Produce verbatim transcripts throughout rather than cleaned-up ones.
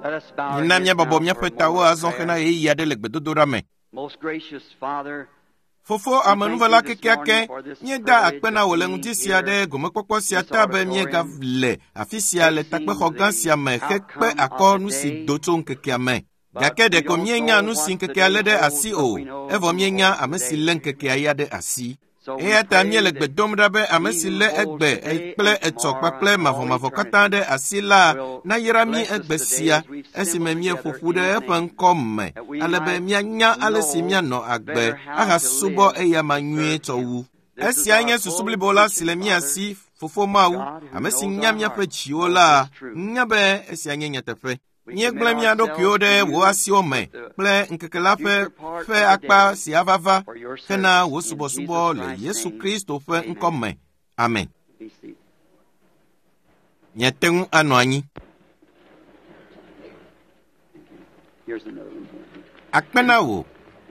Let us bow our Mina heads míabɔbɔ now míaƒe for a tawo moment of azɔ prayer. hena ɣeyiɣi aɖe le gbedodoɖa me. Most gracious Father, Fofo amenuvela kekeake, míeda akpe na wò le ŋdi sia ɖe gomekpɔkpɔ sia ta be míegale afi sia le takpexɔ gã sia me hekpe akɔ nu si do tso ŋkekea me. Gake ɖeko míenya nu si ŋkekea lé ɖe asi o, evɔ míenya ame si lé ŋkekea ya ɖe asi. so we Eya ta pray míele that gbe dom ɖa be ame si lé egbe kple etsɔ kpakple mavɔmavɔ katã ɖe asi la nayra mí egbe sia esime míeƒo ƒu ɖe eƒe ŋkɔ me ale be míanya ale si míanɔ agbe ahasubɔ eyama nyuie tsɔ wu. Esia nye susu blibo la si le mía si, Fofo Mawu, ame si nya míaƒe dziwo la, nya be esia nye nyateƒe. Míegblẽ mía ɖokuiwo ɖe wò asiwo me kple ŋkeke la ƒe ƒe akpa si ava va for your hena wò service in subɔsubɔ Jesus le Christ's Yesu name. Kristo ƒe Amen. ŋkɔ me. Amen. Be seated. Miate ŋu anɔ anyi. Here's another one. Akpe na wò.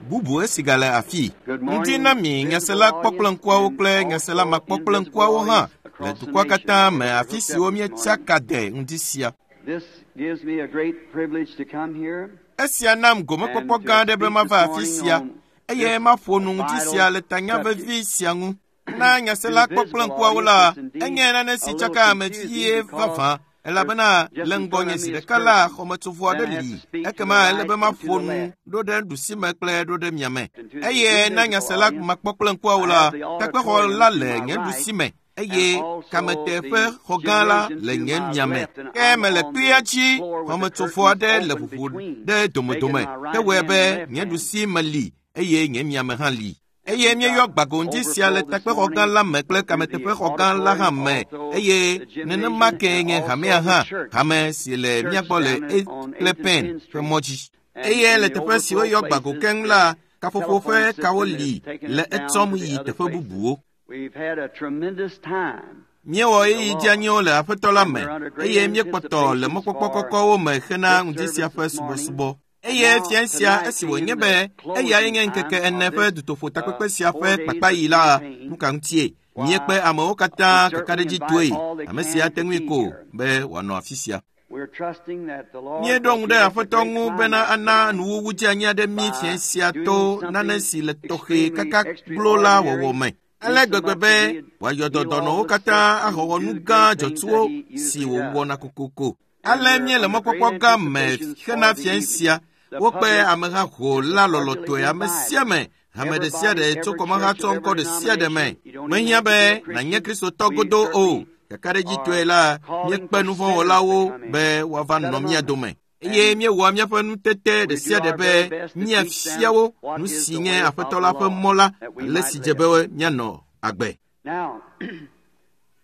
Bubu esi gale afii. Good Ŋdi morning, na mi nyasela visible kpɔkple audience ŋkuawo and kple nyasela also makpɔkple invisible ŋkuawo hã audience le across the dukɔa nation katã that me are afi hooked siwo up this míetsa morning. ka de ŋdi sia. This gives me a great privilege to come here Esia nam gomekpɔkpɔ and gã to aɖe be speak mava this afi morning sia on eye this maƒo nu ŋdi vital sia le tanya subject. vevi sia ŋu. Na To nyasela the kpɔkple visible ŋkuawo la, audience, it's indeed enye nane si a little tsaka ame confusing vie because vavã there's elabena just le in front ŋgɔnye of zi me is ɖeka la curtain. xɔmetsovɔ aɖe Then I have li to speak to the ekema ele right be and to maƒo the nu left. ɖo ɖe ɖusime kple ɖo ɖe miame. And to the Eye na invisible nyasela audience, makpɔkple ŋkuawo I la, have the takpexɔ auditorium la to le my nye right ɖusime and eye also kameteƒe the xɔ gã la gymnasium le to nye my miame. left, and Ke I'm mele on kpuia the dzi, floor with the xɔmetsovɔ curtains aɖe le open ʋuʋu between, ɖe making domedome my right hewɔe hand be and left nye hand. ɖusime li eye nye miame hã li. And Eye we've míeyɔ got gbagoŋdi sia le overflow this takpexɔ gã morning la me kple through the kameteƒexɔ gã la hã auditorium, me also eye the nenema gymnasium, kee and nye also hamea the hã, church. hame si le mía Church gbɔ le down at, Eighth on kple eighth and Penn Penn ƒe Street. mɔ dzi. And Eye in le the teƒe si overflow woyɔ gbago places, keŋ the la, kaƒoƒo telephone ƒe kawo system li is taking le us down etsɔm to the yi other teƒe places. bubuwo. We've had a tremendous time Míewɔ in the ɣeyiɣi Lord, dzeanyiwo le Aƒetɔ la and me we're under great eye míekpɔtɔ le anticipations mɔkpɔkpɔ for kɔkɔwo me hena this ŋdi sia service ƒe this morning. subɔsubɔ. Eye Now, fia sia tonight esi being wònye the be eyae closing nye ŋkeke time ene of ƒe this dutoƒo uh, takpekpe sia ƒe four days of kpakpaɣi la, campaign, nu ka ŋutie? Míekpe why, amewo we katã certainly kakaɖedzitɔe, invite all that ame si can ate to ŋui be ko here. be wòanɔ afi sia. We're trusting that the Lord Míeɖo will ŋu give ɖe us a Aƒetɔ great ŋu bena climax ana tonight nuwuwu dzeanyi aɖe mí by fia sia doing to nane something si le tɔxɛ extremely kaka glo la wɔwɔ extraordinary, me. do Ale so gbegbe much be that He'd wòayɔ heal all dɔnɔwo the sick katã and ahawɔ do nu the gã great things dzɔtsuwo that He si usually does. wòwɔna kokoko. And Ale we're míele under great mɔkpɔkpɔ gã me anticipations hena for the fia evening. sia. The Wokpe public ameha ho is la cordially lɔlɔ̃tɔe ame sia invited. ame, hame ɖe sia Everybody, ɖe tso every kɔmaha church tso of ŋkɔ every ɖe sia ɖe me. denomination. You don't even Mehiã have to be be a nànye Christian. Kristotɔ We godo o. certainly Kakaɖedzitɔe are la, calling míekpe for sinners to nuvɔ̃wɔlawo come in. be woava Set nɔ among mía us. dome. Eye And míewɔa míaƒe nutete we ɖe do sia ɖe our be very best to teach míafia them wo what nu is si the nye way of Aƒetɔ the la ƒe Lord mɔ la, that we ale might si dze live. be míanɔ agbe. Now,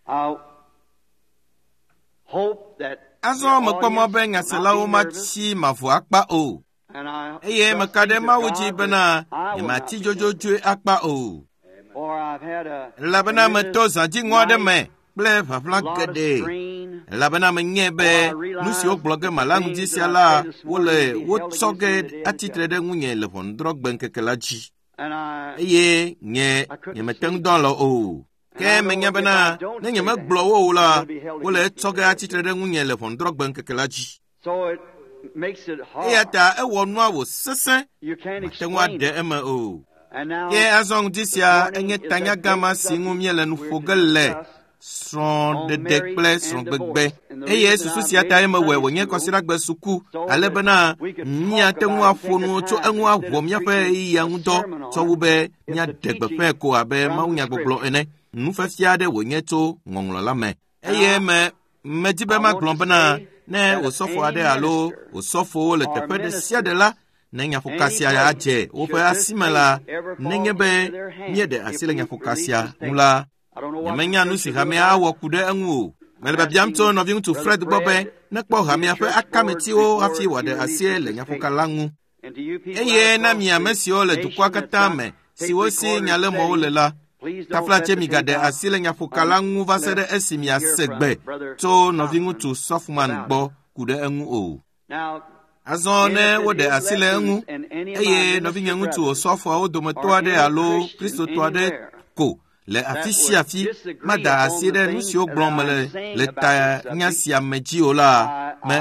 I hope that the Azɔ mekpɔ mɔ audience be will not be nyaselawo nervous, matsi mavɔ akpa o. and I Eye trust meka ɖe to Mawu dzi God that bena I will not nyematsi be nervous. dzodzodzoe akpa o. For I've had a Elabena tremendous meto zãdziŋɔ aɖe night, me kple a ʋaʋla lot of geɖe. strain. Elabena menyae For be I nu realize siwo gblɔ ge that the mala ŋdi things sia that I la, say this wole morning will be held wotsɔ against ge me in the day of atsitre judgment. ɖe ŋunye le ʋɔnudrɔ̃gbe ŋkeke la dzi. And I, Eye nye I couldn't nyemete ŋu sleep. dɔ alɔ o. And Ke I know menya if bena I don't ne say nyemegblɔ them, wo o la, they'll be held wole against me etsɔ in the ge day of atsitre judgment. ɖe ŋunye le ʋɔnudrɔ̃gbe ŋkeke la dzi. So it makes it Eya hard. ta ewɔ nua wòsesẽ, You can't mate ŋu explain aɖe it. eme o. And now, Ke azɔ ŋdi this sia morning enye is that tanya gã great ma si ŋu subject míele nu we're ƒo to ge le discuss on srɔ̃ɖeɖe marriage kple and srɔ̃gbegbe. divorce. And the Eye reason susu I sia made tae it mewɔe Sunday wònye school kɔsiɖagbe suku so ale that bena we could talk míate ŋu about it, aƒo take the nu tso time eŋu instead awɔ of míaƒe preaching ɣeyiɣia a ŋu dɔ sermon tsɔ on wu it. be It's the míaɖe teaching gbeƒãe ko abe from the mawunyagbɔgblɔ Scripture. ene. Nufiafia aɖe wònye tso ŋɔŋlɔ la me. And Eye I, me medi be I want magblɔ to bena say ne that if osɔfo any aɖe alo minister osɔfowo le or teƒe ɖe sia ɖe ministers la, ne nyaƒoka any sia place adze woƒe should this asi me la, tape ever fall nenye be into their hands, míeɖe if asi le we nyaƒoka release sia this ŋu tape, la, I don't know what the nyemenya nu church si will do hamea about awɔ it. ku ɖe eŋu o. Mele I'm biabiam tso asking nɔviŋutsu Brother Fred gbɔ be Fred nekpɔ to see the hamea ƒe church board akametiwo before hafi he wòaɖe releases asie le this tape. nyaƒoka la ŋu. And to you people out Eye na across mi ame the siwo le dukɔa nation that's katã got me, tape siwo si recorders nyalemɔwo le setting, la, please don't let taflatse the tape migaɖe out asi le nyaƒoka la ŋu va se ɖe unless esi you hear miase from gbe Brother tso Sothmann nɔviŋutsu Sothmann about it. gbɔ ku ɖe eŋu o. Now, Azɔ ne if it woɖe is asi le let eŋu loose and any of my eye minister nɔvinyeŋutsu brethren osɔfoawo dometɔ or aɖe any alo Christian Kristotɔ aɖe anywhere ko le afi sia afi mada asi ɖe nu siwo gblɔm mele le ta nya sia me dzi o la, me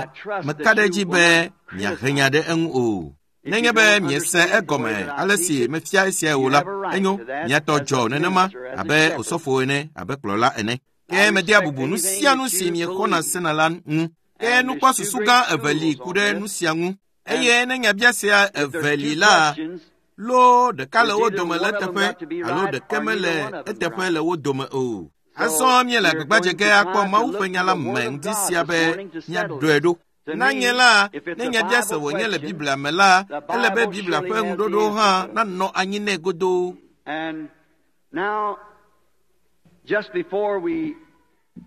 meka ɖe edzi be miahe nya ɖe eŋu o. Nenye be miese egɔme ale si mefia esiae o la, enyo miatɔ dzɔ nenema abe osɔfo ene, abe kplɔla ene. Ke medea bubu nu sia nu si miexɔna sena la ŋu. Ke nukpɔsusu gã eve li ku ɖe nu sia ŋu. Eye ne nyabiasia eve li la, lo ɖeka le wo dome le eteƒe alo ɖeke mele eteƒe le wo dome o. Azɔ míele agbagba ge akpɔ Mawu ƒe nya la me ŋdi sia be míaɖɔe ɖo. Na nye la, ne nyabiase wònye le Biblia me la, ele be Biblia ƒe ŋuɖoɖo hã nanɔ anyi nɛ godoo.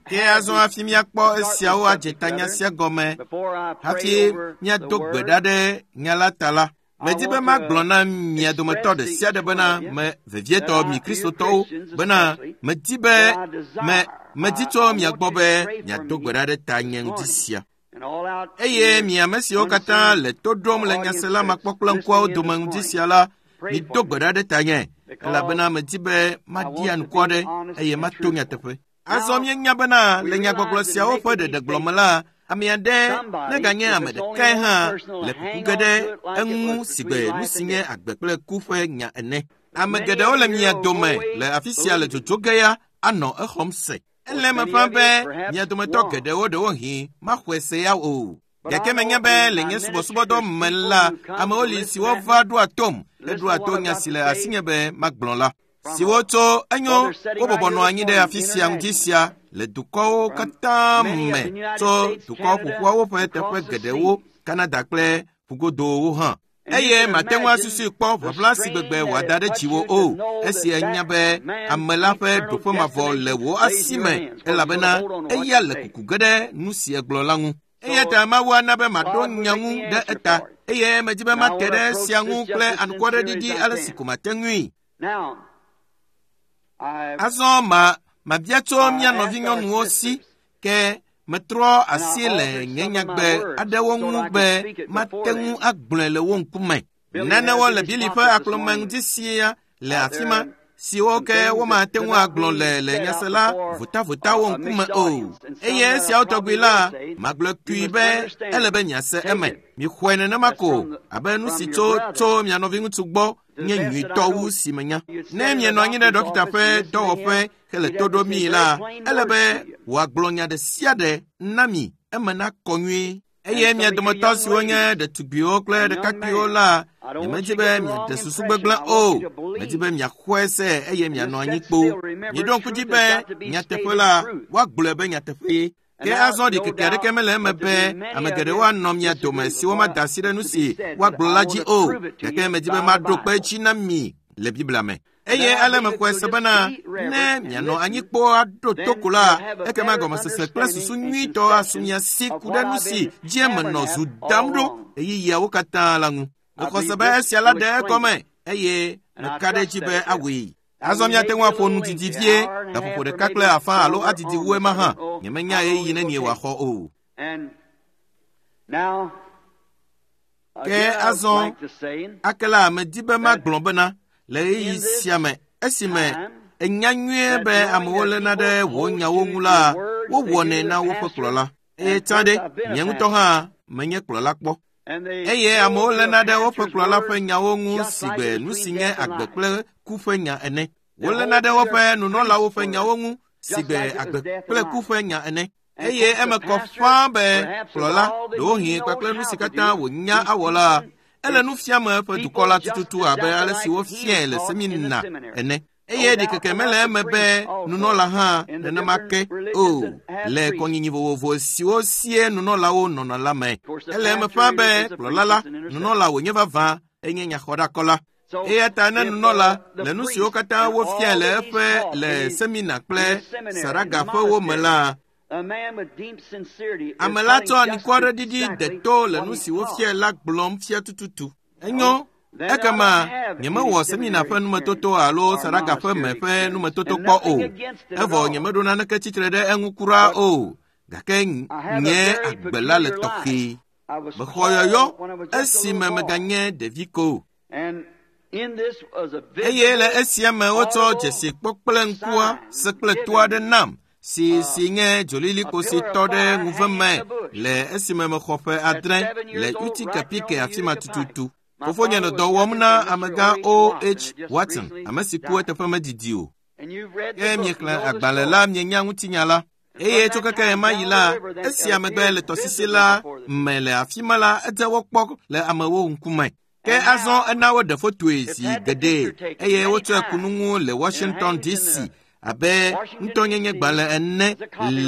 Ke azɔ hafi míakpɔ esiawo adze tanya sia gɔme, hafi míado gbe ɖa ɖe nya la ta la, medi be magblɔ na mia dometɔ ɖe sia ɖe bena me vevietɔ mi Kristotɔwo bena medi be me medi tso mia gbɔ be miado gbe ɖa ɖe ta nye ŋdi sia. Eye mi ame siwo katã le to ɖom le nyasela makpɔ kple ŋkuawo dome ŋdi sia la, mido gbe ɖa ɖe tanye, elabena medi be maɖi anukware ɖe eye mato nyateƒe. Azɔ míenya bena le nyagbɔgblɔ siawo ƒe ɖeɖegblɔ me la, ame aɖe neganye ame ɖekae hã le kuku ge ɖe eŋu sigbe nu si nye agbe kple ku ƒe nya ene. Ame geɖewo le mia dome le afi sia le dzodzo ge ya anɔ exɔm se. Ele eme ƒã be mia dometɔ geɖewo ɖewohĩ maxɔe se ya o. Gake menye be le nye subɔsubɔdɔ me la, amewo li siwo va ɖoa tom heɖoa to nya si le asinye be magblɔ la. Siwo tso enyo wobɔbɔ nɔ anyi ɖe afi sia ŋdi sia le dukɔwo katã me tso dukɔ ƒoƒuawo ƒe teƒe geɖewo, Kanada kple ƒugodowo hã. Eye mate ŋu asusui kpɔ ʋaʋla si gbegbe wòada ɖe dziwò o, esi enya be ame la ƒe ɖoƒe mavɔ le wò asi me, elabena eya le kuku ge ɖe nu si egblɔ la ŋu. Eya ta Mawu ana be maɖo nya ŋu ɖe eta, eye medi be mate ɖe esia ŋu kple anukwareɖiɖi ale si ko mate ŋui. Azɔ ma mabia tso mía nɔvinyɔnuwo si, ke metrɔ asi le nye nyagbe aɖewo ŋu be mate ŋu agblɔe le wo ŋkume. Nanewo le Bili ƒe akplɔme ŋdi sia le afi ma, siwo ke womate ŋu agblɔ le le nyasela votavotawo ŋkume o. Eye esiawo tɔgbi la, magblɔ kui be ele be miase eme. Mixɔe nenema ko abe nu si tso tso mia nɔviŋutsu gbɔ nye nyuitɔ wu si menya. Ne mienɔ anyi ɖe ɖɔkita ƒe dɔwɔƒe hele to ɖom mi la, ele be wòagblɔ nya ɖe sia ɖe na mi eme nakɔ nyuie. Eye mia dometɔ siwo nye ɖetugbiwo kple ɖekakpuiwo la, nyemedi be miaɖe susu gbegblẽ o. Medi be miaxɔe se eye mianɔ anyi kpo. Miɖo ŋku dzi be nyateƒe la, woagblɔe be nyateƒee. Ke azɔ ɖikeke aɖeke mele eme be ame geɖewo anɔ mia dome siwo mada asi ɖe nu si woagblɔ la dzi o. Gake medi be maɖo kpe edzi na mi le Biblia me. Eye ale mexɔe se bena ne mianɔ anyi kpo aɖo to ko la, ekema gɔmesese kple susu nyuitɔ asu mia si ku ɖe nu si dzi menɔ zu dam ɖo ɣeyiɣiawo katã la ŋu. Mexɔ se be esia la ɖe egɔme eye meka ɖe edzi be awɔe. Azɔ miate ŋu aƒo nu didi vie, gaƒoƒo ɖeka kple afã alo adidi wu ema hã. Nyemenya ɣeyiɣi nenie wòaxɔ o. Ke azɔ ake la medi be magblɔ bena le ɣeyiɣi sia me, esime enya nyuie be amewo léna ɖe wò nyawo ŋu la, wowɔnɛ na woƒe kplɔla. Eye tsã ɖe, nye ŋutɔ hã menye kplɔla kpɔ. Eye amewo léna ɖe woƒe kplɔla ƒe nyawo ŋu sigbe nu si nye agbe kple ku ƒe nya ene. Woléna ɖe woƒe nunɔlawo ƒe nyawo ŋu sigbe agbe kple ku ƒe nya ene. Eye eme kɔ ƒãa be kplɔla ɖewohĩ kpakple nu si katã wònya awɔ la, ele nu fiame eƒe dukɔ la tututu abe ale si wofiae le semina ene. Eye ɖikeke mele eme be nunɔla hã nenema ke o le kɔnyinyi vovovo siwo sie nunɔlawo nɔna la me. Ele eme ƒã be kplɔla la, nunɔla wònye vavã, enye nyaxɔɖakɔla. Eya ta ne nunɔla le nu siwo katã wofiae le eƒe le semina kple saragaƒewo me la, ame la tsɔ anukwareɖiɖi deto le nu si wofiae la gblɔm fia tututu. Enyo, ekema nyemewɔ semina ƒe numetoto alo saragaƒe me ƒe numetoto kpɔ o. Evɔ nyemeɖo naneke tsitre ɖe eŋu kura o. Gake nye agbe la le tɔxɛ. Mexɔ yɔyɔ esime meganye ɖevi ko. Eye le esia me wotsɔ dzesi kpɔ kple ŋkua se kple to aɖe nam si si nye dzolilikpo si tɔ ɖe ŋuve me le esime mexɔ ƒe adre le Utica Pike afi ma tututu. Fofonye nɔ dɔ wɔm na amegã O H Watson, ame si ku eteƒe medidi o. Ke miexlẽ agbalẽ la mienya ŋutinya la. Eye tso keke ɣe ma ɣi la, esia megbe le tɔsisi la me le afi ma la, edze wokpɔ le amewo ŋkume. Ke azɔ ena woɖe fotoe zi geɖe eye wotsɔe ku nu ŋu le Washington D C abe ŋutɔnyenye gbalẽ ene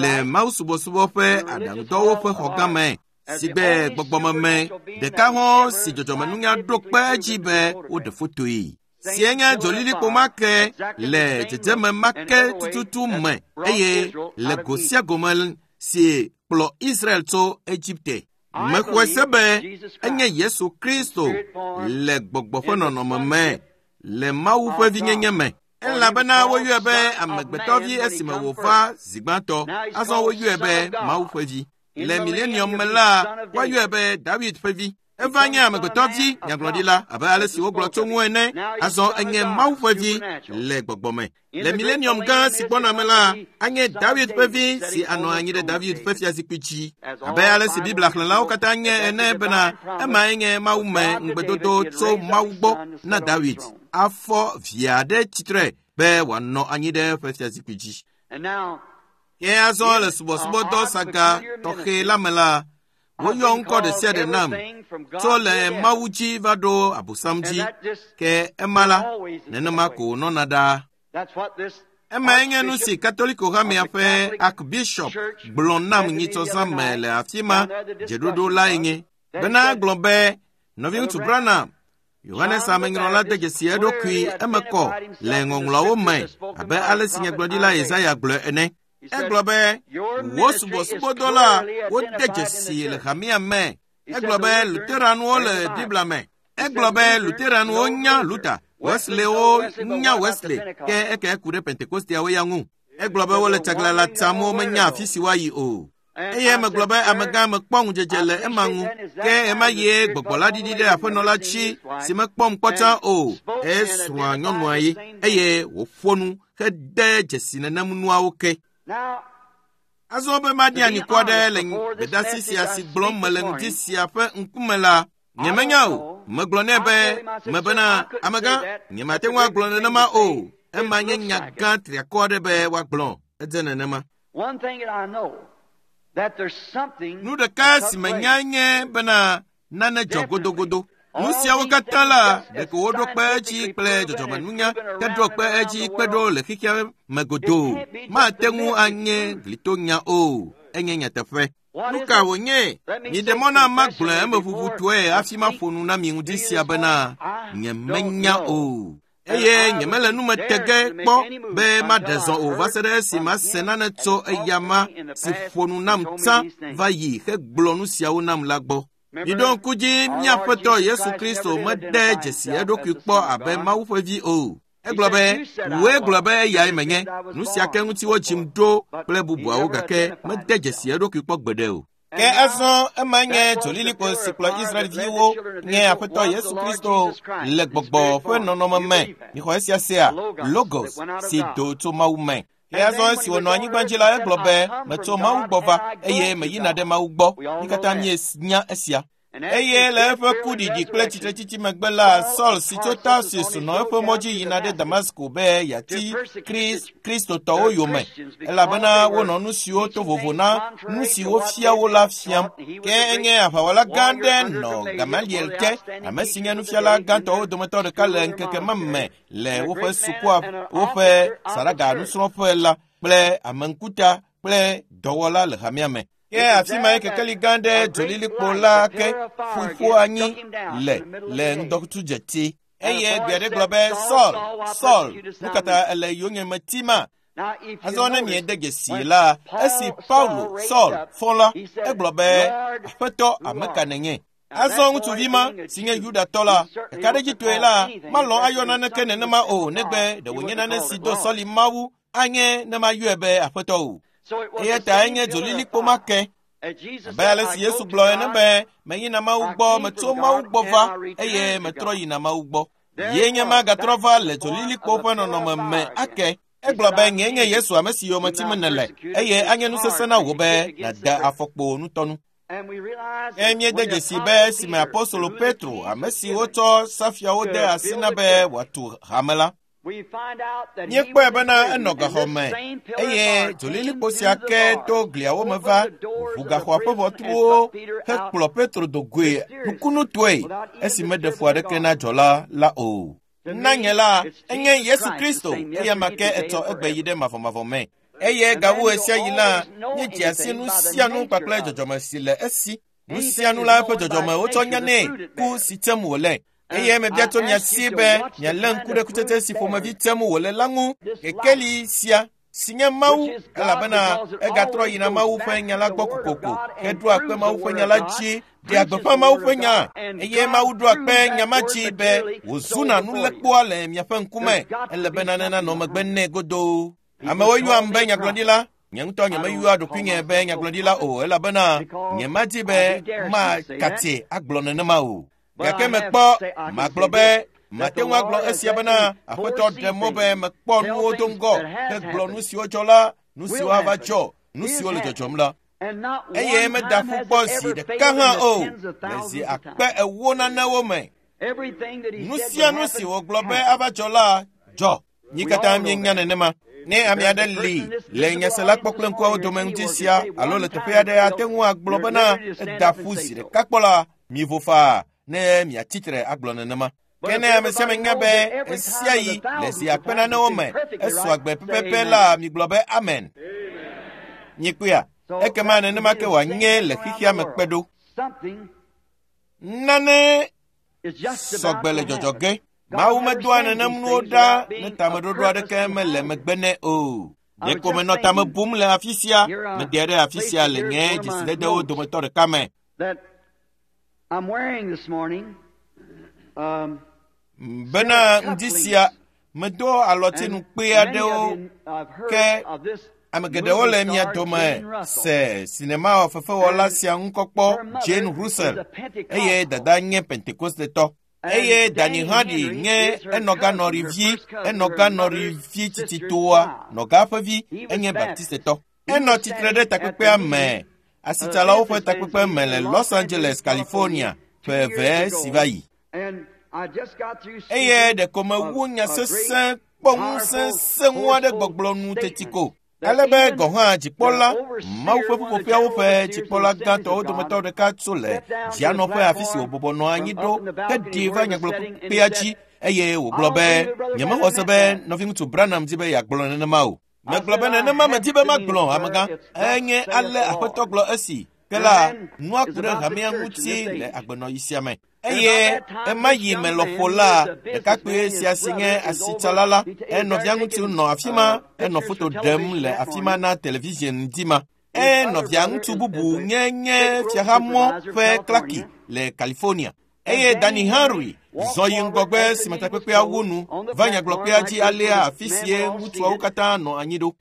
le mawusubɔsubɔ ƒe aɖaŋudɔwo ƒe xɔgã me si gbe gbɔgbɔmeme ɖeka hã si dzɔdzɔmenunya ɖo kpe edzi be woɖe fotoe. Si enye dzolilikpo ma ke le dzedzeme ma ke tututu me eye le go sia go me si kplɔ Israel tso Egipte. Mexɔe se be enye Yesu Kristo le gbɔgbɔ ƒe nɔnɔme me le Mawu ƒe vinyenye me. Elabena woyɔe be amegbetɔvi esime wòva zi gbãtɔ, azɔ woyɔe be Mawu ƒe vi. Le milenium me la, woayɔe be David ƒe vi. Eva nye amegbetɔvi nyagblɔɖila abe ale si wogblɔ tso ŋu ene, azɔ enye Mawu ƒe vi le gbɔgbɔ me. Le milenium gã si gbɔna me la, anye David ƒe vi si anɔ anyi ɖe David ƒe fiazikpui dzi. Abe ale si Biblia xlẽlawo katã nye ene bena emae nye Mawu me ŋugbedodo tso Mawu gbɔ na David afɔ via ɖe tsitre be wòanɔ anyi ɖe eƒe fiazikpui dzi. Ke azɔ le subɔsubɔdɔ saga tɔxɛ la me la, woyɔ ŋkɔ ɖe sia ɖe nam tso le Mawu dzi va ɖo Abosam dzi. Ke ema la, nenema ko wònɔna ɖaa. Emae nye nu si Katoliko hamea ƒe Archbishop gblɔ nam nyitsɔzã me le afi ma dzeɖoɖo lae nye bena egblɔ be nɔviŋutsu Branham, Yohanes Amenyrɔla de dzesi eɖokui eme kɔ le ŋɔŋlɔawo me abe ale si nyagblɔɖila Yesaya gblɔe ene. Egblɔ be wò subɔsubɔdɔ la wode dzesi le hamea me. Egblɔ be Lutheranwo le Biblia me. Egblɔ be Lutheranwo nya Luther, Wesleywo nya Wesley, ke eke ku ɖe Pentekosteawo ya ŋu. Egblɔ be wole tsaglãla tsam womenya afi si woayi o. Eye megblɔ be amegã mekpɔ ŋudzedze le ema ŋu, ke ema yie gbɔgbɔ la ɖiɖi ɖe aƒenɔ la tsi si mekpɔm kpɔ tsã o. Esrɔ̃a nyɔnua ye eye wòƒo nu hede dzesi nenem nuawo ke. Azɔ be maɖi anyikɔ aɖe le gbedasi sia si gblɔm mele ŋdi sia ƒe ŋkume la, nyemenya o. Megblɔ nɛ be mebena amegã nyemate ŋu agblɔ nenema o. Ema nye nya gã triakɔ aɖe be woagblɔ. Edze nenema. Nu ɖeka si menya nye bena nane dzɔ godogodo. Nu siawo katã la, ɖeko woɖo kpe edzi kple dzɔdzɔmenunya heɖo kpe edzi kpe ɖo le xexea me godoo. Mate ŋu anye glitonya o. Enye nyateƒe. Nu ka wònye? Miɖe mɔ na magblɔe emeʋuʋutɔe hafi maƒo nu na mi ŋdi sia bena nyemenya o. Eye nyemele nu me te ge kpɔ be maɖe zɔ o va se ɖe esi mase nane tso eyama si ƒo nu nam tsã va yi hegblɔ nu siawo nam la gbɔ. Miɖo ŋku dzi míaƒetɔ Yesu Kristo mede dzesi eɖokui kpɔ abe Mawu ƒe vi o. Egblɔ be wòe gblɔ be eyae menye. Nu sia ke ŋuti wodzim ɖo kple bubuawo gake mede dzesi eɖokui kpɔ gbeɖe o. Ke azɔ ema nye dzolilikpo si kplɔ Israelviwo nye Aƒetɔ Yesu Kristo le gbɔgbɔ ƒe nɔnɔme me. Mixɔ esia sea, Logos si do tso Mawu me. Ke azɔ esi wònɔ anyigba dzi la, egblɔ be metso Mawu gbɔ va eye meyina ɖe Mawu gbɔ. Mi katã mienya esia. Eye le eƒe kuɖiɖi kple tsitretsitsi megbe la, Saul si tso Tarsus nɔ eƒe mɔ dzi yina ɖe Damasko be yeati Kristotɔwo yome, elabena wonɔ nu siwo to vovo na nu si wofia wo la fiam. Ke enye aʋawɔla gã aɖe nɔ Gamaliel te, ame si nye nufiala gãtɔwo dometɔ ɖeka le ŋkeke ma me le woƒe sukua, woƒe saɖaga nusrɔ̃ƒe la kple ameŋkuta kple dɔwɔla le hamea me. Ke afi ma ye kekeli gã ɖe dzolilikpo la ke ƒuƒu anyi le le ŋdɔkutsu dzeti. Eye gbe aɖe gblɔ be Saul, Saul, nu ka ta ele yonyeme tima? Azɔ ne miede dzesi la, esi Paulo, Saul, fɔ la, egblɔ be Aƒetɔ, ame ka nènye? Azɔ ŋutsuvi ma si nye Yudatɔ la, kakaɖedzitɔe la, malɔ̃ ayɔ naneke nenema o negbe ɖe wònye nane si do sɔli Mawu anye ne mayɔe be Aƒetɔ o. Eya ta enye dzolilikpo ma ke. Abe ale si Yesu gblɔ ene be meyina Mawu gbɔ, metso Mawu gbɔ va eye metrɔ yina Mawu gbɔ. Ye nye ma gatrɔ va le dzolilikpo ƒe nɔnɔme me ake. Egblɔ be nye nye Yesu ame si yome tim nèle eye anye nu sesẽ na wò be nàda afɔkpo nutɔnu. Ke míede dzesi be esime apostolo Petro, ame si wotsɔ safiawo de asi na be wòatu hame la, míekpɔe bena enɔ gaxɔ me eye dzolilikpo sia ke to gliawo me va ʋu gaxɔa ƒe ʋɔtruwo hekplɔ Petro do goe nukunutɔe esi meɖe fu aɖeke na dzɔla la o. Na nye la, enye Yesu Kristo eya ma ke etsɔ egbe yi ɖe mavɔmavɔ me. Eye gawu ɣe sia ɣi la, míedzea si nu sia nu kpakple dzɔdzɔme si le esi. Nu sia nu la eƒe dzɔdzɔme wotsɔ nyanɛ ku si tsem wòle. Eye mebia tso mia si be mialé ŋku ɖe kutsetse si ƒomevi tsem wòle la ŋu. Kekeli sia si nye Mawu elabena egatrɔ yina Mawu ƒe nya la gbɔ kokoko heɖoa kpe Mawu ƒe nya la dzi ɖea gbeƒã Mawu ƒe nya eye Mawu ɖoa kpe nya ma dzi be wòzuna nulekpoa le miaƒe ŋkume ele be nane nanɔ megbe nɛ godoo. Amewo yɔam be nyagblɔɖila. Nye ŋutɔ nyemeyɔa ɖokuinye be nyagblɔɖila o elabena nyemadi be makatse agblɔ nenema o. Gake mekpɔ magblɔ be mate ŋu agblɔ esia bena Aƒetɔ ɖe mɔ be mekpɔ nuwo do ŋgɔ hegblɔ nu siwo dzɔ la, nu siwo ava dzɔ, nu siwo le dzɔdzɔm la. Eye meda ƒu kpɔ zi ɖeka hã o le zi akpe ewo nanewo me. Nu sia nu si wògblɔ be ava dzɔ la dzɔ. Mí katã míenya nenema. Ne ame aɖe li le nyasela kpɔ kple ŋkuawo dome ŋuti sia alo le teƒe aɖe ate ŋu agblɔ bena eda ƒu zi ɖeka kpɔ la, mivo faa ne miatsitre agblɔ nenema. Ke ne ame sia ame nya be esia yi le zi akpe nanewo me esɔ agbe pɛpɛpɛ la, migblɔ be amen. Nyikpea, ekema nenema ke wòanye le xexea me kpe ɖo. Nane sɔgbe le dzɔdzɔ ge. Mawu medoa nenem nuwo ɖa ne tameɖoɖo aɖeke mele megbe nɛ o. Ɖeko menɔ tame bum le afi sia, meɖe ɖe afi sia le nye dzesidedewo dometɔ ɖeka me. Bena ŋdi sia medo alɔtinu kpe aɖewo ke ame geɖewo le mia dome se sinema fefewɔla sia ŋkɔ kpɔ Jane Russell eye dada nye Pentekostetɔ. Eye Danny Henry nye enɔganɔrivi enɔganɔrivi tsitsitoa nɔga ƒe vi enye Baptistetɔ. Enɔ tsitre ɖe takpekpea me asitsalawo ƒe takpekpe me le Los Angeles, California ƒe eve si va yi. Eye ɖeko mewu nya sesẽ kpɔ ŋusẽ sẽŋu aɖe gbɔgblɔ nu teti ko. Ale be gɔ̃ hã dzikpɔla Mawu ƒe ƒuƒoƒeawo ƒe dzikpɔla gãtɔwo dometɔ ɖeka tso le dzianɔƒe afi si wòbɔbɔ nɔ anyi ɖo heɖi va nyagblɔkpekpea dzi eye wògblɔ be nyemexɔ se be nɔviŋutsu Branham di be yeagblɔ nenema o. Megblɔ be nenema medi be magblɔ amegã enye ale Aƒetɔ gblɔ esi ke la nua ku ɖe hamea ŋuti le agbenɔɣi sia me. Eye ema yi me lɔƒo la ɖekakpui sia si nye asitsala la enɔvia ŋutsu nɔ afi ma enɔ foto ɖem le afi ma na television ŋdi ma. Enɔvia ŋutsu bubu nye nye fiahamɔ ƒe klaki le California. Eye Danny Henry zɔ yi ŋgɔgbe si me takpekpea wu nu va nyagblɔkpea dzi alea afi sie ŋutsuawo katã nɔ anyi ɖo.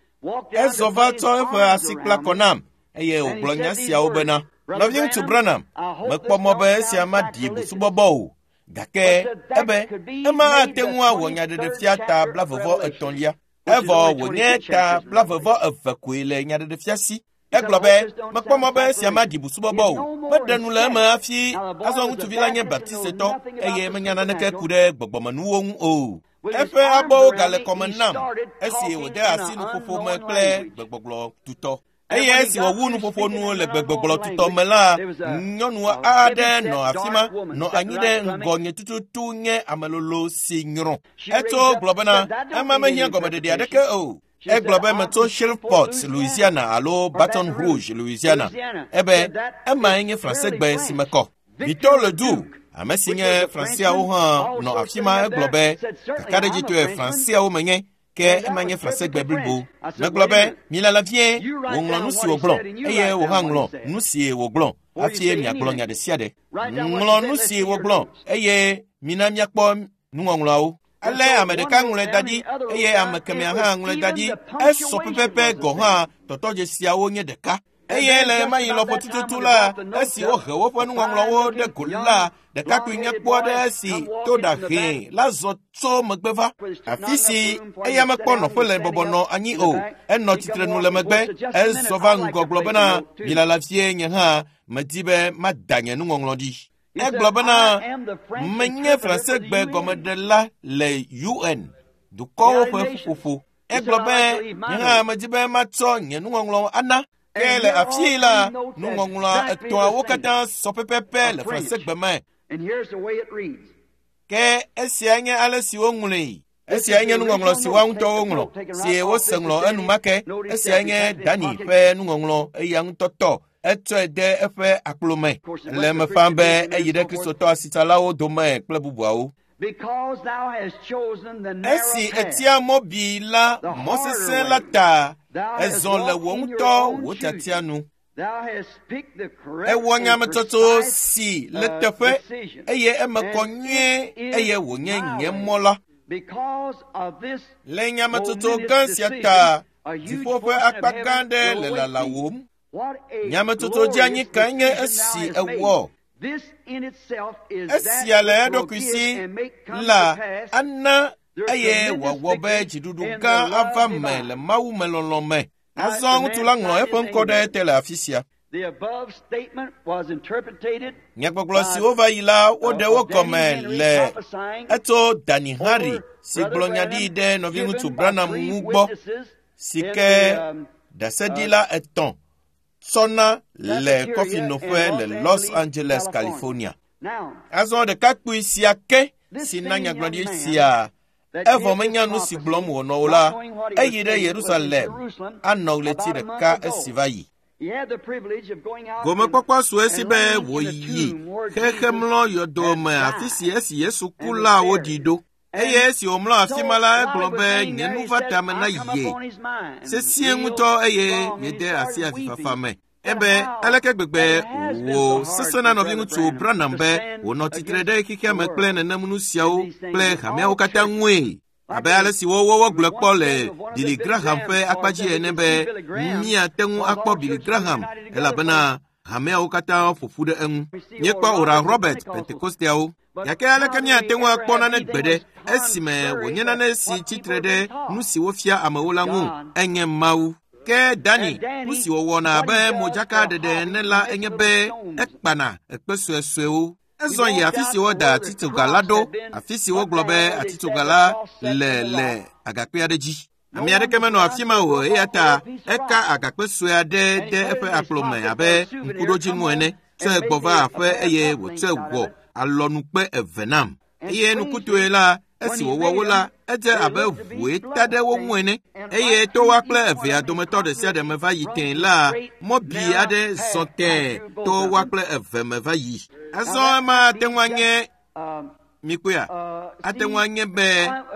Ezɔ va tsɔ eƒe asi kpla kɔ nam eye wògblɔ nya siawo bena nɔviŋutsu Branham, mekpɔ mɔ be esia maɖi busubɔbɔ o, gake ebe ema ate ŋu awɔ nyaɖeɖefia ta blavevɔ etɔ̃lia. Evɔ wònye ta blavevɔ eve koe le nyaɖeɖefia si. Egblɔ be mekpɔ mɔ be esia maɖi busubɔbɔ o, meɖe nu le eme hafi azɔ ŋutsuvi la nye Baptistetɔ eye menya naneke ku ɖe gbɔgbɔmenuwo ŋu o. Eƒe abɔwo gale kɔme nam esi wòde asi nuƒoƒo me kple gbegbɔgblɔ tutɔ. Eye esi wòwu nuƒoƒo nu le gbegbɔgblɔ tutɔ me la, nyɔnu aɖe nɔ afi ma nɔ anyi ɖe ŋgɔnye tututu nye amelolo si nyrɔ. Etso gblɔ bena ema mehiã gɔmeɖeɖe aɖeke o. Egblɔ be metso Shreveport, Louisiana alo Baton Rouge, Louisiana. Ebe emae nye Fransegbe si mekɔ. Victor Ledoux, ame si nye Franseawo hã nɔ afi ma egblɔ be kakaɖedzitɔe Franseawo menye ke ema nye Fransegbe blibo. Megblɔ be milala vie wòŋlɔ nu si wògblɔ eye wò hã ŋlɔ nu si wògblɔ hafi miagblɔ nya ɖe sia ɖe. Ŋlɔ nu si wògblɔ eye mina miakpɔ nuŋɔŋlɔawo. Ale ame ɖeka ŋlɔe da ɖi eye ame kemɛa hã ŋlɔe da ɖi. Esɔ pɛpɛpɛ gɔ̃ hã tɔtɔdzesiawo nye ɖeka. Eye le ɣemaɣi lɔƒo tututu la, esi wohe woƒe nuŋɔŋlɔwo ɖe go la, ɖekakpui nyakpɔ aɖe si to ɖa hɛ̃ la zɔ tso megbe va. Afi si eya mekpɔ nɔƒe le bɔbɔ nɔ anyi o, enɔ tsitrenu le megbe, ezɔ va ŋgɔ gblɔ bena, milala fie nye hã medi be mada nye nuŋɔŋlɔ ɖi. Egblɔ bena, menye Fransegbe gɔmeɖela le U N, dukɔwo ƒe ƒuƒoƒo. Egblɔ be, nye hã medi be matsɔ nye nuŋɔŋlɔ ana. Ke le afii la, nuŋɔŋlɔa etɔ̃awo katã sɔ pɛpɛpɛ le Fransegbe me. Ke esia nye ale si woŋlɔe. Esia nye nuŋɔŋlɔ si woa ŋutɔwo ŋlɔ, si wose ŋlɔ enumake. Esia nye Dani ƒe nuŋɔŋlɔ eya ŋutɔ tɔ. Etsɔe de eƒe akplo me. Le eme fam be eyi ɖe Kristotɔ asitsalawo dome kple bubuawo. Esi etia mɔ bi la mɔ sesẽ la ta, ezɔ le wò ŋutɔ wò tiatia nu. Ewɔ nyametsotso si le teƒe eye eme kɔ nyuie eye wònye nye mɔ la. Le nyametsotso gã sia ta, dziƒo ƒe akpa gã aɖe le lalawòm. Nyametsotso dzeanyi kae nye esi ewɔ? Esia le eɖokui si la ana eye wòawɔ be dziɖuɖu gã ava me le Mawu me lɔlɔ̃ me. Azɔ ŋutsu la ŋlɔ eƒe ŋkɔ ɖe ete le afi sia. Nyagbɔgblɔ siwo va yi la, woɖe wo gɔme le etso Danny Henry si gblɔ nya ɖi ɖe nɔviŋutsu Branham ŋu gbɔ, si ke ɖaseɖila etɔ̃ tsɔna le kɔfinoƒe le Los Angeles, California. Azɔ ɖekakpui sia ke si na nyagblɔɖi sia, evɔ menya nu si gblɔm wònɔ o la, eyi ɖe Yerusalem anɔ ɣleti ɖeka esi va yi. Gomekpɔkpɔ su esi be wòyi xexemlɔ yɔdo me afi si esi Yesu ku la woɖi ɖo. Eye esi wòmlɔ afi ma la, egblɔ be nye nu va tame na ye sesĩe ŋutɔ eye yede asi avifafa me. Ebe aleke gbegbe wò sesẽ na nɔviŋutsu Branham be wònɔ tsitre ɖe xexea me kple nenem nu siawo kple hameawo katã ŋue. Abe ale si wowɔ gblɔe kpɔ le Billy Graham ƒe akpa dzi ene be míate ŋu akpɔ Billy Graham elabena hameawo katã ƒo ƒu ɖe eŋu. Míekpɔ Oral Robert Pentekosteawo. Gake aleke míate ŋu akpɔ nane gbe ɖe esime wònye nane si tsitre ɖe nu si wofia amewo la ŋu enye Mawu. Ke Dani, nu si wòwɔna abe modzakaɖeɖe ene la enye be ekpana ekpe suesuewo. Ezɔ yi afi si woda atitsoga la ɖo, afi si wogblɔ be atitsoga la le le agakpe aɖe dzi. Ame aɖeke menɔ afi ma o, eya ta eka agakpe sue aɖe de eƒe akplo me abe ŋkuɖodzinu ene, tsɔe gbɔ va aƒe eye wòtsɔe wɔ alɔnukpe eve nam. Eye nukutɔe la, esi wòwɔ wo la, edze abe ʋue ta ɖe wo ŋu ene. Eye to woa kple evea dometɔ ɖe sia ɖe me va yi tẽe la, mɔbi aɖe zɔ tẽe to woa kple eve me va yi. Azɔ ema ate ŋu anye mikpɔea, ate ŋu anye be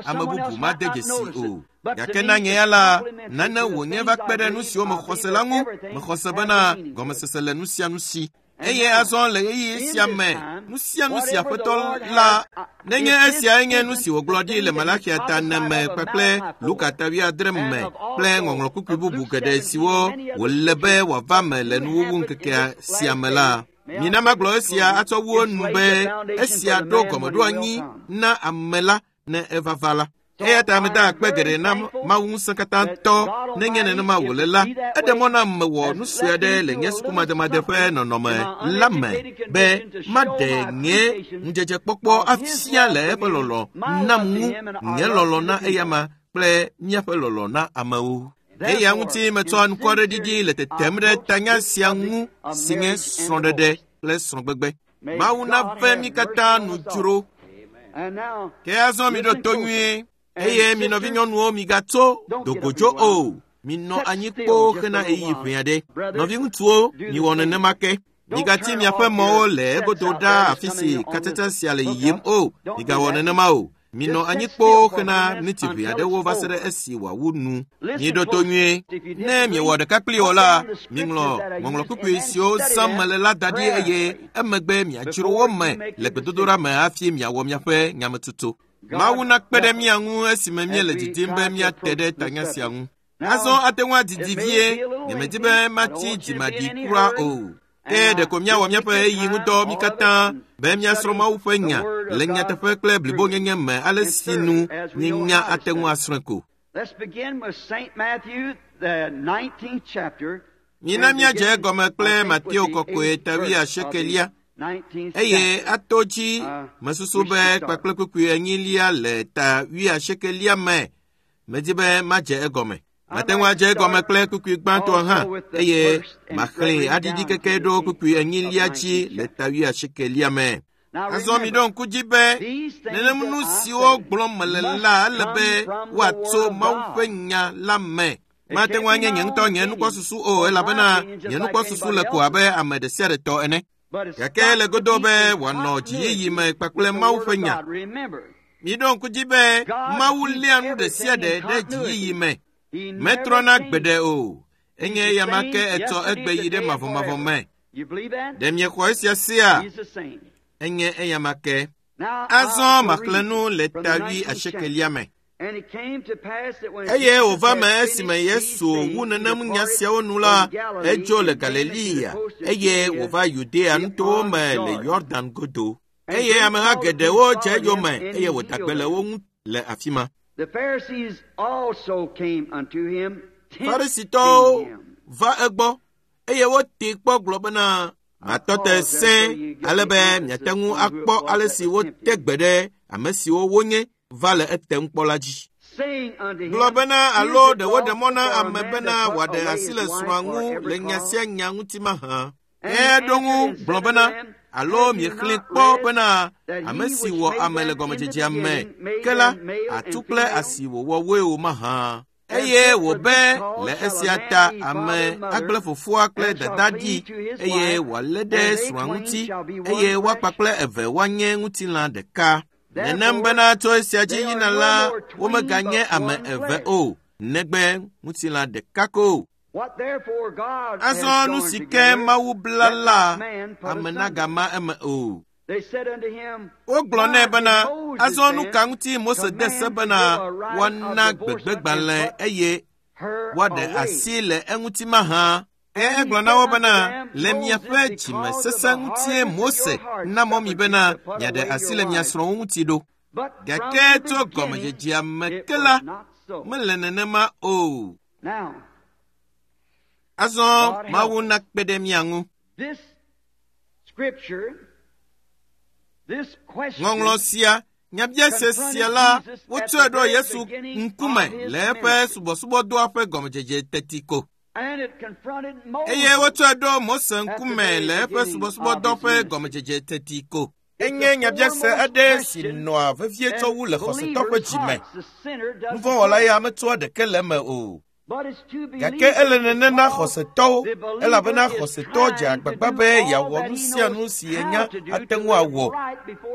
ame bubu made dzesi o. Gake na nye ya la, nane wònye va kpe ɖe nu siwo mexɔ se la ŋu. Mexɔ se bena gɔmesese le nu sia nu si. Eye azɔ le ɣeyiɣi sia me, nu sia nu si Aƒetɔ la, nenye esiae nye nu si wògblɔ ɖi le Malaxia ta ene me kpakple Luka ta wuiadre me kple ŋɔŋlɔ kpukpui bubu geɖe siwo wòle be wòava me le nuwuwu ŋkekea sia me la. Mina magblɔ esia atsɔ wu enu be esia ɖo gɔmeɖoanyi na ame la ne eva va la. Eya ta meda akpe geɖe na Mawu ŋusẽkatãtɔ nenye nenema wòle la, eɖe mɔ nam mewɔ nu sue aɖe le nye sukumademade ƒe nɔnɔme la me be maɖe nye ŋudzedzekpɔkpɔ afia le eƒe lɔlɔ̃ nam ŋu, nye lɔlɔ̃ na eyama kple míaƒe lɔlɔ̃ na amewo. Eya ŋuti metsɔ anukware ɖiɖi le tetem ɖe tanya sia ŋu si nye srɔ̃ɖeɖe kple srɔ̃gbegbe. Mawu nave mí katã nu dzro. Ke azɔ miɖo to nyuie. Eye mi nɔvinyɔnuwo migatso dogodzo o. Minɔ anyi kpoo hena ɣeyiɣi ʋɛ aɖe. Nɔviŋutsuwo, miwɔ nenema ke. Migatsi miaƒe mɔwo le egodo ɖaa afi si katsatsa sia le yiyim o. Migawɔ nenema o. Minɔ anyi kpoo hena miniti ʋɛ aɖewo va se ɖe esi wòawu nu. Miɖo to nyuie. Ne miewɔ ɖeka kpli o la, miŋlɔ ŋɔŋlɔ kpukpui siwo zãm mele la da ɖi eye emegbe miadzro wo me le gbedodoɖa me hafi miawɔ miaƒe nyametsotso. Mawu nakpe ɖe mía ŋu esime míele didim be míate ɖe tanya sia ŋu. Azɔ ate ŋu adidi vie, nyemedi be matsi dzimaɖi kura o. Ke ɖeko míawɔ míaƒe ɣeyiɣi ŋudɔ mí katã be míasrɔ̃ Mawu ƒe nya le nyateƒe kple blibonyenye me ale si nu míenya ate ŋu asrɔ̃e ko. Mina míadze egɔme kple Mateo kɔkɔe ta wuiasiekelia eye ato dzi mesusu be kpakple kpukpui enyilia le ta wuiasiekelia me. Medi be madze egɔme. Mate ŋu adze egɔme kple kpukpui gbãtɔ hã eye maxlẽe aɖiɖi keke ɖo kpukpui enyilia dzi le ta wuiasiekelia me. Azɔ miɖo ŋku dzi be nenem nu siwo gblɔm mele la ele be woatso Mawu ƒe nya la me. Mate ŋu anye nye ŋutɔ nye nukpɔsusu o elabena nye nukpɔsusu le ko abe ame ɖe sia ɖe tɔ ene. Gake le godo be wòanɔ dziyiyi me kpakple Mawu ƒe nya. Miɖo ŋku dzi be Mawu léa nu ɖe sia ɖe ɖe dziyiyi me. Metrɔna gbeɖe o. Enye eyama ke etsɔ egbe yi ɖe mavɔmavɔ me. Ɖe miexɔ esia sia? Enye eyama ke. Azɔ maxlẽ nu le ta wuiasiekelia me. Eye wòva me esime Yesu wu nenem nya siawo nu la, edzo le Galilea eye wòva Yudea nutowo me le Yɔdan godo. Eye ameha geɖewo dze eyome eye wòda gbe le wo ŋu le afi ma. Farisitɔwo va egbɔ eye wotee kpɔ gblɔ bena matɔ te sẽ ale be miate ŋu akpɔ ale si wote gbe ɖe ame siwo wonye va le etem kpɔ la dzi. Gblɔ bena alo ɖe woɖe mɔ na ame bena wòaɖe asi le srɔ̃a ŋu le nya sia nya ŋuti mahã. Eɖo ŋu gblɔ bena alo miexlẽ kpɔ bena ame si wɔ ame le gɔmedzedzea me ke la atu kple asi wòwɔ woe o mahã. Eye wòbe le esia ta ame agblẽ fofoa kple dada ɖi eye wòalé ɖe srɔ̃a ŋuti eye woakpa kple eve woanye ŋutilã ɖeka. Nenem bena tso esia dzi yina la womeganye ame eve o, negbe ŋutilã ɖeka ko. Azɔ nu si ke Mawu bla la, ame nagama eme o. Wogblɔ nɛ bena azɔ nu ka ŋuti Mose de se bena woana gbegbegbalẽ eye woaɖe asi le eŋuti mahã. Eye egblɔ na wo bena le miaƒe dzimesesẽ ŋutie Mose na mɔ mi bena miaɖe asi le mia srɔ̃wo ŋuti ɖo. Gake tso gɔmedzedzea me ke la, mele nenema o. Azɔ Mawu nakpe ɖe mía ŋu. Ŋɔŋlɔ sia, nyabiase sia la, wotsɔe ɖo Yesu ŋkume le eƒe subɔsubɔdɔa ƒe gɔmedzedze teti ko. Eye wotsɔe ɖo Mose ŋkume le eƒe subɔsubɔdɔ ƒe gɔmedzedze teti ko. Enye nyabiase aɖe si nɔa vevie tsɔ wu le xɔsetɔ ƒe dzime. Nuvɔ̃wɔla ya metsoa ɖeke le eme o. Gake ele nene na xɔsetɔwo elabena xɔsetɔ dze agbagba be yeawɔ nu sia nu si yenya ate ŋu awɔ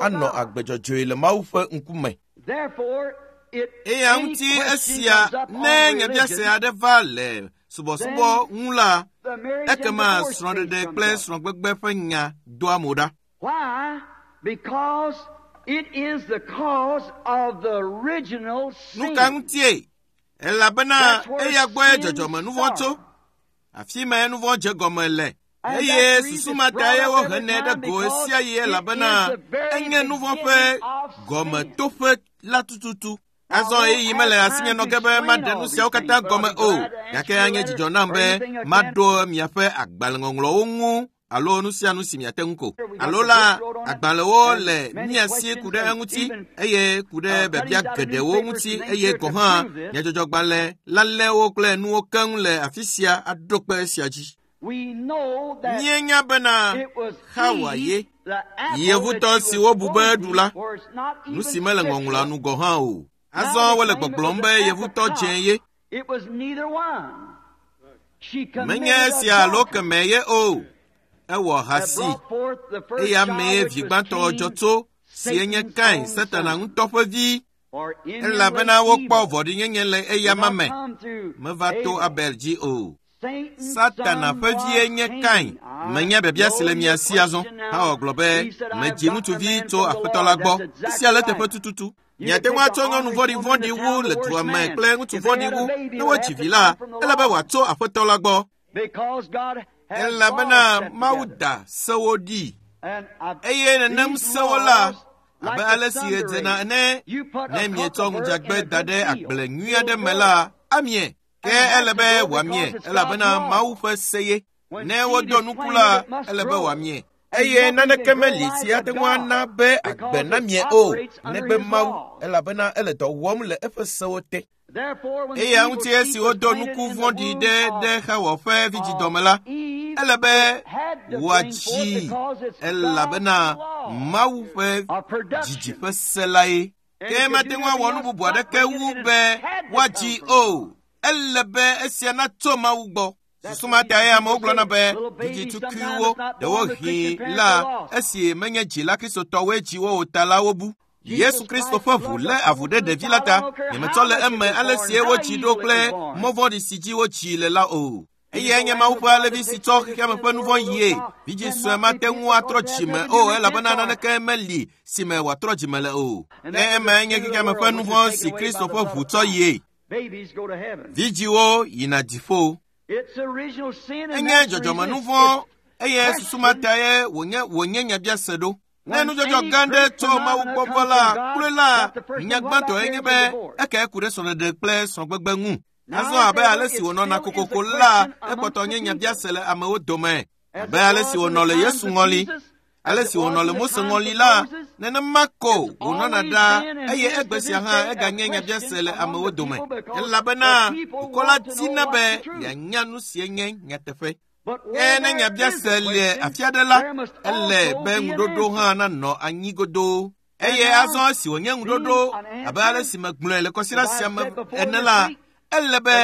anɔ agbe dzɔdzɔe le Mawu ƒe ŋkume. Eya ŋuti esia ne nyabiase aɖe va le subɔsubɔ ŋu la, ekema srɔ̃ɖeɖe kple srɔ̃gbegbe ƒe nya doa mo ɖa. Nu ka ŋutie? Elabena eya gbɔe dzɔdzɔme nuvɔ̃ tso. Afi mae nuvɔ̃ dze gɔme le. Eye susu ma ta ye wohenɛ ɖe go sia ɣi elabena enye nuvɔ̃ ƒe gɔmetoƒe la tututu. Azɔ ɣeyiɣi mele asinye nɔ ge be maɖe nu siawo katã gɔme o, gake anye dzidzɔ nam be maɖo miaƒe agbalẽŋɔŋlɔwo ŋu alo nu sia nu si miate ŋu ko. Alo la, agbalẽwo le mia si ku ɖe eŋuti eye ku ɖe biabia geɖewo ŋuti eye gɔ̃ hã nyadzɔdzɔgbalẽ lalɛwo kple nuwo keŋ le afi sia aɖo kpe esia dzi. Míenya bena Xawa ye, yevutɔ si wobu be eɖu la, nu si mele ŋɔŋlɔa nu gɔ̃ hã o. Azɔ wole gbɔgblɔm be yevutɔ dze ye. Menye esia alo kemɛ ye o. Ewɔ hasi eya mee vi gbãtɔ dzɔ tso si enye Kain, Satana ŋutɔ ƒe vi, elabena wokpɔ vɔ̃ɖinyenye le eyama me. Meva to Abel dzi o. Satana ƒe vie nye Kain. Menya biabia si le mia si azɔ. Hawa gblɔ be medzi ŋutsuvi tso Aƒetɔ la gbɔ. Esia le teƒe tututu. Miate ŋu atsɔ nyɔnu vɔ̃ɖivɔ̃ɖi wu le dua me kple ŋutsu vɔ̃ɖi wu ne wodzi vi la, ele be wòatso Aƒetɔ la gbɔ. Elabena Mawu da sewo ɖi. Eye nenem sewo la, abe ale si ɣe dzena ene, ne mietsɔ ŋudzagbe da ɖe agble nyui aɖe me la, amie. Ke ele be wòamie, elabena Mawu ƒe se ye. Ne wodo nuku la, ele be wòamie. Eye naneke meli si ate ŋu ana be agbe namie o, negbe Mawu, elabena ele dɔ wɔm le eƒe sewo te. Eya ŋuti esi wodo nuku vɔ̃ɖi ɖe ɖe Xawa ƒe vidzidɔme la, ele be wòadzii, elabena Mawu ƒe dzidzi ƒe se la ye. Ke mate ŋu awɔ nu bubu aɖeke wu be woadzii o. Ele be esia natso Mawu gbɔ. Susu ma tae amewo gblɔna be vidzitukuiwo ɖewohĩ la esi menye dzila kristotɔwoe dzi wo o ta la wobu. Yesu Kristo ƒe ʋu lé avu ɖe ɖevi la ta. Nyemetsɔ le eme ale sie wotsi ɖo kple mɔ vɔ̃ɖi si dzi wotsi le la o. Eyae nye Mawu ƒe alevi si tsɔ xexeame ƒe nu vɔ̃ yie. Vidzĩ sue mate ŋu atrɔ dzime o elabena naneke meli si me wòatrɔ dzime le o. Ke emae nye xexeame ƒe nu vɔ̃ si Kristo ƒe ʋu tsɔ yie. Vidzĩwo yina dziƒo. Enye dzɔdzɔmenu vɔ̃ eye susu ma tae wònye wònye nyabiase ɖo. Ne nudzɔdzɔ gã ɖe tso Mawu gbɔ va la, kloe la, nya gbãtɔe nye be eke ku ɖe srɔ̃ɖeɖe kple srɔ̃gbegbe ŋu. Azɔ abe ale si wònɔna kokoko la, ekpɔtɔ nye nyabiase le amewo dome. Abe ale si wònɔ le Yesu ŋɔli, ale si wònɔ le Mose ŋɔli la, nenema ko wònɔna ɖaa eye egbe sia hã eganye nyabiase le amewo dome. Elabena dukɔ la dina be yeanya nu sie nye nyateƒe. Ke ne nyabiase le afi aɖe la, ele be ŋuɖoɖo hã nanɔ anyi godoo. Eye azɔ esi wònye ŋuɖoɖo abe ale si megblɔe le kɔsiɖa sia me ene la, ele be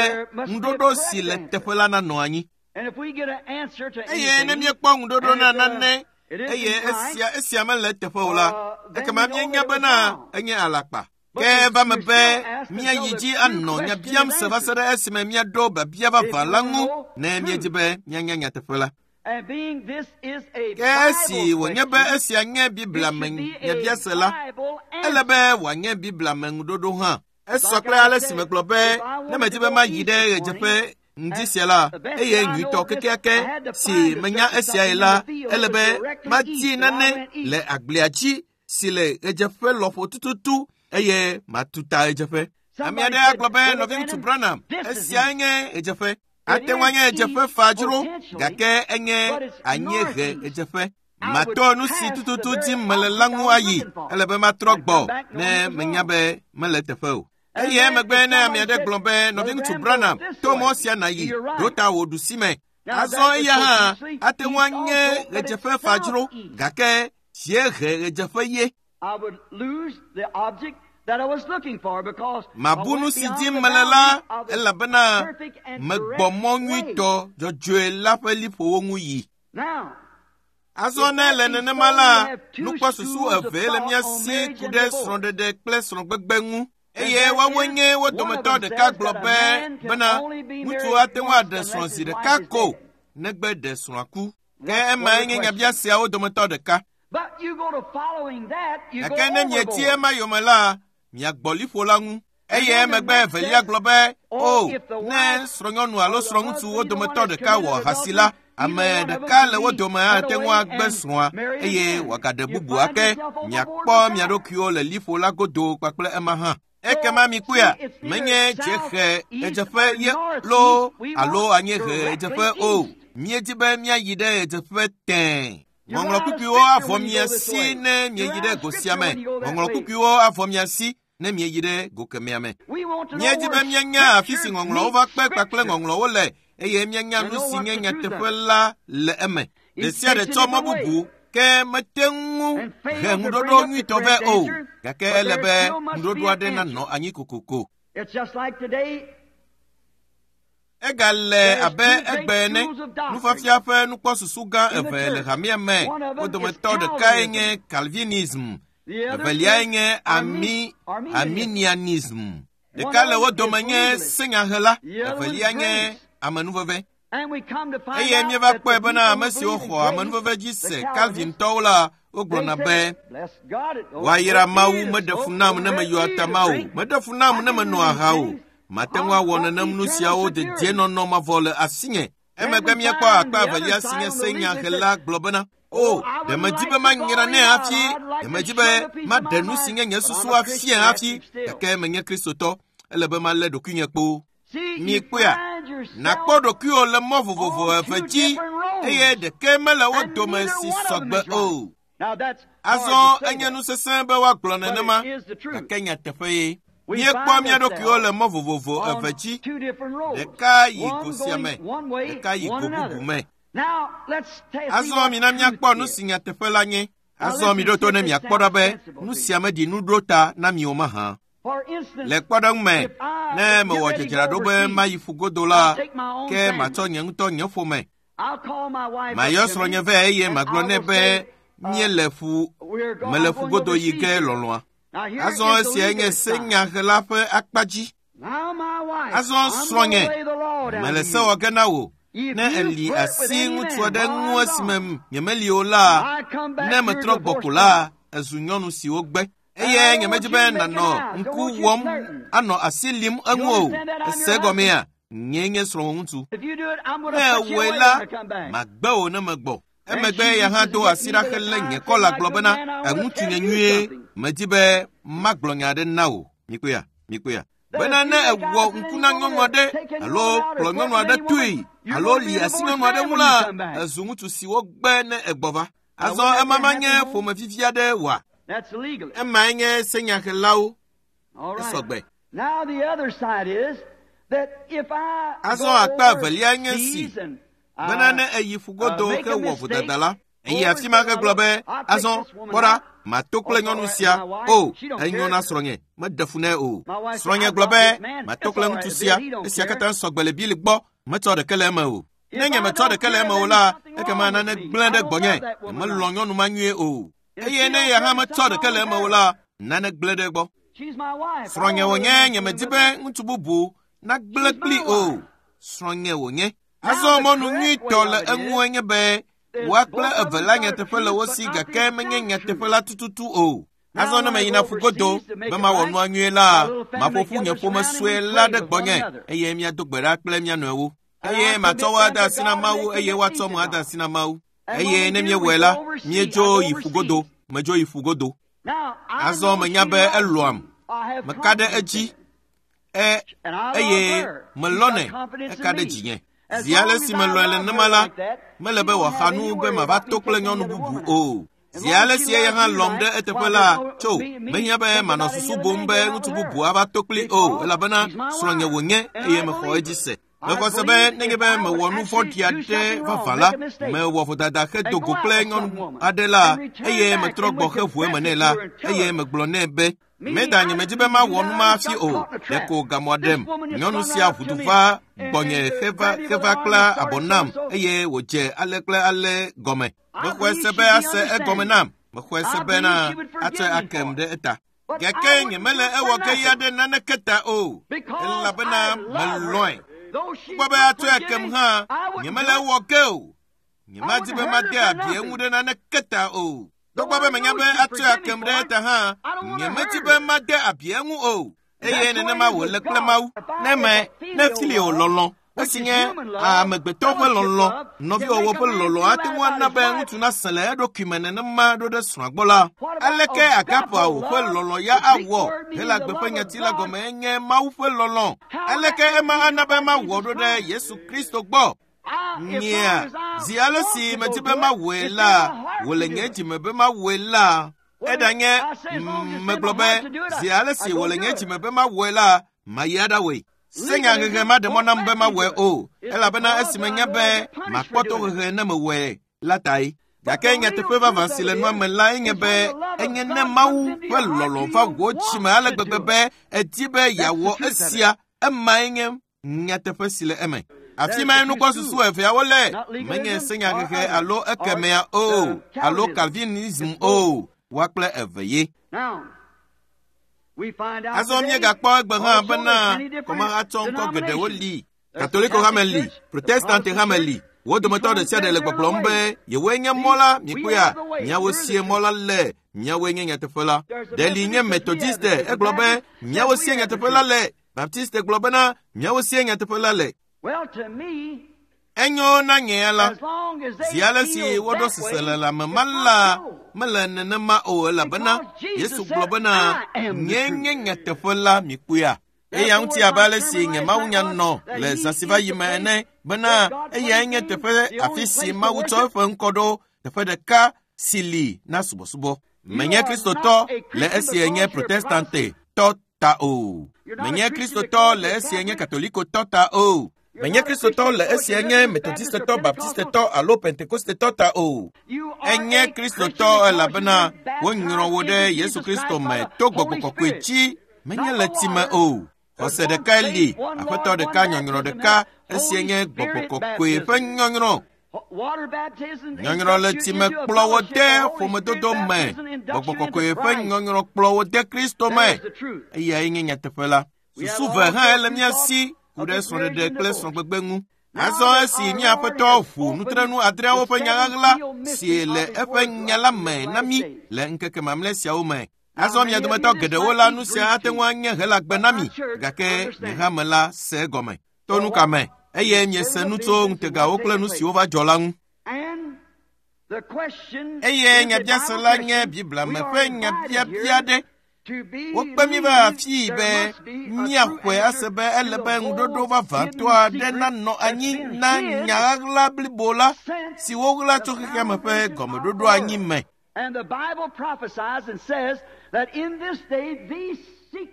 ŋuɖoɖo si le teƒe la nanɔ anyi. Eye ne míekpɔ ŋuɖoɖo na nane eye esia esia mele teƒe o la, ekema míenya bena enye alakpa. Ke eva me be míayi dzi anɔ nya biam se va se ɖe esime míaɖo biabia vavã la ŋu ne míedi be míanya nyateƒe la. Ke esi wònye be esia nye Biblia me nyabiase la, ele be wòanye Biblia me ŋuɖoɖo hã. Esɔ kple ale si megblɔ be ne medi be mayi ɖe ɣedzeƒe ŋdi sia la, eye nyuitɔ kekeake si menya esiae la, ele be madi nane le agblea dzi si le ɣedzeƒe lɔƒo tututu eye matu ta ɣedzeƒe. Ame aɖe agblɔ be nɔviŋutsu Branham, esiae nye ɣedzeƒe. Ate ŋu anye ɣedzeƒe fa dzro, gake enye anyiehe ɣedzeƒe. Matɔ nu si tututu dim mele la ŋu ayi, ele be matrɔ gbɔ ne menya be mele teƒe o. Eye emegbe ne ame aɖe gblɔ be nɔviŋutsu Branham, to mɔ sia nàyi, ɖo ta wò ɖusime. Azɔ eya hã ate ŋu anye ɣedzeƒe fa dzro, gake dziehe ɣedzeƒe ye. Mabu nu si dim mele la, elabena megbɔ mɔ nyuitɔ dzɔdzɔe la ƒe liƒowo ŋu yi. Azɔ ne le nenema la, nukpɔsusu eve le mía si ku ɖe srɔ̃ɖeɖe kple srɔ̃gbegbe ŋu. Eye woawoe nye wo dometɔ ɖeka gblɔ be bena ŋutsu ate ŋu aɖe srɔ̃ zi ɖeka ko negbe ɖe srɔ̃a ku. Ke emae nye nyabiaseawo dometɔ ɖeka. Gake ne mieti ema yome la, miagbɔ liƒo la ŋu. Eye emegbe evelia gblɔ be, o, ne srɔ̃nyɔnu alo srɔ̃ŋutsu wo dometɔ ɖeka wɔ ahasi la, ame ɖeka le wo dome ate ŋu agbe srɔ̃a eye wòagaɖe bubu ake. Miakpɔ mia ɖokuiwo le liƒo la godo kpakple ema hã. Ekema mikpɔea, menye dziehe ɣedzeƒe ye loo alo anyiehe ɣedzeƒe o. Míedi be míayi ɖe ɣedzeƒe tẽe. Ŋɔŋlɔ kpukpuiwo avɔ mia si ne mieyi ɖe go sia me. Ŋɔŋlɔ kpukpuiwo avɔ mia si ne mieyi ɖe go kemɛa me. Míedi be míanya afi si ŋɔŋlɔwo va kpe kpakple ŋɔŋlɔwo le eye míanya nu si nye nyateƒe la le eme. Ɖe sia ɖe tsɔ mɔ bubu ke mete ŋu he ŋuɖoɖo nyuitɔ vɛ o, gake ele be ŋuɖoɖo aɖe nanɔ anyi kokoko. Egale abe egbe ene, nufiafia ƒe nukpɔsusu gã eve le hamea me. Wo dometɔ ɖekae nye Calvinism, eveliae nye Ami, Arminianism. Ɖeka le wo dome nye senyahela, evelia nye amenuveve. Eye míeva kpɔe bena ame siwo xɔ amenuveve dzi se Calvintɔwo la, wogblɔna be, woayra Mawu meɖe fu nam ne meyɔ atama o, meɖe fu nam ne menɔ aha o. Mate ŋu awɔ nenem nu siawo dedienɔnɔ mavɔ le asinye. Emegbe míekpɔ akpa evelia si nye senyahela gblɔ bena, o, ɖe medi be manyra nɛ hafi, ɖe medi be maɖe nu si nye nye susu afia hafi, gake menye Kristotɔ, ele be malé ɖokuinye kpoo. Mikpɔea, nàkpɔ ɖokuiwò le mɔ vovovo eve dzi eye ɖeke mele wo dome si sɔgbe o. Azɔ enye nu sesẽ be woagblɔ nenema, gake nyateƒe ye. Míekpɔ mía ɖokuiwo le mɔ vovovo eve dzi. Ɖeka yi go sia me, ɖeka yi go bubu me. Azɔ mina míakpɔ nu si nyateƒe la nye. Azɔ miɖo to ne miakpɔ ɖa be nu sia meɖi nu ɖo ta na mi o mahã. Le kpɔɖeŋu me, ne mewɔ dzadzraɖo be mayi ƒugodo la, ke matsɔ nye ŋutɔ nye ƒome. Mayɔ srɔ̃nye vɛ eye magblɔ nɛ be míele ƒu, mele ƒugodo yi ge lɔlɔ̃a. Azɔ esia nye senyahela ƒe akpa dzi. Azɔ srɔ̃nye, mele se wɔ ge na wò. Ne eli asi ŋutsu aɖe ŋu esime nyemeli o la, ne metrɔ gbɔ ko la, ezu nyɔnu si wogbe. Eye nyemedi be nànɔ ŋku wɔm anɔ asi lim eŋu o. Ese gɔmea, nyee nye srɔ̃wò ŋutsu. Ne ewɔe la, magbe wò ne megbɔ. Emegbe ya hã do asi ɖa helé nye kɔla gblɔ bena, eŋutsu nye nyuie, medi be magblɔ nya aɖe na wò. Mikpɔea, mikpɔea. Bena ne ewɔ ŋku na nyɔnu aɖe alo kplɔ nyɔnu aɖe toe alo li asi nyɔnu aɖe ŋu la, ezu ŋutsu si wogbe ne egbɔ va. Azɔ ema manye ƒome vivi aɖe oa? Emae nye senyahelawo. Esɔgbe. Azɔ akpa evelia nye si bena ne eyi ƒugodo hewɔ vodada la, eyi afi ma hegblɔ be, azɔ kpɔ ɖa, mato kple nyɔnu sia. O, enyo na srɔ̃nye, meɖe fu nɛ o. Srɔ̃nye gblɔ be, mato kple ŋutsu sia, esia katã sɔgbe le Bili gbɔ, metsɔ ɖeke le eme o. Ne nye metsɔ ɖeke le eme o la, ekema nane gblẽ ɖe gbɔnye, nyemelɔ̃ nyɔnu ma nyuie o. Eye ne ya hã metsɔ ɖeke le eme o la, nane gblẽ ɖe gbɔ. Srɔ̃nye wònye, nyemedi be ŋutsu bubu nagblẽ kpli o. Srɔ̃nye wònye. Azɔ mɔnu nyuitɔ le eŋue nye be woa kple eve la nyateƒe le wo si gake menye nyateƒe la tututu o. Azɔ ne meyina ƒugodo be mawɔ nua nyuie la, maƒo ƒu nye ƒome sue la ɖe gbɔnye eye míado gbe ɖa kple mía nɔewo. Eye matsɔ wo ade asi na Mawu eye woatsɔ mo ade asi na Mawu. Eye ne míewɔe la, míedzo yi ƒugodo, medzo yi ƒugodo. Azɔ menya be elɔ̃am, meka ɖe edzi, e eye melɔ̃nɛ, eka ɖe dzinye. Zi ale si melɔ̃e le nenema la, mele be wòaxa nu be mava to kple nyɔnu bubu o. Zi ale si eya hã lɔ̃m ɖe eteƒe la, tso, mehiã be manɔ susu bum be ŋutsu bubu ava to kpli o, elabena srɔ̃nye wònye eye mexɔ edzi se. Mexɔ se be nenye be mewɔ nu vɔ̃ɖi aɖe vavã la, mewɔ vodada hedo go kple nyɔnu aɖe la, eye metrɔ gbɔ heʋu eme nɛ la, eye megblɔ nɛ be, meda nyemedi be mawɔ nu ma hafi o, ɖeko gamɔ ɖem. Nyɔnu sia ʋudu va gbɔnye heva heva kpla abɔ nam eye wòdze ale kple ale gɔme. Mexɔe se be ase egɔme nam. Mexɔe se bena atsɔe akem ɖe eta. Gake nyemele ewɔ ge ya ɖe naneke ta o, elabena melɔ̃e. Togbɔ be atsɔe akem hã, nyemele ewɔ ge o. Nyemadi be made abi eŋu ɖe naneke ta o. Togbɔ be menya be atsɔe akem ɖe eta hã, nyemedi be made abi eŋu o. Eye nenema wòle kple Mawu. Ne me, ne filio lɔlɔ̃, esi nye amegbetɔ ƒe lɔlɔ̃, nɔviwɔwɔ ƒe lɔlɔ̃ ate ŋu ana be ŋutsu nasẽ le eɖokui me nenema ɖo ɖe srɔ̃a gbɔ la, aleke agapao ƒe lɔlɔ̃ ya awɔ? Helagbe ƒe nyati la gɔme enye Mawu ƒe lɔlɔ̃. Aleke ema ana be mawɔ ɖo ɖe Yesu Kristo gbɔ? Nyea, zi ale si medi be mawɔe la, wòle nye dzime be mawɔe la, eɖanye megblɔ be zi ale si wòle nye dzime be mawɔe la, mayi aɖawɔe. Senyahehe maɖe mɔ nam be mawɔe o, elabena esi menya be makpɔ tohehe ne mewɔe la tae. Gake nyateƒe vavã si le nua me lae nye be enye ne Mawu ƒe lɔlɔ̃ va wò dzime ale gbegbe be edi be yeawɔ esia, emae nye nyateƒe si le eme. Afi mae nukpɔsusu eveawo le, menye senyahehe alo ekemea o, alo Calvinism o, woa kple eve ye. Azɔ míegakpɔ egbe hã bena kɔmahatsɔ ŋkɔ geɖewo li. Katoliko hame li, Protestante hame li. Wo dometɔ ɖe sia ɖe le gbɔgblɔm be yewoe nye mɔ la, mikpɔea, miawo sie mɔ la le, miawoe nye nyateƒe la. Ɖe nye Methodiste, egblɔ be miawo sie nyateƒe la le. Baptiste gblɔ bena miawo sie nyateƒe la le. Enyo na nye ya la, zi ale si woɖo seselelãme ma la, mele nenema o elabena Yesu gblɔ bena nye nye nyateƒe la, mikpɔea. Eya ŋuti abe ale si nye mawunya nɔ le zã si va yi me ene bena eyae nye teƒe afi si Mawu tsɔ eƒe ŋkɔ ɖo, teƒe ɖeka si li na subɔsubɔ. Menye Kristotɔ le esi nye Protestante tɔ ta o. Menye Kristotɔ le esi nye Katolikotɔ ta o. Menye Kristotɔ le esi nye Methodistetɔ, Baptistetɔ alo Pentekostetɔ ta o. Enye Kristotɔ elabena wonyrɔ wo ɖe Yesu Kristo me to gbɔgbɔ kɔkɔe dzi, menye le tsi me o. Xɔse ɖekae li, aƒetɔ ɖeka, nyɔnyrɔ ɖeka, esie nye gbɔgbɔ kɔkɔe ƒe nyɔnyrɔ. Nyɔnyrɔ le tsi me kplɔ wo de ƒomedodo me. Gbɔgbɔ kɔkɔe ƒe nyɔnyrɔ kplɔ wo de Kristo me. Eyae nye nyateƒe la. Susu ve hã le mía si ku ɖe srɔ̃ɖeɖe kple srɔ̃gbegbe ŋu. Azɔ esi mía aƒetɔ ʋu nutrenu adreawo ƒe nya ɣaɣla si le eƒe nya la me na mí le ŋkeke mamlɛ siawo me. Azɔ mia dometɔ geɖewo la, nu sia ate ŋu anye helagbe na mi, gake nye hame la se egɔme. To nu ka me? Eye miese nu tso ŋutegawo kple nu siwo va dzɔ la ŋu. Eye nyabiase la nye Biblia me ƒe nyabiabia ɖe. Wokpe mí va afii be míaxɔe ase be ele be ŋuɖoɖo vavãtɔ aɖe nanɔ anyi na nya ɣaɣla blibo la si woɣla tso xexea me ƒe gɔmeɖoɖo anyi me.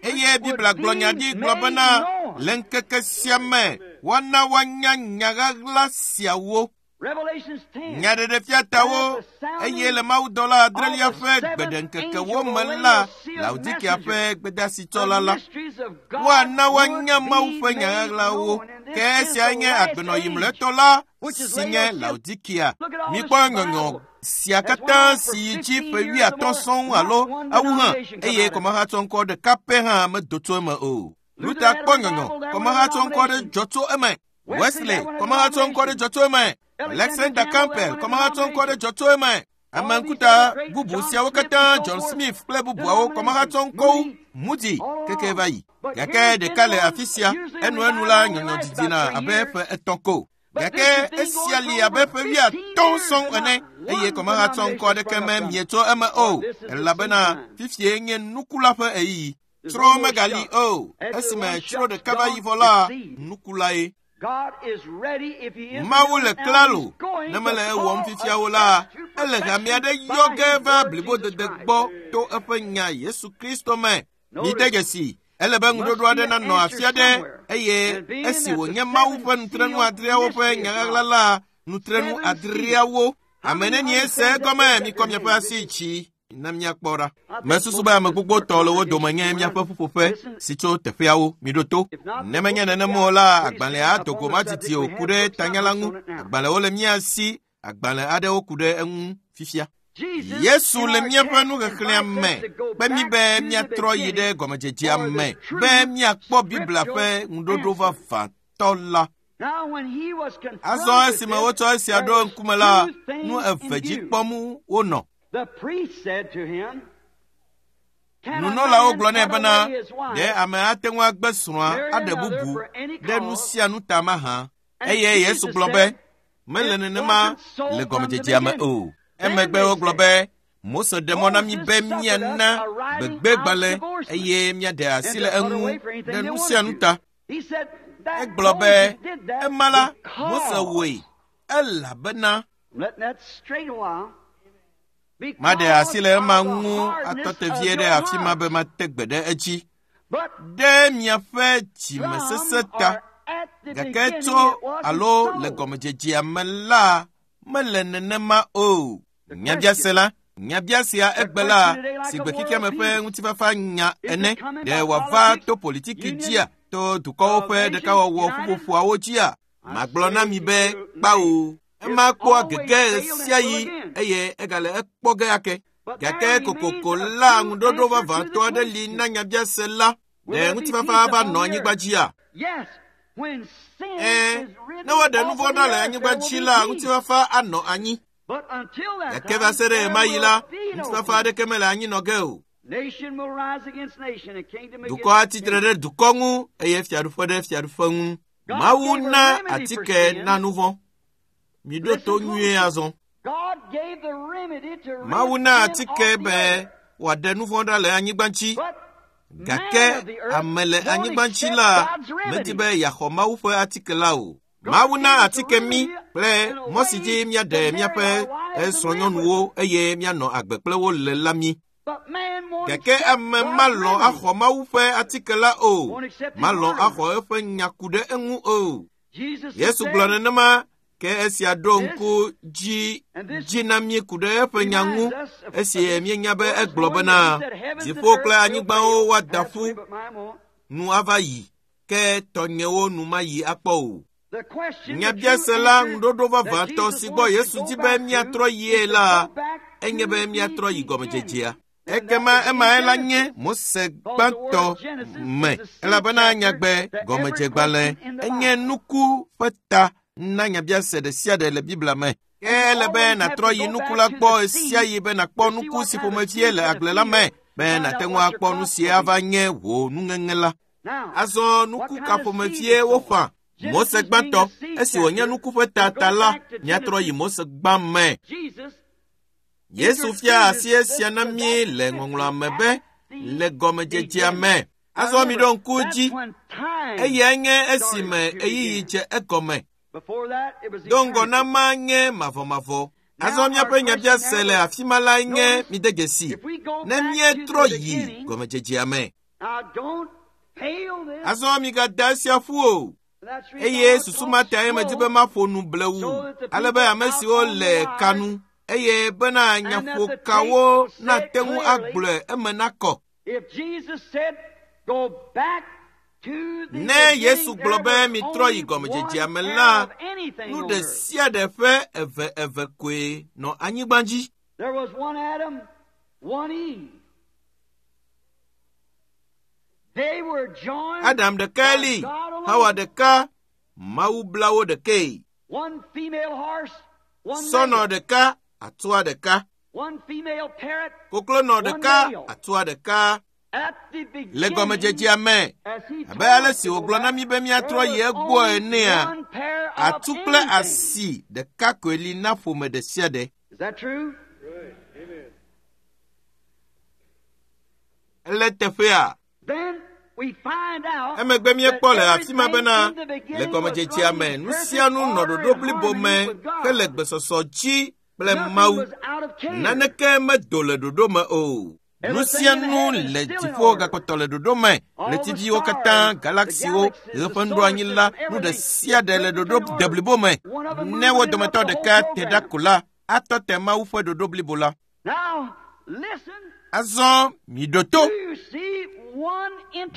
Eye Biblia gblɔ nya ɖi gblɔ bena le ŋkeke sia me woana woanya nya ɣaɣla siawo. Nyaɖeɖefia tawo eye le mawudɔla adrelia ƒe gbeɖeŋkekewo me la, Laodikia ƒe gbedasitsɔla la, woana woanya Mawu ƒe nya ɣaɣlawo. Ke esia nye agbenɔyi mlɔetɔ la si nye Laodikia. Mikpɔ nyɔnyɔ sia katã si yi dzi ƒe wuiatɔ̃ sɔŋ alo ewu hã, eye kɔmahatsɔŋkɔ ɖeka pɛ hã medo tso eme o. Luther kpɔ nyɔnyɔ, kɔmahatsɔŋkɔ ɖe dzɔ tso eme. Wesley, kɔmahatsɔŋkɔ ɖe dzɔ tso eme. Alexander Campbell, kɔmahatsɔŋkɔ ɖe dzɔ tso eme. Ame ŋkuta bubu siawo katã, John Smith kple bubuawo, kɔmahatsɔŋkɔwo, Moody keke va yi. Gake ɖeka le afi sia, enuenu la nyɔnyɔ didina abe ƒe etɔ̃ ko. Gake esia li abe ƒe wuiatɔ̃ sɔŋ ene, eye kɔmahatsɔŋkɔ aɖeke me mietso eme o, elabena fifie nye nuku la ƒe ɣeyiɣi. Tsro megali o, esime tsro ɖeka va yi vɔ la, nuku lae. Mawu le klalo, ne mele ewɔm fifiawo la, ele hame aɖe yɔ ge va blibodede gbɔ to eƒe nya Yesu Kristo me. Mide dzesi, ele be ŋuɖoɖo aɖe nanɔ afi aɖe, eye esi wònye Mawu ƒe nutrenu adreawo ƒe nya ɣaɣla la, nutrenu adreawo. Ame nenie se egɔme? Mikɔ miaƒe asi dzi na míakpɔ ɖa. Mesusu be ame gbogbotɔ le wo dome nye míaƒe ƒuƒoƒe si tso teƒeawo. Miɖo to. Ne menye nenema o la, agbalẽa adogo madidi o ku ɖe tanya la ŋu. Agbalẽwo le mía si, agbalẽ aɖewo ku ɖe eŋu fifia. Yesu le míaƒe nuxexlẽa me kpe mí be míatrɔ yi ɖe gɔmedzedzea me be míakpɔ Biblia ƒe ŋuɖoɖo vavãtɔ la. Azɔ esime wotsɔ esia ɖo ŋkume la, nu eve dzi kpɔm wonɔ. Nunɔlawo gblɔ nɛ bena ɖe ame ate ŋu agbe srɔ̃a aɖe bubu ɖe nu sia nu ta mahã. Eye Yesu gblɔ be mele nenema le gɔmedzedzea me o. Emegbe wogblɔ be Mose ɖe mɔ na mí be míana gbegbegbalẽ eye míaɖe asi le eŋu ɖe nu sia nu ta. Egblɔ be ema la Mose wɔe elabena maɖe asi le ema ŋu atɔ te vie ɖe afi ma be mate gbe ɖe edzi ɖe miaƒe dzimesesẽ ta. Gake tso alo le gɔmedzedzea me la, mele nenema o. Nyabiase la, nyabiasea egbe la, si gbe xexeame ƒe ŋutifafa nya ene, ɖe wòava to politiki dzia, to dukɔwo ƒe ɖekawɔwɔ ƒuƒoƒoawo dzia? Magblɔ na mi be kpao. Ema kpɔa gege ɣe sia ɣi eye egale ekpɔ ge ake. Gake kokoko la ŋuɖoɖo vavãtɔ aɖe li na nyabiase la. Ɖe ŋutifafa va nɔ anyigba dzia? Ɛ̃, ne woaɖe nu vɔ̃ ɖa le anyigba dzi la, ŋutifafa anɔ anyi. Gake va se ɖe ɣemaɣi la, ŋutifafa aɖeke mele anyi nɔ ge o. Dukɔ atitre ɖe dukɔ ŋu eye fiaɖuƒe ɖe fiaɖuƒe ŋu. Mawu na atike na nu vɔ̃. Miɖo to nyuie azɔ. Mawu na atike be wòaɖe nu vɔ̃ ɖa le anyigba dzi. Gake ame le anyigba dzi la medi be yeaxɔ Mawu ƒe atike la o. Mawu na atike mí kple mɔ si dzi míaɖe míaƒe srɔ̃nyɔnuwo eye míanɔ agbe kple wo le la mí. Gake ame malɔ̃ axɔ Mawu ƒe atike la o. Malɔ̃ axɔ eƒe nya ku ɖe eŋu o. Yesu gblɔ nenema ke esia ɖo ŋku dzi dzi na mí ku ɖe eƒe nya ŋu esi míenya be egblɔ bena dziƒo kple anyigbawo woada ƒu nu ava yi ke tɔnyewo nu mayi akpɔ o. Nyabiase la ŋuɖoɖo vavãtɔ si gbɔ Yesu di be míatrɔ yie la enye be míatrɔ yi gɔmedzedzea. Ekema emae la nye Mose gbãtɔ me elabena nyagbe gɔmedzegbalẽ enye nuku ƒe ta na nyabiase ɖe sia ɖe le Biblia me. Ke ele be nàtrɔ yi nuku la gbɔ ɣe sia ɣi be nàkpɔ nuku si ƒomevie le agble la me be nàte ŋu akpɔ nu si ava nye wò nuŋeŋe la. Azɔ nuku ka ƒomevie woƒã? Mose gbãtɔ, esi wònye nuku ƒe tata la, míatrɔ yi Mose gbã me. Yesu fia asi esia na mí le ŋɔŋlɔa me be le gɔmedzedzea me. Azɔ miɖo ŋku dzi, eyae nye esime ɣeyiɣi dze egɔme. Do ŋgɔ na ma nye mavɔmavɔ. Azɔ míaƒe nyabiase le afi ma lae nye mide dzesi ne míetrɔ yi gɔmedzedzea me. Azɔ migada esia ƒu o. Eye susu ma tae medi be maƒo nu blewu ale be ame siwo le kanu eye bena nyaƒokawo nate ŋu agblɔe eme nakɔ. Ne Yesu gblɔ be mitrɔ yi gɔmedzedzea me la, nu ɖe sia ɖe ƒe eve eve koe nɔ anyigba dzi. Adam ɖekae li, Hawa ɖeka, Mawu bla wo ɖekae. Sɔnɔ ɖeka, atua ɖeka. Koklonɔ ɖeka, atua ɖeka. Le gɔmedzedzea me, abe ale si wògblɔ na mí be míatrɔ yi egbɔ enea, atu kple asi ɖeka koe li na ƒome ɖe sia ɖe. Ele teƒea. Emegbe míekpɔ le afi ma bena le gɔmedzedzea me, nu sia nu nɔ ɖoɖo blibo me hele gbesɔsɔ dzi kple Mawu. Naneke medo le ɖoɖo me o. Nu sia nu le dziƒo gakpɔtɔ le ɖoɖo me. Ɣletiviwo katã, galaksiwo, ɣe ƒe nuɖoanyi la, nu ɖe sia ɖe le ɖoɖo deblibo me. Ne wo dometɔ ɖeka te ɖa ko la, atɔ te Mawu ƒe ɖoɖo blibo la. Azɔ miɖo to.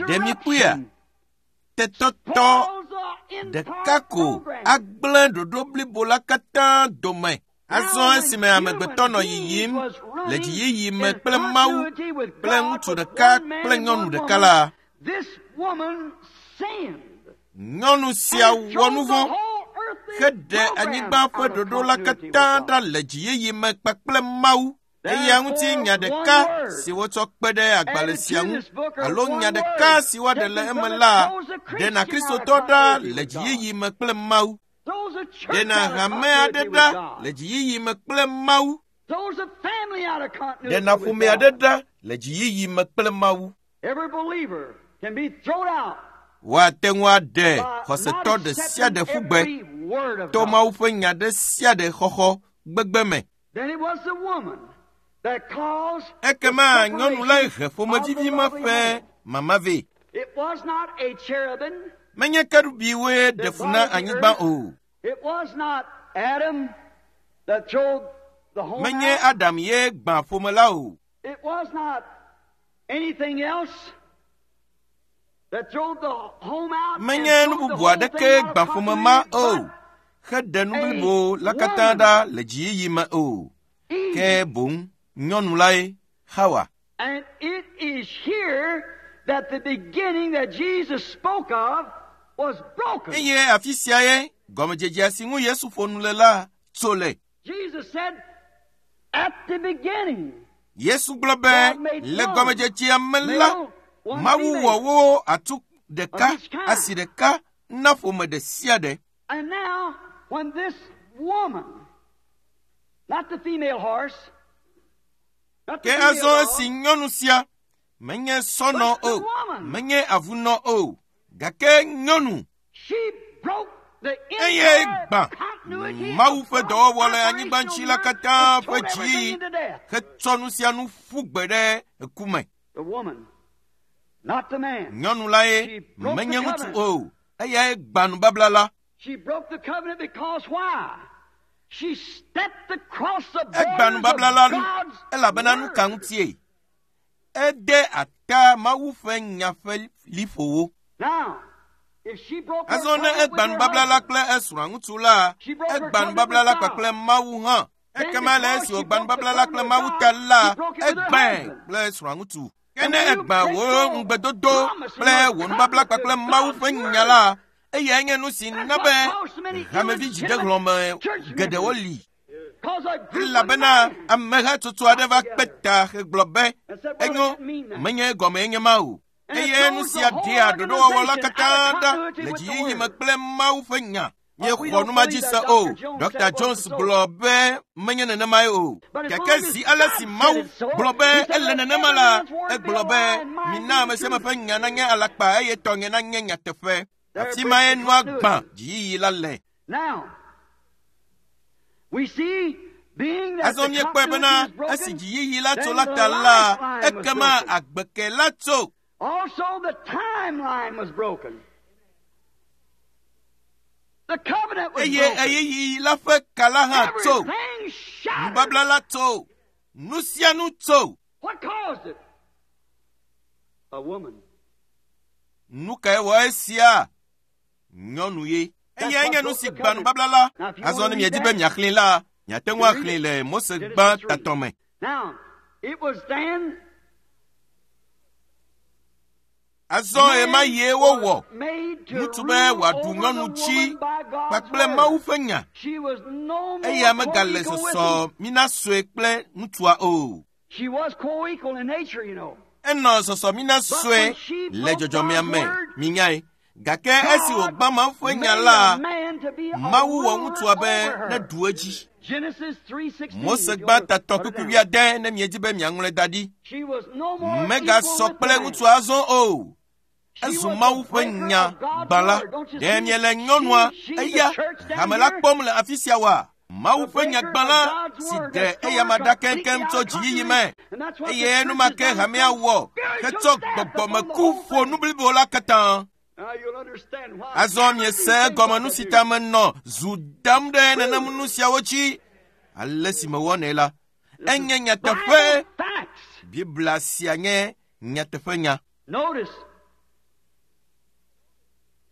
Ɖe mikpɔea? Tetɔtɔ ɖeka ko agblẽ ɖoɖo blibo la katã dome. Azɔ esime amegbetɔ nɔ yiyim le dziyiyi me kple Mawu kple ŋutsu ɖeka kple nyɔnu ɖeka la, nyɔnu sia wɔ nu vɔ̃ heɖe anyigba ƒe ɖoɖo la katã ɖa le dziyiyi me kpakple Mawu. Eya ŋuti nya ɖeka si wotsɔ kpe ɖe agbalẽ sia ŋu alo nya ɖeka si woaɖe le eme la ɖena Kristotɔ ɖa le dziyiyi me kple Mawu. Ɖena hame aɖe ɖa le dziyiyi me kple Mawu. Ɖena ƒome aɖe ɖa le dziyiyi me kple Mawu. Woate ŋu aɖe xɔsetɔ ɖe sia ɖe ƒu gbe to Mawu ƒe nya ɖe sia ɖe xɔxɔ gbegbe me. Ekema nyɔnu la he ƒomevivi ma ƒe mama vɛ. Menye kerubiwoe ɖe fu na anyigba o. Menye Adam ye gbã ƒome la o. Menye nu bubu aɖeke gbã ƒome ma o. Heɖe nu blibo la katã ɖa le dziyiyi me o. Ke boŋ nyɔnu lae Hawa. And it is here that the beginning that Jesus spoke of Eye afi sia ye gɔmedzedzea si ŋu Yesu ƒo nu le la tso le. Yesu gblɔ be le gɔmedzedzea me la, Mawu wɔ wo atu ɖeka, asi ɖeka na ƒome ɖe sia ɖe. Ke azɔ esi nyɔnu sia menye sɔnɔ o, menye avunɔ o, gake nyɔnu eye gbã Mawu ƒe dɔwɔwɔ le anyigba ŋuti la katã ƒe dziyiyi hetsɔ nu sia nu ƒu gbe ɖe eku me. Nyɔnu lae menye ŋutsu o, eyae gbã nubabla la. Egbã nubabla la nu elabena nu ka ŋutie? Ede ata Mawu ƒe nya ƒe liƒowo. Azɔ ne egbã nubabla la kple esrɔ̃a ŋutsu la, egbã nubabla la kpakple Mawu hã. Ekema le esi wògbã nubabla la kple Mawu ta la, egbãe kple esrɔ̃a ŋutsu. Ke ne egbã wò ŋugbedodo kple wò nubabla kpakple Mawu ƒe nya la, eyae nye nu si na be hamevi dzidehlɔ̃me geɖewo li. Elabena amehatsotso aɖe va kpe ta hegblɔ be enyo, menye gɔmee nye ma o. Eye nu sia ɖea ɖoɖowɔwɔ la katã ɖa le dziyiyi me kple Mawu ƒe nya. Míexɔ nu ma dzi se o. Dɔkta Jones gblɔ be menye nenemae o. Gake zi ale si Mawu gblɔ be ele nenema la, egblɔ be mina ame sia ame ƒe nya nanye alakpa eye tɔnye nanye nyateƒe. Afi mae nua gbã dziyiyi la le. Azɔ míekpɔe bena esi dziyiyi la tso la ta la, ekema agbeke la tso. Also, the timeline was broken. The covenant was Eye broken. ɣeyiɣi la ƒe ka la hã tso. Everything shattered. Nubabla la tso. Nu sia nu tso. What caused it? A woman. Nu kae wɔ esia? Nyɔnu ye. Eyae nye nu si gbã nubabla la. Azɔ ne miedi be miaxlẽe la, miate ŋu axlẽe le Mose gbã tatɔ me. Now, it was then Azɔ ɣemaɣie wowɔ made to ŋutsu be rule wòaɖu over nyɔnu the dzi woman by God's kpakple word. Mawu ƒe nya. She was no more Eya megale co-equal with sɔsɔ him. mina sue kple ŋutsua o. She was co-equal in nature, you know. Enɔ sɔsɔ mina sue le dzɔdzɔmea me, minyae. Gake esi wògbã Mawu ƒe nya Made la, a man to be a Mawu wɔ ruler ŋutsua be over her. neɖu edzi. Genesis three sixteen. Mose if you gbã want to tatɔ put it kpukpui down. wuiade ne miedi be miaŋlɔe da ɖi. She was no more equal Megasɔ with kple man. ŋutsua azɔ o. She Ezu was Mawu the ƒe breaker nya of God's gbã la. word. Don't you Ɖe see? miele nyɔnua She, she, the eya church down hame la here, kpɔm le afi sia oa? Mawu the ƒe nya breaker gbã of la God's si word ɖe that tore eyama ɖa completely keŋkeŋ out tso of dziyiyi continuity. me. And that's what the Eye church enumake has done. hamea wɔ Spiritual hetsɔ death upon the gbɔgbɔmeku whole ƒo thing. nu blibo la katã. Now you'll understand why Azɔ miese egɔme nu si ta menɔ zu dam ɖe nenem nu siawo dzi. Ale si mewɔnɛ la, enye nyateƒe. Bible facts. Biblia sia nye nyateƒenya. Notice.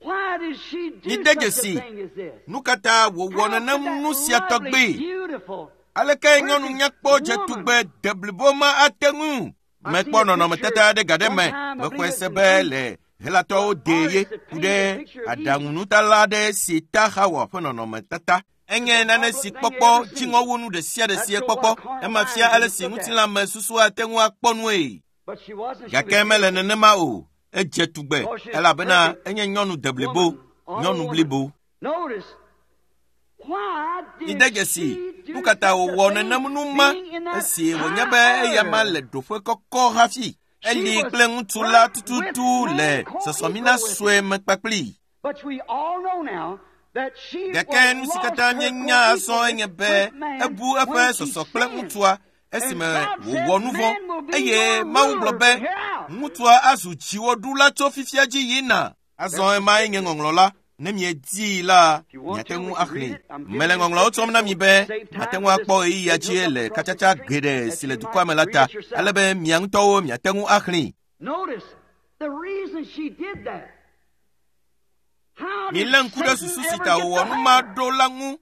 Why did she do Mide such a dzesi. thing as this? Nu ka ta wòwɔ How could nenem that nu sia lovely, tɔgbi? beautiful Aleke nyɔnu nyakpɔ dzetugbe deblibo ma ate ŋu? Mekpɔ nɔnɔmetata aɖe ga ɖe me. Mexɔe se be le Helatɔwo dee ye ku ɖe aɖaŋunutala aɖe si ta Xawa ƒe nɔnɔmetata. Enye nane si kpɔkpɔ dziŋɔ wu nu ɖe sia ɖe si ekpɔkpɔ. Ema fia ale si ŋutilãme susu ate ŋu akpɔ nue. But she wasn't. She Gake was mele nenema o. Edze tugbe elabena enye nyɔnu deblibo, nyɔnu blibo. Notice. Why did Mide dzesi she do nu ka ta such a wòwɔ thing, nenem nu ma being in that esi wònye high be eyama order? le ɖoƒe kɔkɔ hafi. Eli kple ŋutsu la tututu le sɔsɔmina sue me kpakpli. But we all know now that she Gake was nu si lost katã her míenya azɔ co-equal enye be with man ebu eƒe when she sɔsɔ kple sinned. ŋutsua esime And God said, wòwɔ nu vɔ̃ "Man will be eye your Mawu gblɔ ruler be from here out." ŋutsua azu dziwɔɖula tso fifia dzi yina. Azɔ emae nye ŋɔŋlɔ la. Ne miedii la, miate ŋu axlẽe. Mele ŋɔŋlɔawo tsɔm na mi be mate ŋu akpɔ ɣeyiɣia dzi le katsatsa geɖe si le dukɔa me la ta, ale be mia ŋutɔwo miate ŋu axlẽe. Notice the reason she did that. How did Milé ŋku ɖe Satan susu si ever ta get wòwɔ to nu ma her? ɖo la ŋu.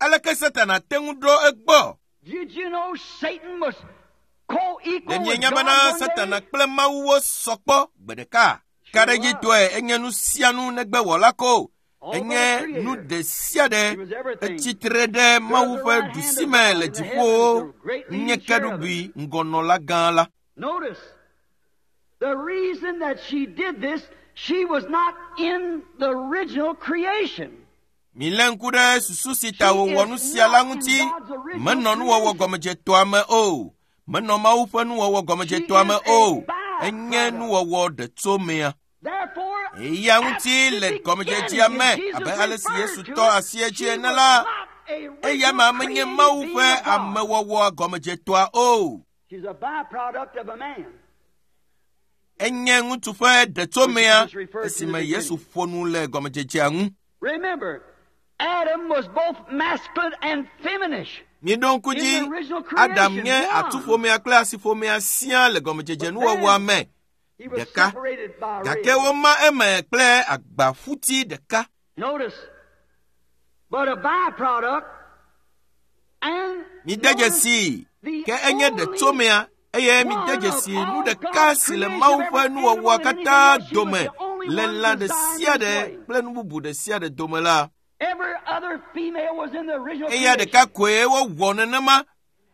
Aleke Satana te ŋu ɖo egbɔ? Did you know Satan was co-equal Ɖe with mienya God bena one Satana day? kple Mawu wosɔ kpɔ gbe ɖeka? Kakaɖedzitɔe enye nu sia nu negbe wɔla ko. Enye nu ɖe sia ɖe etsitre ɖe Mawu ƒe ɖusime le dziƒowo nye kerubi ŋgɔnɔla gã la. Notice, the reason that she did this, she was not in the original creation. Milé ŋku ɖe susu si ta wòwɔ nu sia la ŋuti. Menɔ nuwɔwɔ gɔmedzetɔa me o. Menɔ Mawu ƒe nuwɔwɔ gɔmedzetɔa me o. Enye nuwɔwɔ ɖetsomea. Therefore, Eya ŋuti le gɔmedzedzea me abe ale si Yesu tɔ asi edzi ene la, eya ma menye Mawu ƒe amewɔwɔ gɔmedzetɔa o. She's a byproduct of a man. Enye ŋutsu ƒe ɖetsomea esime Yesu ƒo nu le gɔmedzedzea ŋu. Remember, Adam was both masculine and feminine. Miɖo ŋku dzi, Adam nye atuƒomea kple asiƒomea siaa le gɔmedzedze nuwɔwɔa me. He was Ɖeka. separated by Gake rib. woma eme kple agbaƒuti ɖeka. Notice, but a byproduct and Mide notice dzesii, the ke enye only ɖetsomea eye mide dzesi nu ɖeka si le Mawu ƒe nuwɔwɔa katã dome le lã ɖe sia ɖe kple nu bubu ɖe sia ɖe dome la. Every other female was in the original Eya creation. ɖeka koe wowɔ nenema.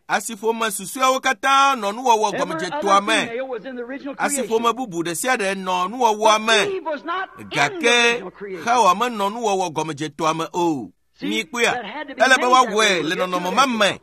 Asiƒome susɔeawo katã nɔ nuwɔwɔ Every gɔmedzetoa other me. female was in the original creation. Asiƒome bubu ɖe sia ɖe nɔ nuwɔwɔa But me. Eve was not in the Gake original creation. Xawa menɔ nuwɔwɔ gɔmedzetoa me o. See, Mi kpɔea, that had to be ele be made that woawɔe way. le We'll get to nɔnɔme that. ma me.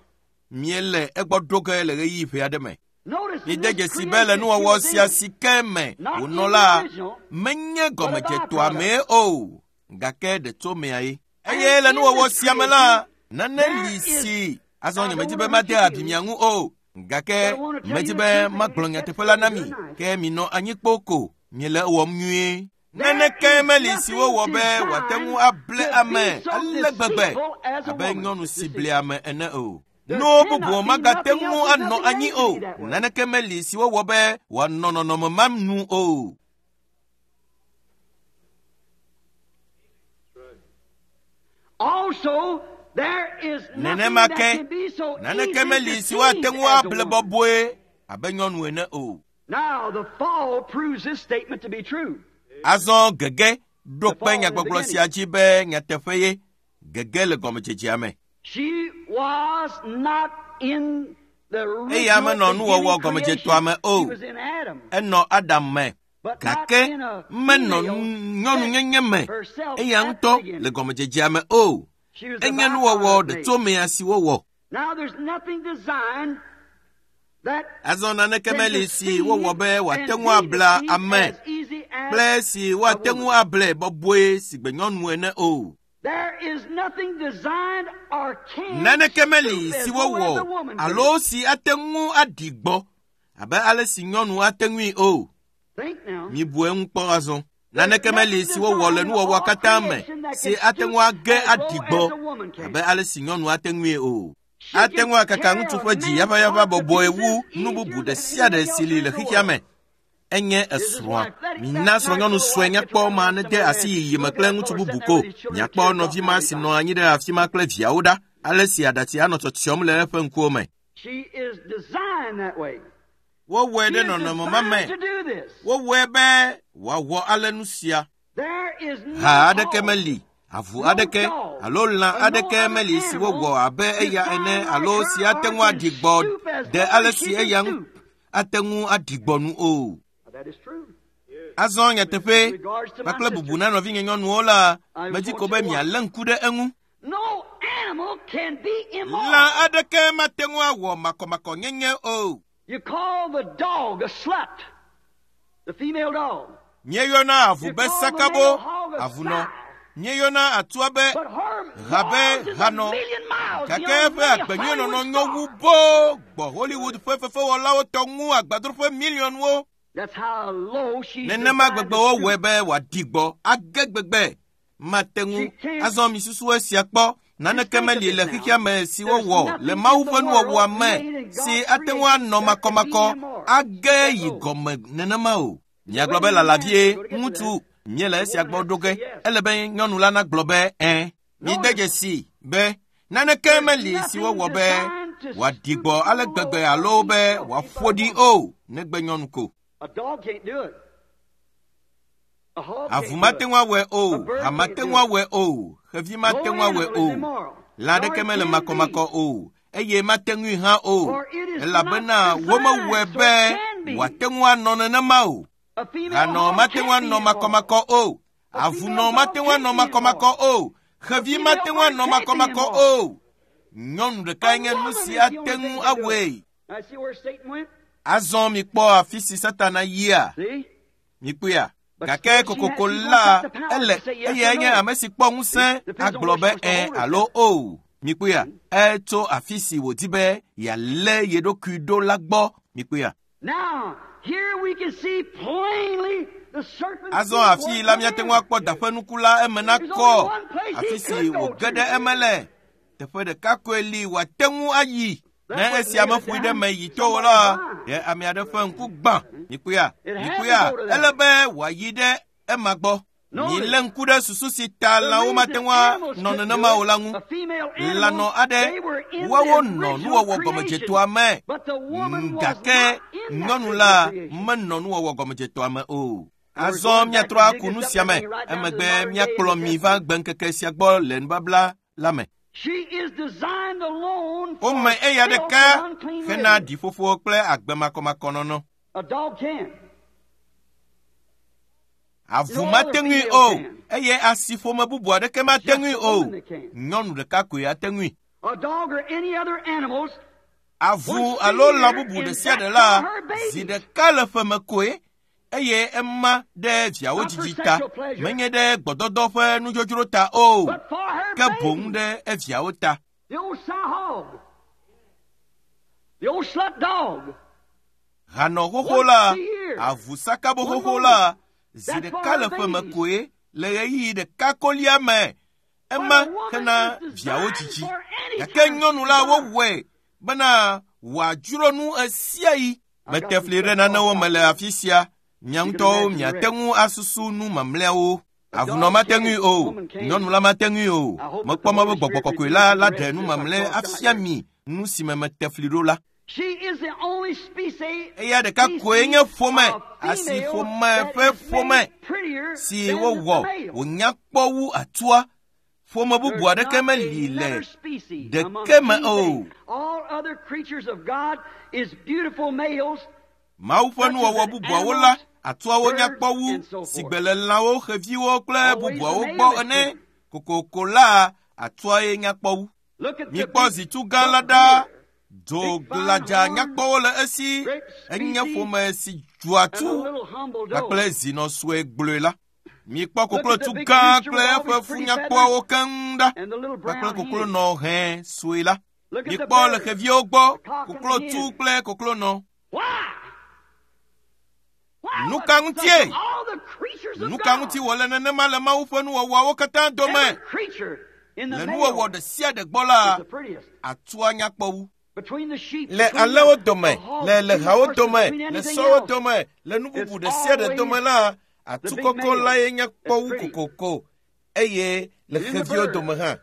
Míele egbɔ ɖo ge le ɣeyiɣi ƒe aɖe me. Notice in Mide this dzesi be le creation she nuwɔwɔ was sia in. si ke me Not in wònɔ the la, original, menye but a gɔmedzetoa mee byproduct. o, gake ɖetsomea ye. And Eye le in nuwɔwɔ this sia me la, creation, nane there li is si azɔ I nye don't medi want be to hurt made your abi feelings, mia ŋu o, gake but I want to tell medi you the be truth and magblɔ you catch nyateƒe la na it mi, good night. ke minɔ anyi kpoo ko, miele ewɔm nyuie. There Naneke is meli si nothing wowɔ be wòate ŋu designed able to ame be so ale gbegbe deceitful as a abe woman. nyɔnu si Deceitful. ble ame ene o. There Nuwo cannot bubuwo be magate nothing ŋu else. There's anɔ nothing anyi made to o. be that way. Naneke meli si wowɔ be wòanɔ nɔnɔme ma nu o. Also, there is nothing Nenema that ke can be so naneke easily meli si woate deceived ŋu as a able woman. bɔbɔe abe nyɔnu ene o. Now, the fall proves this statement to be true. Azɔ gege ɖo The kpe fall in the nyagbɔgblɔ beginning. sia dzi be nyateƒe ye gege le gɔmedzedzea me. She was not in the Eya original menɔ nuwɔwɔ beginning gɔmedzetoa creation. me She o. was in Adam, Enɔ Adam me. but not Gake in a menɔ female nyɔnunyenye sex me herself eya at the ŋutɔ le beginning. gɔmedzedzea me o. She was a Enye nuwɔwɔ byproduct made. ɖetsomea si wowɔ. Now, there's nothing designed that Azɔ naneke can meli si deceive wowɔ be wòate and ŋu be abla deceived ame as easy as kple si a woate ŋu woman. able bɔbɔe si gbe nyɔnu ene o. There is nothing designed or can Naneke meli stoop as si low as a wowɔ woman can. alo si ate ŋu aɖi gbɔ abe ale si nyɔnu ate ŋui o. Think now. Mibu eŋu kpɔ azɔ. There's Naneke meli nothing si wowɔ le designed in nuwɔwɔa all katã me creation that si can ate ŋu stoop age as low aɖi as gbɔ a woman can. abe ale si nyɔnu ate ŋui o. She Ate can ŋu akaka tear ŋutsu a ƒe dzi man's yaʋayaʋa heart to bɔbɔe wu pieces nu easier bubu ɖe than sia ɖe anything si else li le in the xexea world. me. Enye This is esrɔ̃a. why that, Mina that nice srɔ̃nyɔnu little sue wife that nyakpɔ you ma have nede somewhere asi there, yiyi me look at kple that ŋutsu fellow bubu sitting there ko. with his children Miakpɔ tears nɔvi dropping ma down si his nɔ eyes. anyi ɖe afi ma kple viawo ɖa. Ale si aɖatsi anɔ tsɔtsiɔm le eƒe ŋkuwo me. She is designed that way. Wowɔe She ɖe is nɔnɔme ma designed me. to do this. Wowɔe be wòawɔ ale nu sia. There is no Ha aɖeke hog, meli, avu no aɖeke dog, alo lã or no aɖeke other meli si animal wowɔ abe eya ene designed like alo si her ate or ŋu can aɖi gbɔ stoop as ɖe low ale as si she can eya ŋu stoop. ate ŋu aɖi gbɔ nu o. Now, that is true. Azɔ nyateƒe In regards to my kpakple bubu sisters, na nɔvinye nyɔnuwo la, I medi want ko you be to watch. mialé ŋku ɖe eŋu. No animal can be Lã immoral. aɖeke mate ŋu awɔ makɔmakɔnyenye o. You call the dog a slut, the female dog. Míeyɔna avu You be call the sakabo, male hog a avunɔ. sow. Míeyɔna atua be But her ha be morals is a hanɔ. million miles Gake beyond eƒe many agbenyuinɔnɔ Hollywood nyɔ wu stars. boo gbɔ Hollywood ƒe fefewɔlawo tɔ ŋu agbadroƒe miliɔnwo. That's how low she's Nenema designed gbegbe to wowɔe stoop. be wòaɖi gbɔ age gbegbe. Mate She ŋu can't. azɔ mi susu esia kpɔ. Just Naneke think of meli it le now. xexea me si There's wowɔ le nothing Mawu in the ƒe nuwɔwɔa world me made in si God's ate ŋu creation anɔ that could be makɔmakɔ immoral. age That yi low. gɔme nenema o. The Miagblɔ way be the man, lalavie go to get to ŋutsu that. míele The esia woman gbɔ has ɖo to ge. say yes. Ele be nyɔnu la nagblɔ be ẽ. Mide Notice, dzesi be naneke there's meli si nothing wowɔ be designed to wòaɖi stoop gbɔ so ale low gbegbe or alo be be filthy wòaƒo but a ɖi woman. o negbe nyɔnu ko. A dog can't do it. Avu mate ŋu awɔe o, ha mate ŋu awɔe o, xevi mate ŋu awɔe o, lã aɖeke mele makɔmakɔ o, eye mate ŋui hã o, elabena womewɔe be wòate ŋu anɔ nenema o. Hanɔ mate ŋu anɔ makɔmakɔ o, avunɔ mate ŋu anɔ makɔmakɔ o, xevi mate ŋu anɔ makɔmakɔ o. Nyɔnu ɖekae nye nu si ate ŋu awɔe. Azɔ mikpɔ afi si Satana yia. Mikpɔea? Gake kokoko la ele eyae nye ame si kpɔ ŋusẽ agblɔ be ẽ alo o. Mikpɔea? Etso afi si wòdi be yealé ye ɖokui ɖo la gbɔ. Mikpɔea? Azɔ afi la míate ŋu akpɔ da ƒe nuku la eme nakɔ. Afi si wòge ɖe eme le. Teƒe ɖeka koe li wòate ŋu ayi. Ne esia meƒoe ɖe me yi to o la, ɖe ame aɖe ƒe ŋku gbã. Mikpɔea? Mikpɔea? Ele be wòayi ɖe ema gbɔ. Milé ŋku ɖe susu si ta lãwo mate ŋu anɔ nenema o la ŋu. Lãnɔ aɖe, woawo nɔ nuwɔwɔ gɔmedzetoa me. Gake nyɔnu la menɔ nuwɔwɔ gɔmedzetoa me o. Azɔ míatrɔ aku nu sia me. Emegbe míakplɔ mi va gbeŋkeke sia gbɔ le nubabla la me. Wome eya ɖeka hena ɖiƒoƒo kple agbe makɔmakɔnɔnɔ. Avu mate ŋui o, eye asiƒome bubu aɖeke mate ŋui o. Nyɔnu ɖeka koe ate ŋui. Avu alo lã bubu ɖe sia ɖe la, zi ɖeka le ƒeme koe, eye ema ɖe viawo dzidzi ta, menye ɖe gbɔdɔdɔ ƒe nudzodzro ta o, ke boŋ ɖe eviawo ta. Hanɔ xoxo la, avu sakabo xoxo la, zi ɖeka le ƒeme koe le ɣeyiɣi ɖeka kolia me, ema hena viawo dzidzi. Gake nyɔnu la wowɔe bena wòadzro nu esiayi. Mete fli ɖe nanewo me le afi sia. Mia ŋutɔwo miate ŋu asusu nu mamlɛawo. Avunɔ mate ŋui o, nyɔnu la mate ŋui o. Mekpɔ mɔ be gbɔgbɔ kɔkɔe la la ɖe nu mamlɛ afia mi nu si me mete fli ɖo la. Eya ɖeka koe nye ƒome, asi ƒome ƒe ƒome si wowɔ wònya kpɔ wu atua. Ƒome bubu aɖeke meli le ɖeke me o. Mawu ƒe nuwɔwɔ bubuawo la, atuawo nya kpɔ wu sigbe le lãwo, xeviwo kple bubuawo gbɔ ene. Kokoko la, atuae nya kpɔ wu. Mikpɔ zitu gã la ɖa. Dzo gladza nyakpɔwo le esi. Enye ƒome si dzɔa tu kpakple zinɔ sue gblɔe la. Mikpɔ koklotu gã kple eƒe fu nyakpɔawo keŋ ɖa kpakple koklonɔ hẽ sue la. Mikpɔ le xeviwo gbɔ, koklotu kple koklonɔ. Nu ka ŋutie? Nu ka ŋuti wòle nenema le Mawu ƒe nuwɔwɔawo katã dome? Le nuwɔwɔ ɖe sia ɖe gbɔ la, atua nyakpɔ wu. Le alẽwo dome, le lehawo dome, le sɔwo dome, le nu bubu ɖe sia ɖe dome la, atu kɔkɔ lae nyakpɔ wu kokoko, eye le xeviwo dome hã.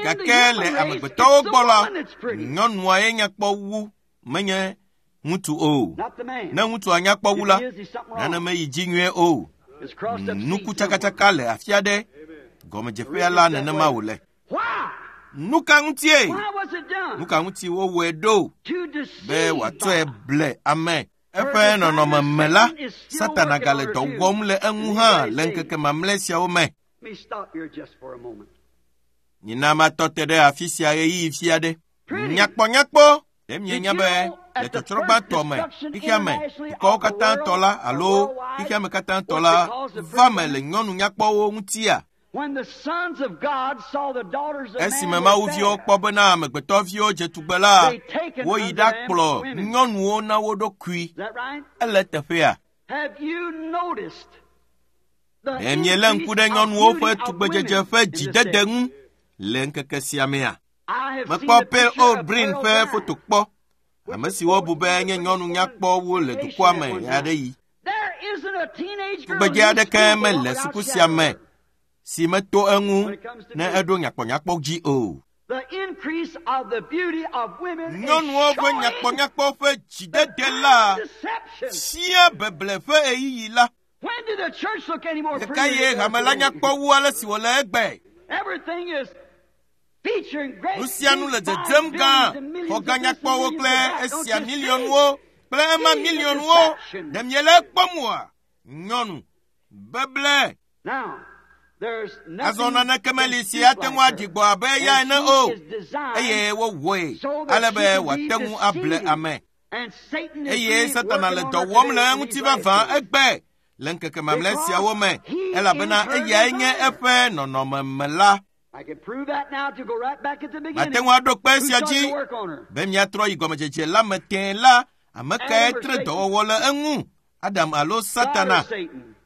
Gake le amegbetɔwo gbɔ la, nyɔnua ye nyakpɔ wu, menye ŋutsu o. Ne ŋutsua nyakpɔ wu la, nane meyi dzi nyuie o. Nuku tsakatsaka le afi aɖe, gɔmedzeƒea la nenema wòle. Nu ka ŋutie? Nu ka ŋuti wowɔe ɖo be wòatsɔe ble ame? Eƒe nɔnɔme me la, Satana gale dɔ wɔm le eŋu hã le ŋkeke mamlɛ siawo me. Nyina matɔ te ɖe afi sia ɣeyiɣi fi aɖe. Nyakpɔnyakpɔ. Ɖe mienya be le tsɔtsrɔ̃ gbãtɔ me, xexea me, dukɔwo katã tɔ la alo xexea me katã tɔ la va me le nyɔnu nyakpɔwo ŋutia? Esime Mawuviwo kpɔ bena amegbetɔviwo dze tugbe la, woyi ɖakplɔ nyɔnuwo na wo ɖokui. Ele teƒea? Ɖe mielé ŋku ɖe nyɔnuwo ƒe tugbedzedze ƒe dzidede ŋu le ŋkeke sia mea? Mekpɔ Pearl Old Breen ƒe foto kpɔ, ame si wobu be nye nyɔnu nyakpɔwo le dukɔa me ɣeaɖeɣi. Tugbedze aɖeke mele suku sia me si meto eŋu ne eɖo nyakpɔnyakpɔ dzi o. Nyɔnuwo ƒe nyakpɔnyakpɔ ƒe dzidede la fia beble ƒe ɣeyiɣi la. Ɖeka ye hame la nya kpɔ wu ale si wòle egbe. Nu sia nu le dzedzem gã, xɔ gã nyakpɔwo kple esia miliɔnwo kple ema miliɔnwo. Ɖe miele ekpɔm oa? Nyɔnu beble. Azɔ naneke meli si ate ŋu aɖi gbɔ abe eya ene o, eye wowɔe ale be wòate ŋu able ame. Eye Satana le dɔ wɔm le eŋuti vavã egbe le ŋkeke mamlɛ siawo me, elabena eyae nye eƒe nɔnɔme me la. Mate ŋu aɖo kpe esia dzi be miatrɔ yi gɔmedzedze la me tẽe la, ame kae tre dɔwɔwɔ le eŋu? Adam alo Satana?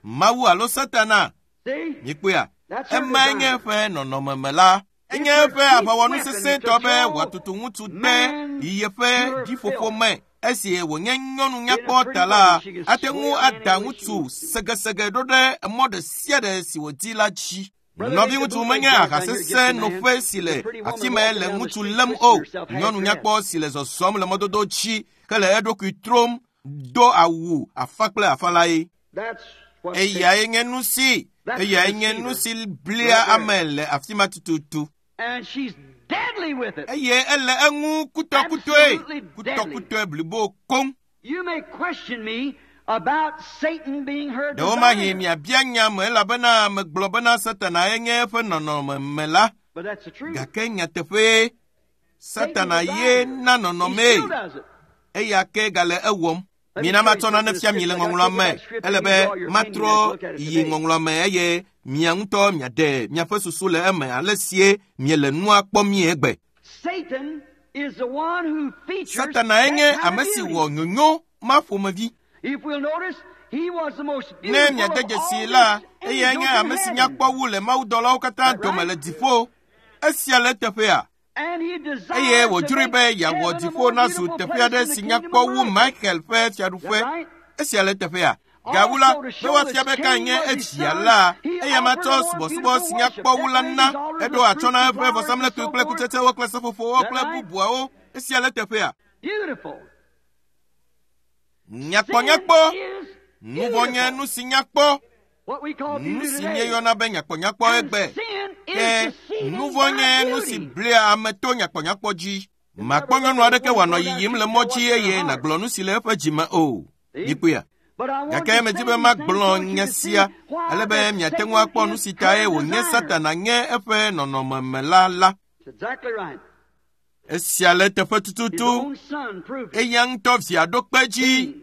Mawu alo Satana? Mikpɔea? Emae nye eƒe nɔnɔme me la. Enye eƒe aʋawɔnu sesẽtɔ be wòatutu ŋutsu de yeƒe ɖiƒoƒo me. Esi wònye nyɔnu nyakpɔ ta la, ate ŋu ada ŋutsu segesege ɖo ɖe mɔ ɖe sia ɖe si wòdi la dzi. Nɔvi ŋutsu menye aha sesẽ noƒe si le afi me le ŋutsu lém o. Nyɔnu nyakpɔ si le zɔzɔm le mɔdodo dzi hele eɖokui trom do awu afa kple afa lae. Eyae nye nu si, eyae nye nu si blia ame le afi ma tututu. Eye ele eŋu kutɔkutɔe, kutɔkutɔe blibo koŋ. Ɖewomahi miabia nya me elabena megblɔ bena Satana ye nye eƒe nɔnɔme me la. Gake nyateƒee, Satana ye na nɔnɔmee. Eya ke gale ewɔm. Mina matsɔ nane fia mi le ŋɔŋlɔa me. Ele be matrɔ yi ŋɔŋlɔa me eye mia ŋutɔ miaɖe miaƒe susu le eme ale sie miele nua kpɔm mie egbe. Satana nye ame si wɔ nyonyo ma ƒomevi. Ne miade dzesi la, eyae nye ame si nyakpɔ wu le mawudɔlawo katã dome le dziƒo. Esia le teƒea. Eye wòdzroe be yeawɔ dziƒo nazu teƒe aɖe si nyakpɔ wu Michael ƒe fiaɖuƒe. Esia le teƒea. Gawu la, be woafia be kae nye evia la, eya matsɔ subɔsubɔ si nyakpɔ wu la na. Eɖo atsyɔ̃ na eƒe vɔsamlekpui kple kutsetsewo kple seƒoƒowo kple bubuawo. Esia le teƒea. Nyakpɔnyakpɔ. Nuvɔ̃ nye nu si nyakpɔ. Nu si míeyɔna be nyakpɔnyakpɔ egbe. Ke nuvɔ̃ nye nu si blea ame to nyakpɔnyakpɔ dzi. Makpɔ nyɔnu aɖeke wòanɔ yiyim le mɔ dzi eye nàgblɔ nu si le eƒe dzime o. Mikpɔea? Gake medi be magblɔ nye sia ale be miate ŋu akpɔ nu si tae wònye Satana nye eƒe nɔnɔme me la la. Esia le teƒe tututu. Eya ŋutɔ via ɖo kpe dzi.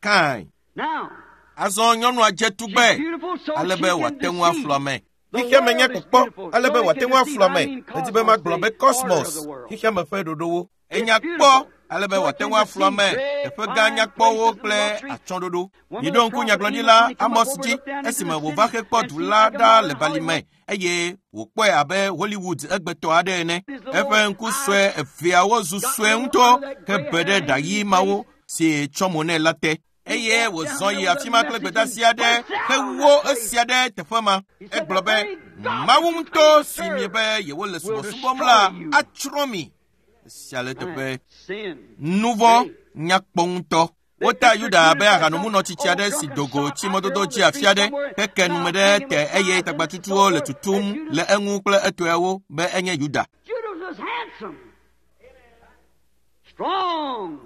Kain. Azɔ nyɔnua dze tugbe ale be wòate ŋu aflu ame. Xexea me nye kpɔkpɔ ale be wòate ŋu aflu ame. Medi be magblɔ be kosmos, xexea me ƒe ɖoɖowo. Enya kpɔ ale be wòate ŋu aflu ame. Teƒe gã nyakpɔwo kple atsyɔ̃ɖoɖo. Miɖo ŋku nyagblɔɖila Amos dzi esime wòva hekpɔ du la ɖa le balime eye wòkpɔe abe Hollywood egbetɔ aɖe ene. Eƒe ŋku sue eveawo zu sue ŋutɔ hebe ɖe ɖa ɣi mawo si tsɔ mo nɛ la te. Eye wòzɔ yi afi ma kple gbedeasi aɖe hewo esia ɖe teƒe ma. Egblɔ be Mawu ŋutɔ si miebe yewole subɔsubɔm la atsrɔ̃ mi. Esia le teƒe. Nuvɔ̃ nyakpɔ ŋutɔ. Wota Yuda abe ahanomunɔ tsitsi aɖe si do go tsi mɔdodo dzi afi aɖe heke nume ɖe te eye tagbatutuwo le tutum le eŋu kple etɔewo be enye Yuda.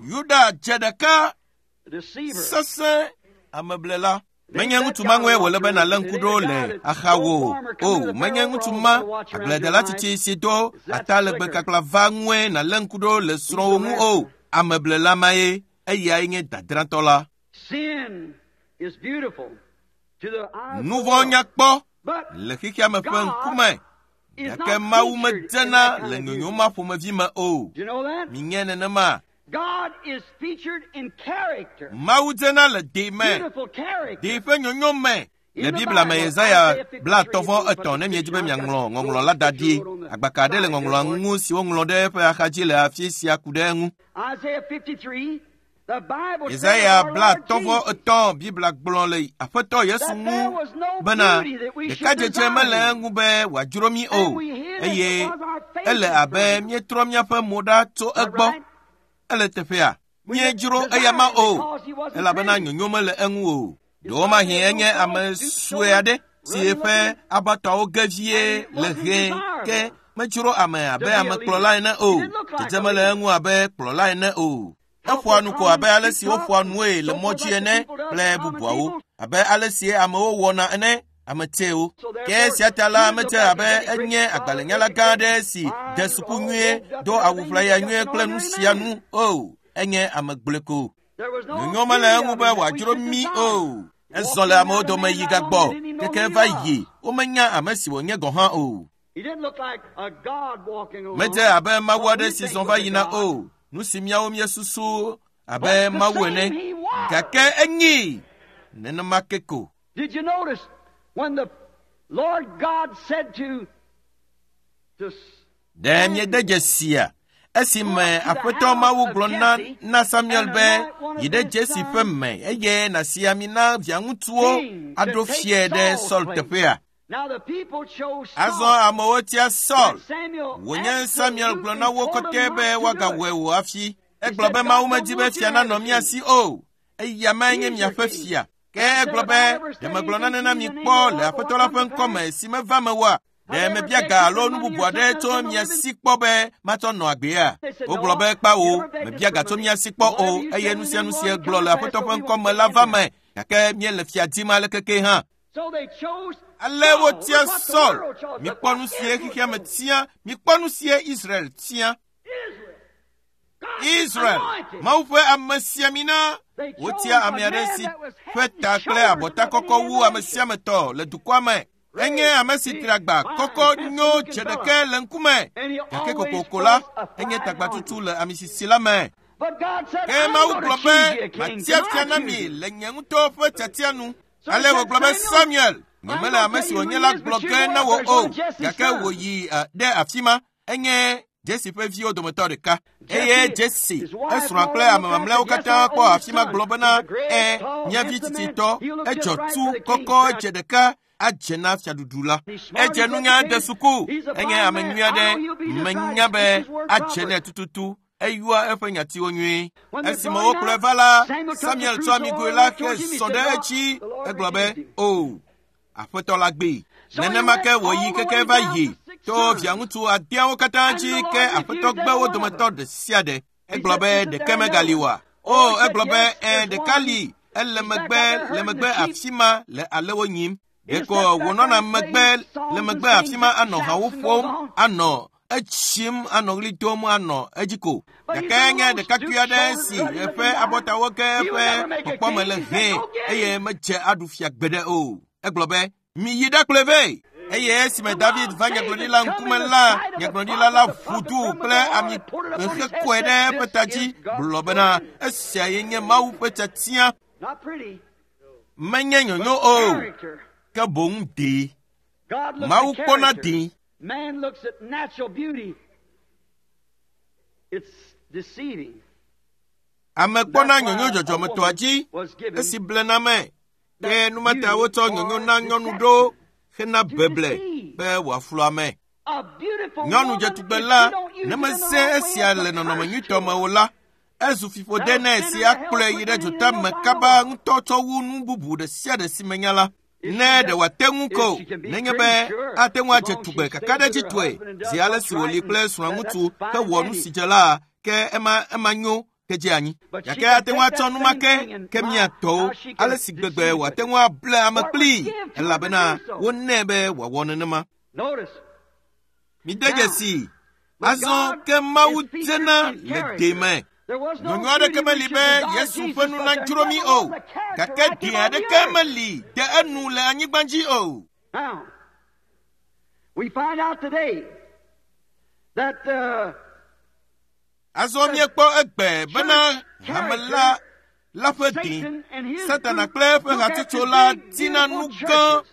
Yuda dze ɖeka sesẽ ameblela. Menye ŋutsu ma ŋue wòle be nàlé ŋku ɖo le axawò o. Menye ŋutsu ma agbledela tsitsi si do atalegbe kakla va ŋue nàlé ŋku ɖo le srɔ̃wò ŋu o. Ameblela mae, eyae nye dadratɔ la. Nuvɔ̃ nyakpɔ le xexea me ƒe ŋkume, gake Mawu medzena le nyonyo ma ƒomevi me o. Minye nenema. Mawu dzena le ɖe me, ɖe ƒe nyonyo me. Le Biblia me Yesaya blaatɔ̃ vɔ etɔ̃ ne miedzi be miaŋlɔ ŋɔŋlɔ la da ɖi. Agbaka aɖe le ŋɔŋlɔa ŋu si woŋlɔ ɖe eƒe axadzi le afi sia ku ɖe eŋu. Yesaya blaatɔ̃ vɔ etɔ̃ Biblia gblɔ le Aƒetɔ Yesu ŋu bena ɖekadzedze mele eŋu be wòadzro mí o, eye ele abe míetrɔ míaƒe mo ɖa tso egbɔ. Ele teƒea. Míedzro eya ma o, elabena nyonyo mele eŋu o. Ɖewomahi enye ame sue aɖe si eƒe abatɔawo ge vie le ʋe ke medzro ame abe amekplɔla ene o. Dzedze mele eŋu abe kplɔla ene o. Eƒoa nu ko abe ale si woƒoa nue le mɔ dzi ene kple bubuawo, abe ale si amewo wɔna ene, ame tsɛwo. Ke esia ta la, medze abe enye agbalẽnyala gã aɖe si de suku nyuie, do awu ʋlaya nyuie kple nu sia nu o. Enye ame gblɔe ko. Nyonyo mele eŋu be wòadzro mí o. Ezɔ le amewo dome yi gagbɔ keke va yi womenya ame si wònye gɔ̃ hã o. Medze abe Mawu aɖe si zɔ va yina o. Nu si míawo míesusu abe Mawu ene. Gake enyi nenema ke ko. Did you notice when the Lord God said to to Ɖe miede dzesia esime Aƒetɔ Mawu gblɔ na na Samuel be yi ɖe Jesse ƒe me eye nàsi ami na viaŋutsuwo aɖo fiae ɖe Saul teƒea. Now the people chose Azɔ Saul. amewo tia Saul. Samuel Wònye Samuel gblɔ na wo absolutely kɔtɛ told them be not to do woagawɔe it. o hafi. Egblɔ be Mawu medi be fia nanɔ mía si o. Eya mae nye miaƒe fia. Ke egblɔ be ɖe megblɔ nane na mi kpɔ le Aƒetɔ la ƒe ŋkɔme si meva me oa? Ɖe mebia ga alo nu bubu aɖe tso mia si kpɔ be matsɔ nɔ agbea? Wogblɔ be kpawo, mebia ga tso mia si kpɔ o eye nu sia nu si egblɔ le Aƒetɔ ƒe ŋkɔme la va me. Gake míele fia dim alekeke hã. So they chose Ale Saul. wotia Look what the Saul. world chose. Mikpɔ Look nu what sie Israel xexea me chose. tia. Mikpɔ nu sie Israel tia. Israel. God's Israel, anointed. Mawu ƒe amesiamina. They chose Wotia ame a aɖe man si that was ƒe head and ta kple shoulders abɔta above kɔkɔ any wu other ame sia ame tɔ le dukɔa me. Enye ame si tri agba kɔkɔ nyo dze ɖeke le ŋkume. And he Gake always kokoko la, was a enye fine tagbatutu le amisisi la me. But God said, Ke I'm Mawu going to gblɔ choose be you a king. matia To fia my na mi choosing. le nye ŋutɔ ƒe tiatia nu. So Ale he said, wògblɔ be Samuel, Samuel, nyemele ame si wònye la gblɔ ge na wò o, gake wòyi eh, ɖe afi ma. Enye Jesse ƒe viwo dometɔ ɖeka. Eye Jesse, esrɔ̃a kple ame mamlɛawo katã kpɔ afi ma gblɔ bena, "Ẽ, mía vi tsitsitɔ, edzɔ tu kɔkɔ dze ɖeka adze na fiaɖuɖu la. Edze nunya de suku, enye ame nyui aɖe, menya be adze nɛ tututu. Eyɔa eƒe nyatiwo nyuie. Esime wokplɔe va la, Samuel tsɔ amigoe la ke sɔ ɖe edzi. Egblɔ be, "O, Aƒetɔ la gbee." Nenema ke wòyi keke va yi to viaŋutsu adeawo katã dzi ke Aƒetɔ gbe wo dometɔ ɖe sia ɖe. Egblɔ be ɖeke megali oa? O, egblɔ be ẽ ɖeka li, ele megbe le megbe afi ma le alewo nyim. Ɖeko wònɔna megbe le megbe afi ma anɔ hawo ƒom, anɔ etsim, anɔ ɣli dom, anɔ edzi ko. Gake enye ɖekakpui aɖe si eƒe abɔtawo ke eƒe kpɔkpɔme le hɛ̃ eye medze aɖu fia gbeɖe o. Egblɔ be, miyi ɖakplɔe vɛ. Eye esime David va nyagblɔɖila ŋkume la, nyagblɔɖila la ʋu du kple ami hekɔe ɖe eƒe ta dzi gblɔ bena, esia ye nye Mawu ƒe tiatia. Not pretty. Menye nyonyo o, Character. ke boŋ dee. God looks Mawu at kpɔna character. dee. Man looks at natural beauty. It's deceiving. Ame kpɔna nyonyo dzɔdzɔmetɔa dzi esi blena me. Ke numata wotsɔ nyonyo na nyɔnu ɖo hena beble be wòaflu ame. A beautiful Nyɔnu woman, dzetugbe if la, you don't use ne it in the meze right way, esia it's a le nɔnɔme curse nyuitɔ to me her. o la, ezu fiƒode nɛ si akplɔe yi ɖe dzota me kaba ŋutɔ tsɔ wu nu bubu ɖe sia ɖe si menya la. Ne ɖe wòate ŋu ko, nenye be ate ŋu adze tugbe kakaɖedzitɔe zi ale si wòli kple srɔ̃ŋutsu hewɔ nu si dze la, ke ema ema nyo ke dze anyi. Gake ate ŋu atsɔ nu ma ke ke mía tɔwo, ale si gbegbe wòate ŋu able ame kplii, elabena wonɛ be wòawɔ nenema. Notice, Mide dzesi, azɔ ke Mawu dzena le deme. there was no Nyonyo aɖeke beauty meli we should be desire Yesu Jesus, ƒe nu but there nadzro mí never o, was a character gake like de him on the aɖeke earth. meli de enu le anyigba dzi o. Now, we find out today that uh, Azɔ míekpɔ egbe bena hame la la ƒe dĩ, Satan and his Satana group kple eƒe look hatsotso after la big, dina nu beautiful gã, churches.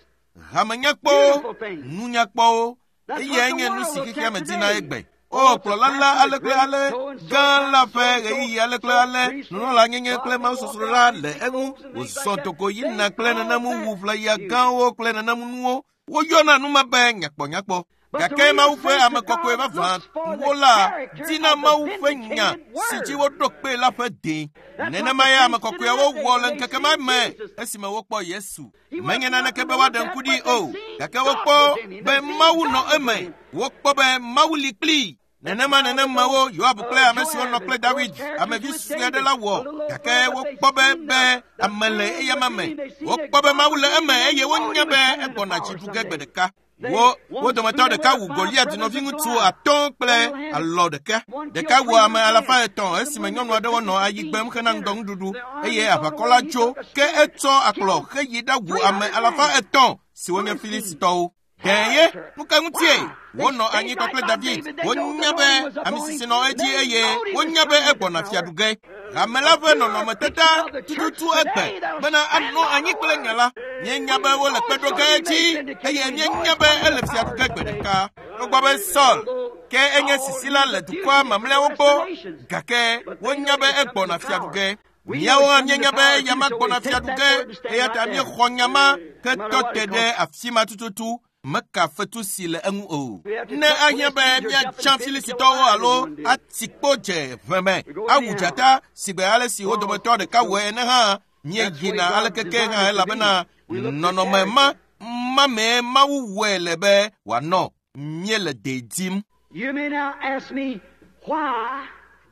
hame nyakpɔwo, Beautiful things. nunyakpɔwo, That's eyae what the nye nu world si looks xexea at me dina today. egbe. O kplɔla la ale kple ale gã la ƒe ɣeyiɣi ale kple ale nunɔlanyenye kple mawusosro la le eŋu wòzɔ togo yina kple nenemu wu ʋlaya gãwo kple nenemu nuwo. Woyɔna nu ma be nyakpɔnyakpɔ. Gake Mawu ƒe ame kɔkɔe vavãwo la dina Mawu ƒe nya si dzi woɖo kpe la ƒe de. Nenema ye ame kɔkɔeawo wɔ le ŋkeke ma me esime wokpɔ Yesu. Menye naneke be woaɖe ŋku ɖi o, gake wokpɔ be Mawu nɔ eme. Wokpɔ be Mawu li kplii. Nenema nenemawo Yoab kple ame siwo nɔ kple David, amevi sue aɖe la wɔ, gake wokpɔ be be ame le eyama me. Wokpɔ be Mawu le eme eye wonya be egbɔna dzi ɖu ge gbe ɖeka. Wo wo dometɔ ɖeka wu Goliat nɔviŋutsu atɔ̃ kple alɔ ɖeka. Ɖeka wu ame alafa etɔ̃ esime nyɔnu aɖewo nɔ ayi gbem hena ŋdɔnuɖuɖu eye aʋakɔ la tso ke etsɔ akplɔ heyi ɖawu ame alafa etɔ̃ siwo nye Filistitɔwo. Ɖe ye nu ka ŋutie wonɔ anyi kpakple David? Wonya be ame sisi nɔ edzi eye wonya be egbɔna fiaɖu ge. Hame la ƒe nɔnɔmetata tututu egbe bena anɔ anyi kple nya la. Míenya be wole kpe ɖo ge edzi eye míenya be ele fiaɖu ge gbe ɖeka. Togbɔ be Saul ke enye sisila le dukɔa mamlɛawo gbɔ, gake wonya be egbɔna fiaɖu ge. Míawo hã míenya be yama gbɔna fiaɖu ge eya ta míexɔ nya ma ke tɔ te ɖe afi ma tututu. Meka fetu si le eŋu o. Ne ahiã be míatsã Filistitɔwo alo ati kpo dze ʋe me awu dzata si gbe ale si wo dometɔ ɖeka wɔe ene hã, míeyina aleke ke hã elabena nɔnɔme ma ma mee Mawu wɔe le be wòanɔ. Míele de dim.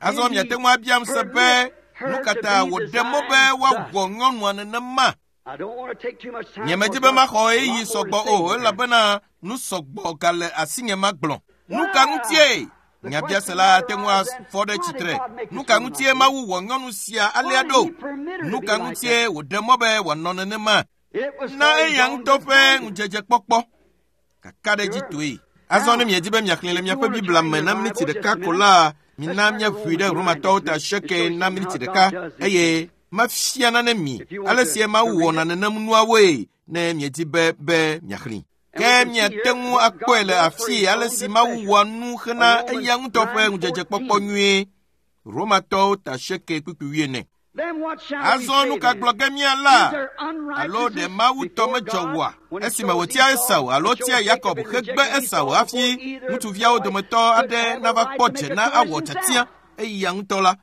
Azɔ miate ŋu abiam se be nu ka ta wòɖe mɔ be woawɔ nyɔnua nenema? Nyemedi be maxɔ ɣeyiɣi sɔgbɔ o elabena nu sɔgbɔ gale asinye magblɔ. Nu ka ŋutie? Nyabiase la ate ŋu afɔ ɖe tsitre. Nu ka ŋutie Mawu wɔ nyɔnu sia alea ɖo? Nu ka ŋutie wòɖe mɔ be wòanɔ nenema? Na eya ŋutɔ ƒe ŋudzedzekpɔkpɔ. Kakaɖedzitɔe. Azɔ ne miedi be miaxlẽ le miaƒe Biblia me na miniti ɖeka ko la, mina míaʋui ɖe Romatɔwo ta asieke na miniti ɖeka eye mafia nane mi ale si Mawu wɔna nenem nuawoe ne miedi be be miaxlẽ. Ke miate ŋu akpɔe le afii ale si Mawu wɔa nu hena eya ŋutɔ ƒe ŋudzedzekpɔkpɔ nyuie. Romatɔwo ta asieke kpukpui wuiene. Azɔ nu ka gblɔ ge míala? Alo ɖe Mawu tɔ medzɔ woa? Esime wòtia Esau alo tia Yakob hegbe Esau hafi ŋutsuviawo dometɔ aɖe nava kpɔ dze na awɔ tiatia eya ŋutɔ la,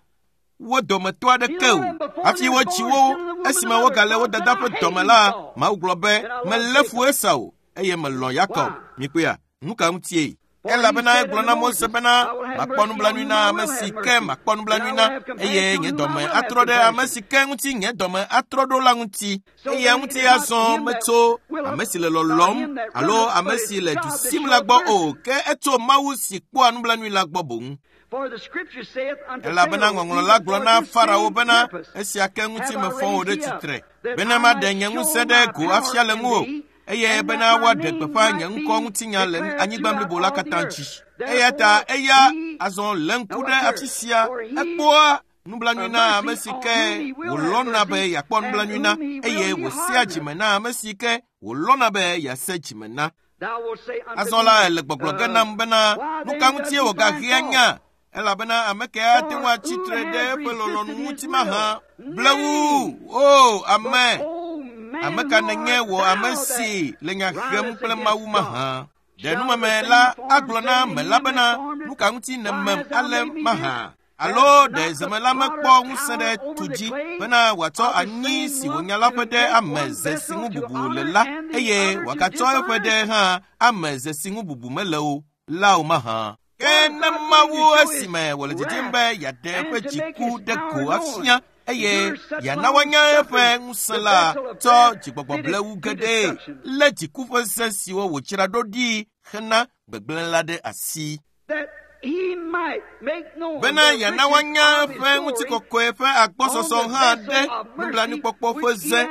wo dometɔ aɖeke o. Hafi wotsi wo esime wogale wo dada ƒe dɔme la, Mawu gblɔ be melé fu Esau eye melɔ̃ Yakob. Mikpɔea, nu ka ŋutie? Elabena egblɔ na Mose bena makpɔ nublanui na ame si ke makpɔ nublanui na eye nye dɔme atrɔ ɖe ame si ke ŋuti nye dɔme atrɔ ɖo la ŋuti. Eya ŋuti azɔ metso ame si le lɔlɔ̃m alo ame si le du sim la gbɔ o, ke etso Mawu si kpɔa nublanui la gbɔ boŋ. Elabena ŋɔŋlɔ la gblɔ na Farao bena esia ke ŋuti mefɔ wò ɖe tsitre bena maɖe nye ŋusẽ ɖe go afia le ŋuwò eye bena woaɖe gbeƒã nye ŋkɔ ŋutinya le anyigba blibo la katã dzi. Eya ta eya azɔ lé ŋku ɖe afi sia ekpɔa nublanui na ame si ke wòlɔ̃na be yeakpɔ nublanui na eye wòsea dzime na ame si ke wòlɔ̃na be yease dzime na. Azɔ la ele gbɔgblɔ ge nam bena nu ka ŋutie wògahea nya? Elabena ame ke ate ŋu atsi tre ɖe eƒe lɔlɔ̃nu ŋuti mahã. Blewu o ame! Ame ka nènye wò ame si le nya hem kple Mawu mahã? Ɖe numeme la agblɔ na mela bena nu ka ŋuti nèmem ale mahã? Alo ɖe zemela mekpɔ ŋusẽ ɖe tu dzi bena wòatsɔ anyi si wònya la ƒe ɖe ame ze si ŋu bubu le la eye wòagatsɔ eƒe ɖe hã ame ze si ŋu bubu mele o la o mahã? Ke ne Mawu esime wòle didim be yeaɖe eƒe dziku ɖe go afia eye yeana woanya eƒe ŋusẽ la tsɔ dzigbɔgbɔ blewu geɖe lé dziku ƒe se siwo wòdzra ɖo ɖi hena gbegblẽ la ɖe asi. Bena yeana woanya eƒe ŋutikɔkɔe ƒe agbɔsɔsɔ hã ɖe nublanuikpɔkpɔ ƒe ze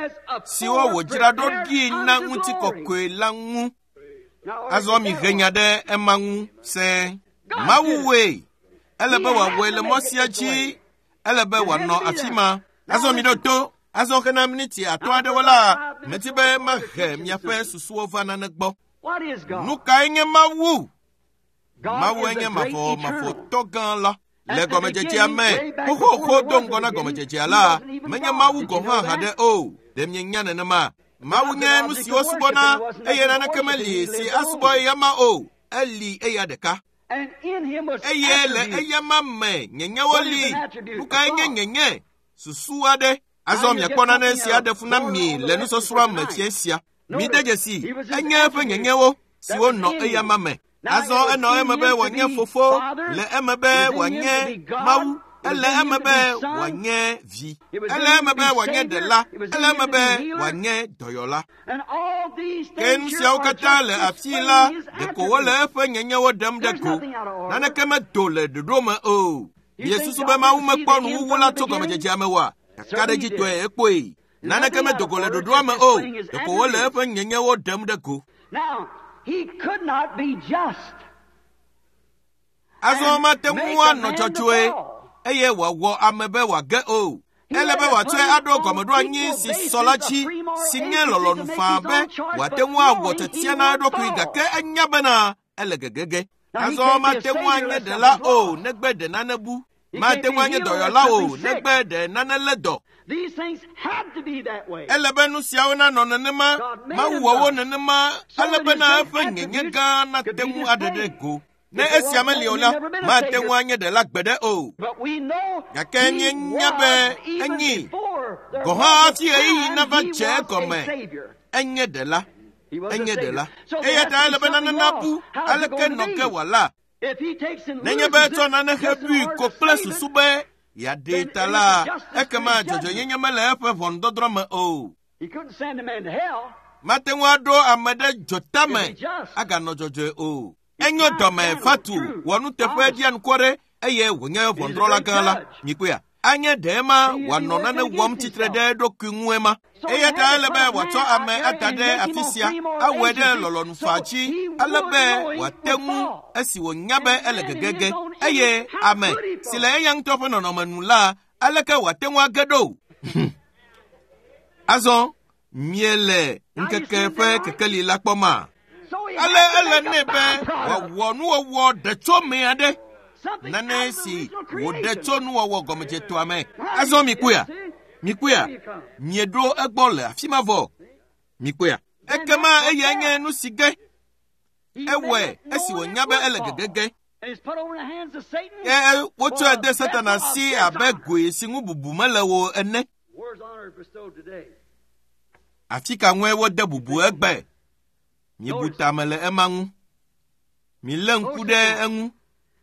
siwo wòdzra ɖo ɖi na ŋutikɔkɔe la ŋu. Azɔ mihe nya ɖe ema ŋu sẽ. Mawu wɔe. Ele be wòawɔe le mɔ sia dzi. Ele be wòanɔ afi ma. Azɔ mi ɖo to. Azɔ hena miniti atɔ̃ aɖewo la, medi be mahe miaƒe susuwo va nane gbɔ. Nu kae nye Mawu? Mawu enye mavɔmavɔtɔ gã la. Le gɔmedzedzea me, xoxoxo do ŋgɔ na gɔmedzedzea la, menye Mawu gɔ̃ hã haɖe o. Ɖe mienya nenema? Mawu nye nu si wosubɔna eye naneke meli si asubɔ eyama o. Eli eya ɖeka. Eye le eyama me nyenyewo li. Nu kae nye nyenye? Susu aɖe. Azɔ miakpɔ nane si aɖe fu na mi le nusɔsrɔ̃a me fia sia. Mide dzesi, enye eƒe nyenyewo siwo nɔ eyama me. Azɔ enɔ eme be wòanye fofo, le eme be wòanye Mawu, ele eme be wòanye vi, ele eme be wòanye ɖela, ele eme be wòanye dɔyɔla. Ke nu siawo katã le afi la, ɖeko wole eƒe nyenyewo ɖem ɖe go. Naneke medo le ɖoɖo me o. Miesusu be Mawu mekpɔ nuwuwu la tso gɔmedzedzea me oa? Kakaɖedzitɔe ekpɔe. Naneke medo go le ɖoɖoa me o. Ɖeko wole eƒe nyenyewo ɖem ɖe go. Azɔ mate ŋu anɔ dzɔdzɔe eye wòawɔ ame be wòage o. Ele be wòatsɔe aɖo gɔmeɖoanyi si sɔ la dzi, si nye lɔlɔ̃nu faa be wòate ŋu awɔ tiatia na eɖokui gake enya bena ele gegege. Azɔ mate ŋu anye ɖela o negbe ɖe nane bu. Mate ŋu anye dɔyɔla o negbe ɖe nane lé dɔ. Ele be nu siawo nanɔ nenema, Mawu wɔ wo nenema, ale bena eƒe nyenye gã nate ŋu aɖe ɖe go. Ne esia meli o la, mate ŋu anye ɖela gbeɖe o. Gake míenya be enyi gɔ̃ hã hafi ɣeyiɣi nava dze egɔme. Enye ɖela. Enye ɖela. Eya ta ele be nane nabu aleke nɔ ke wòala. Nenye be etsɔ nane hebui ko kple susu be yeaɖee ta la, ekema dzɔdzɔenyenye mele eƒe ʋɔnudɔdrɔ̃ me o. Mate ŋu aɖo ame ɖe dzotame aganɔ dzɔdzɔe o. Enyo dɔme fatu, wɔ nuteƒe ɖianukware eye wònye ʋɔnudrɔ̃la gã la. Mikpɔea? Anye ɖe ema wòanɔ nane wɔm tsitre ɖe eɖokui ŋu ema. Eya ta ele be wòatsɔ ame ada ɖe afi sia, awɔe ɖe lɔlɔ̃nu faa dzi, ale be wòate ŋu esi wònya be ele gegege. Eye ame si le eya ŋutɔ ƒe nɔnɔme nu la, aleke wòate ŋu age ɖo? Azɔ miele ŋkeke ƒe kekeli la kpɔma? Ale ele nɛ be wòawɔ nuwɔwɔ ɖetsome aɖe. Nane si wòɖe tso nuwɔwɔ gɔmedzetɔa me. Azɔ mikpɔea? Mikpɔea? Mieɖo egbɔ le afi ma vɔ. Mikpɔea? Ekema eyae nye nu si ge. Ewɔe esi wònya be ele gegege. Ke wotsɔe de Satana si abe goe si ŋu bubu mele o ene. Afi ka ŋue wode bubu egbe? Miebu tame le ema ŋu. Milé ŋku ɖe eŋu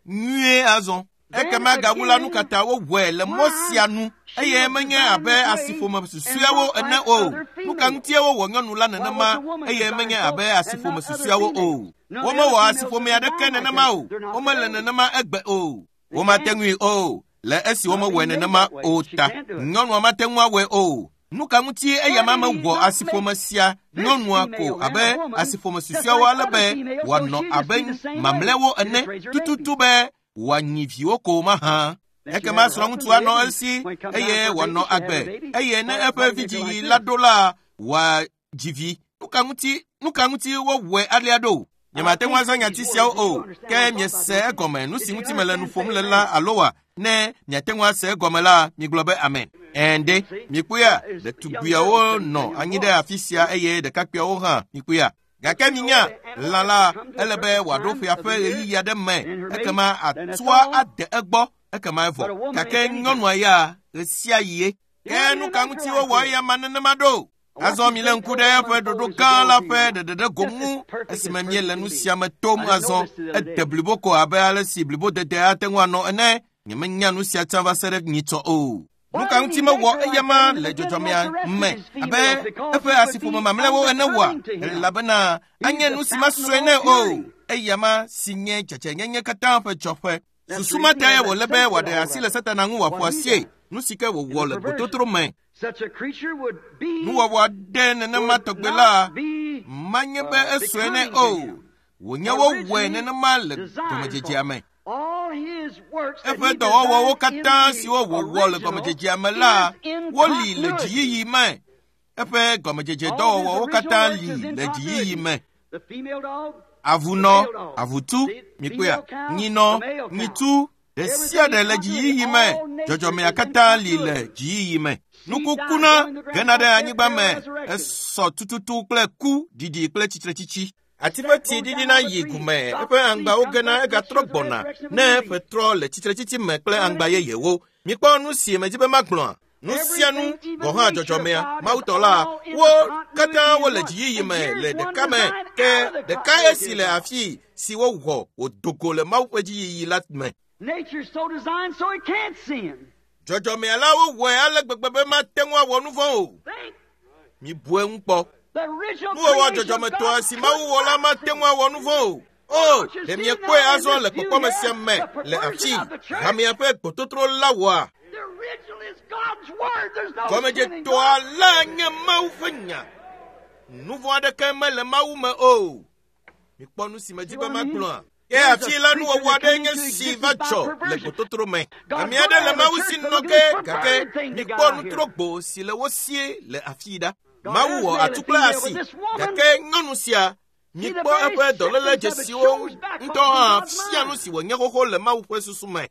nyuie azɔ. Ekema gawu la nu katã wowɔe le mɔ sia nu eye menye abe asiƒome susuewo ene o. Nu ka ŋutie wowɔ nyɔnu la nenema eye menye abe asiƒome susuewo o. Womewɔ asiƒome aɖeke nenema o. Womele nenema egbe o. Womate ŋui o le esi womewɔe nenema o ta. Nyɔnua mate ŋu awɔe o. Nu ka ŋutie eya ma mewɔ asiƒome sia nyɔnua ko abe asiƒome susuewo ale be wòanɔ abe mamlɛwo ene tututu be wòanyi viwo ko mahã. Ekema srɔ̃ŋutsu anɔ esi eye wòanɔ agbe eye ne eƒe vidziɣi la ɖo la, wòadzi vi. Nu ka ŋuti nu ka ŋuti wowɔe alea ɖo? Nyemate ŋu azã nyati siawo o, ke miese egɔme nu si ŋuti mele nu ƒom le la alo wa? Ne miate ŋu ase egɔme la, migblɔ be amen. Ɛnde, mikpɔea, ɖetugbiawo nɔ anyi ɖe afi sia eye ɖekakpuiawo hã mikpɔea. Gake minya, lã la ele be wòaɖo ƒea ƒe ɣeyiɣi aɖe me, ekema atua ade egbɔ, ekema evɔ. Gake nyɔnua ya ɣe sia ɣie. Ke nu ka ŋuti wowɔ eya ma nenema ɖo? Azɔ milé ŋku ɖe eƒe ɖoɖo gã la ƒe ɖeɖeɖe go ŋu esime míele nu sia me tom azɔ. Ede blibo ko abe ale si blibodede ate ŋu anɔ ene. Nyemenya nu sia tsã va se ɖe nyitsɔ o. Nu ka ŋuti mewɔ eya ma le dzɔdzɔmea me abe eƒe asiƒome mamlɛwo ene oa? Elabena anye nu si mesɔe nɛ o. Eya ma si nye dzadzɛnyenye katã ƒe dzɔƒe. Susu ma tae wòle be wòaɖe asi le Satana ŋu wòaƒo asie. Nu si ke wòwɔ le gbototro me. Nuwɔwɔ aɖe nenema tɔgbe la manye be esɔe nɛ o. Wònye wowɔe nenema le gɔmedzedzea me. Eƒe dɔwɔwɔwo katã siwo wòwɔ le gɔmedzedzea me la, woli le dziyiyi me. Eƒe gɔmedzedze dɔwɔwɔwo katã li le dziyiyi me. Avunɔ, avutu, mikpɔea, nyinɔ, nyitu, ɖe sia ɖe le dziyiyi me. Dzɔdzɔmea katã li le dziyiyi me. Nukukuna gena ɖe anyigba me esɔ tututu kple ku, ɖiɖi kple tsitretsitsi. Ati ƒe tsi ɖiɖina yi gume, eƒe aŋgbawo gena egatrɔ gbɔna ne eƒe trɔ le tsitretsitsi me kple aŋgba yeyewo. Mikpɔ nu si medzi be magblɔa. Nu sia nu gɔ̃ hã dzɔdzɔmea Mawutɔ la, wo katã wole dziyiyi me le ɖeka me ke ɖeka esi le afi si wowɔ wòdo go le Mawu ƒe dziyiyi la me. Dzɔdzɔmea la wowɔe ale gbegbe be mate ŋu awɔ nu vɔ̃ o. Mibu eŋu kpɔ. Nuwɔwɔ dzɔdzɔmetɔa si Mawu wɔ la mate ŋu awɔ nu vɔ̃ o. O, ɖe miekpɔe azɔ le kpɔkpɔme sia me le afi hamea ƒe gbototro la wɔa. Gɔmedzetɔa la nye Mawu ƒe nya. Nu vɔ̃ aɖeke mele Mawu me o. Mikpɔ nu si medzi be magblɔa. Ke afi la nuwɔwɔ aɖe nye si va dzɔ le gbototro me. Ame aɖe le Mawu si nɔ ke gake mikpɔ nutrogbo si le wo sie le afi ɖa. Mawu wɔ atu kple asi gake nyɔnu sia mikpɔ eƒe dɔléle dzesiwo ŋutɔ hã fia nu si wònye xoxo le Mawu ƒe susu me.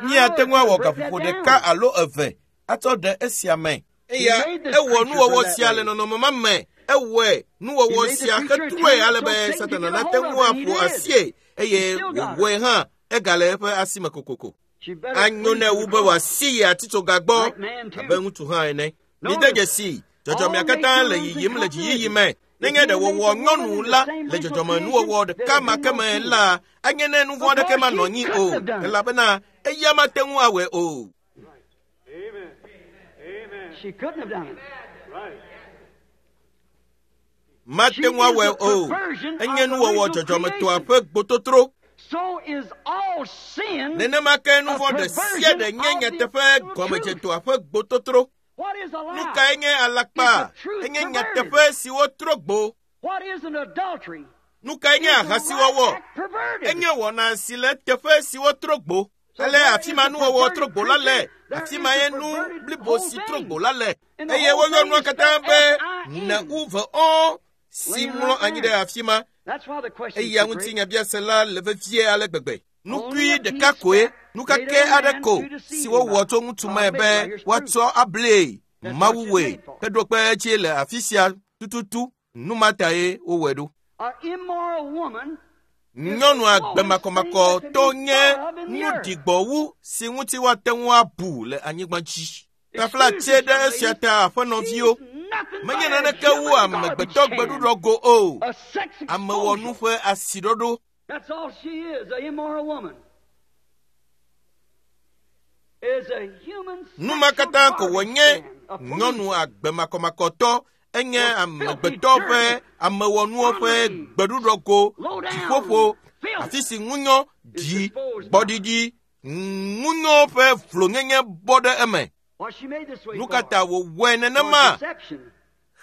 Míate ŋu awɔ gaƒoƒo ɖeka alo eve atsɔ ɖe esia me. Eya ewɔ nuwɔwɔ sia le nɔnɔme ma me. Ewɔe nuwɔwɔ sia hetrɔe ale be Satana nate ŋu aƒo asie eye wòwɔe hã egale eƒe asime kokoko. Anyo nɛ wu be wòasi yi atitsoga gbɔ abe ŋutsu hã ene. Mide dzesi dzɔdzɔmea katã le yiyim le dziyiyi me. Nenye ɖe wòwɔ nyɔnu la le dzɔdzɔme nuwɔwɔ ɖeka ma ke me la, anye ne nu vɔ̃ aɖeke manɔ anyi o, elabena eya mate ŋu awɔe o. Mate ŋu awɔe o. Enye nuwɔwɔ dzɔdzɔmetɔa ƒe gbototro. Nenema ke nu vɔ̃ ɖe sia ɖe nye nyateƒe gɔmedzetɔa ƒe gbototro. Nu kae nye alakpa? Enye nyateƒe si wotrɔ gbo. Nu kae nye ahasiwɔwɔ? Enye wɔna si le teƒe si wotrɔ gbo. Ale afi ma nuwɔwɔ trɔ gbo la le, afi ma ye nu blibo si trɔ gbo la le. Eye woyɔ nua katã be ne-u-ve-ɔ si mlɔ anyi ɖe afi ma. Eya ŋuti nyabiase la le vevie ale gbegbe. Nukui ɖeka koe, nukake aɖe ko si wowɔ tso ŋutsu me be woatsɔ ablee Mawu wɔe heɖo kpe edzi le afi sia tututu. Nu ma tae wowɔe ɖo. Nyɔnu agbemakɔmakɔtɔ nye nu ɖigbɔ wu si ŋuti woate ŋu abu le anyigba dzi. Taflatse ɖe esia ta aƒenɔviwo. Menye naneke wu amegbetɔ gbeɖuɖɔ go o. Amewɔnu ƒe asiɖoɖo. That's all she is, an immoral woman. Is a human Nu ma katã ko wònye nyɔnu agbemakɔmakɔtɔ enye amegbetɔ ƒe amewɔnuwo ƒe gbeɖuɖɔ go dziƒoƒo afi si ŋunyɔ ɖi gbɔɖiɖi ŋunyɔ ƒe vlonyenye bɔ ɖe eme. What she made this way Nu for? ka ta wòwɔe For nenema deception.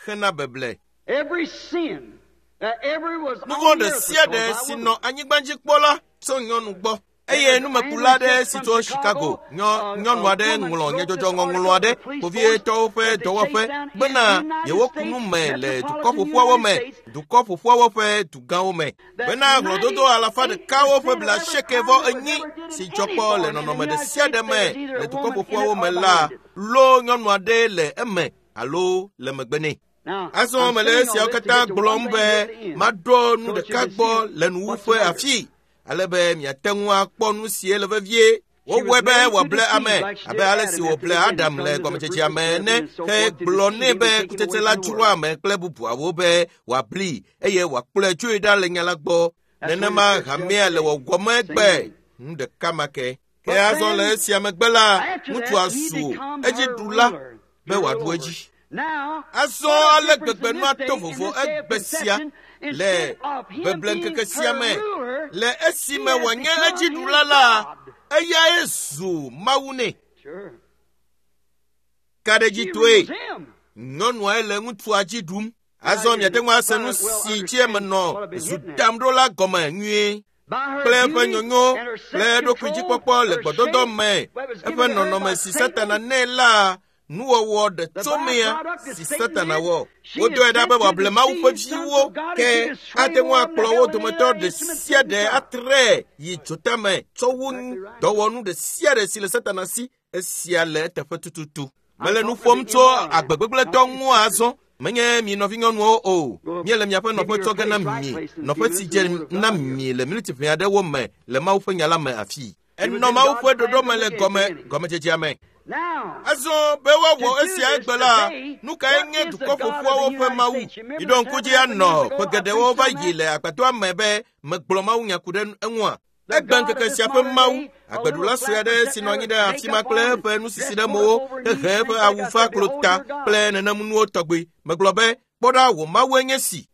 hena beble. Every sin that ever was Nu on vɔ̃ the ɖe earth sia was ɖe caused by si woman. nɔ anyigba dzi kpɔ la tso nyɔnu gbɔ. Eye numekula aɖe si tso Chicago nyɔ nyɔnu aɖe ŋlɔ nyadzɔdzɔŋɔŋlɔ aɖe kpovitɔwo ƒe dɔwɔƒe bena yewoku nu me le dukɔ ƒoƒuawo me, dukɔ ƒoƒuawo ƒe dugãwo me. Bena hlɔ̃dodo alafa ɖekawo ƒe blaasieke vɔ enyi si dzɔ kpɔ le nɔnɔme ɖe sia ɖe me le dukɔ ƒoƒuawo me la, lo nyɔnu aɖe le eme alo le megbe nɛ. Now, Azɔ I'm mele saying all esiawo this to katã get to gblɔm one be thing at the end. maɖo nu So that you ɖeka can gbɔ see le nuwuƒe what's the matter. afi ale be miate ŋu akpɔ nu si le vevie. She Wowɔe was be made to wòable deceive ame like she abe did ale Adam si after wòble the Adam beginning, le telling him the gɔmedzedzea fruit me of the ene tree and so ke forth to gblɔ deceive nɛ him be and take him kutsetse away la from the dzroa word. ame kple bubuawo be wòabli eye wòakplɔe tsoe ɖa le nya la gbɔ. That's what Nenema the church does hamea le today. wɔwɔm Same egbe thing. nu ɖeka ma ke. Ke But azɔ le then, esia megbe la, after ŋutsua that, he zu becomes her edziɖula ruler be to wòaɖu rule over. edzi. Now, Azɔ what a ale difference gbegbe in nua this day, to in vovo this day of egbe sia conception, le instead of him beble being ŋkeke sia her me. ruler, Le he esime has wònye become his edziɖula la, God. eyae zu Mawu nɛ. Sure. She Kaɖedzitɔe, rules him. nyɔnuae le ŋutsua dzi ɖum. Now Azɔ you miate ŋu ase nu probably well si tsi eme understand what nɔ I've been zu hitting at. dam ɖo la gɔme nyuie. By her Kple eƒe beauty nyonyo and her kple eɖokui self-control, dzikpɔkpɔ le her gbɔdɔdɔ shape me, that was eƒe given to her nɔnɔme by si Satan, Satana nɛ la, nuwɔwɔ the ɖetsomea byproduct that si Satan Satana did, wɔ. she Wodɔe is ɖa sent be to wòable Mawu ƒe deceive sons viwo of God ke and she destroy ate ŋu more of them akplɔ to wo hell than any dometɔ other ɖe instrument sia Satan ɖe got. atre yi dzotame tsɔ wu Exactly right. dɔwɔnu ɖe sia ɖe si le Satana si. Esia le eteƒe tututu. I'm Mele nu talking ƒom to the tso immoral now, agbegbegblẽtɔ not ŋu these azɔ, Menye mi nɔvinyɔnuwo o. Míele miaƒe nɔƒe tsɔ ge na mi. Nɔƒe si dze na mi le miniti ʋɛ aɖewo me le Mawu ƒe nya la me afii. Enɔ Mawu ƒe ɖoɖo me le gɔme gɔmedzedzea me. Azɔ be woawɔ esia egbe la, nu kae nye dukɔ ƒoƒuawo ƒe Mawu? Miɖo ŋku dzi anɔ ƒe geɖewo va yi le agbadɔa me be megblɔ mawunya ku ɖe eŋua. Egbe ŋkeke sia ƒe Mawu, agbeɖula sue aɖe si nɔ anyi ɖe afi ma kple eƒe nusisi ɖe mowo, hehe eƒe awu ƒe aklo ta kple nenemunuwo tɔgbi. Megblɔ be, kpɔ ɖa, wò Mawue nye si.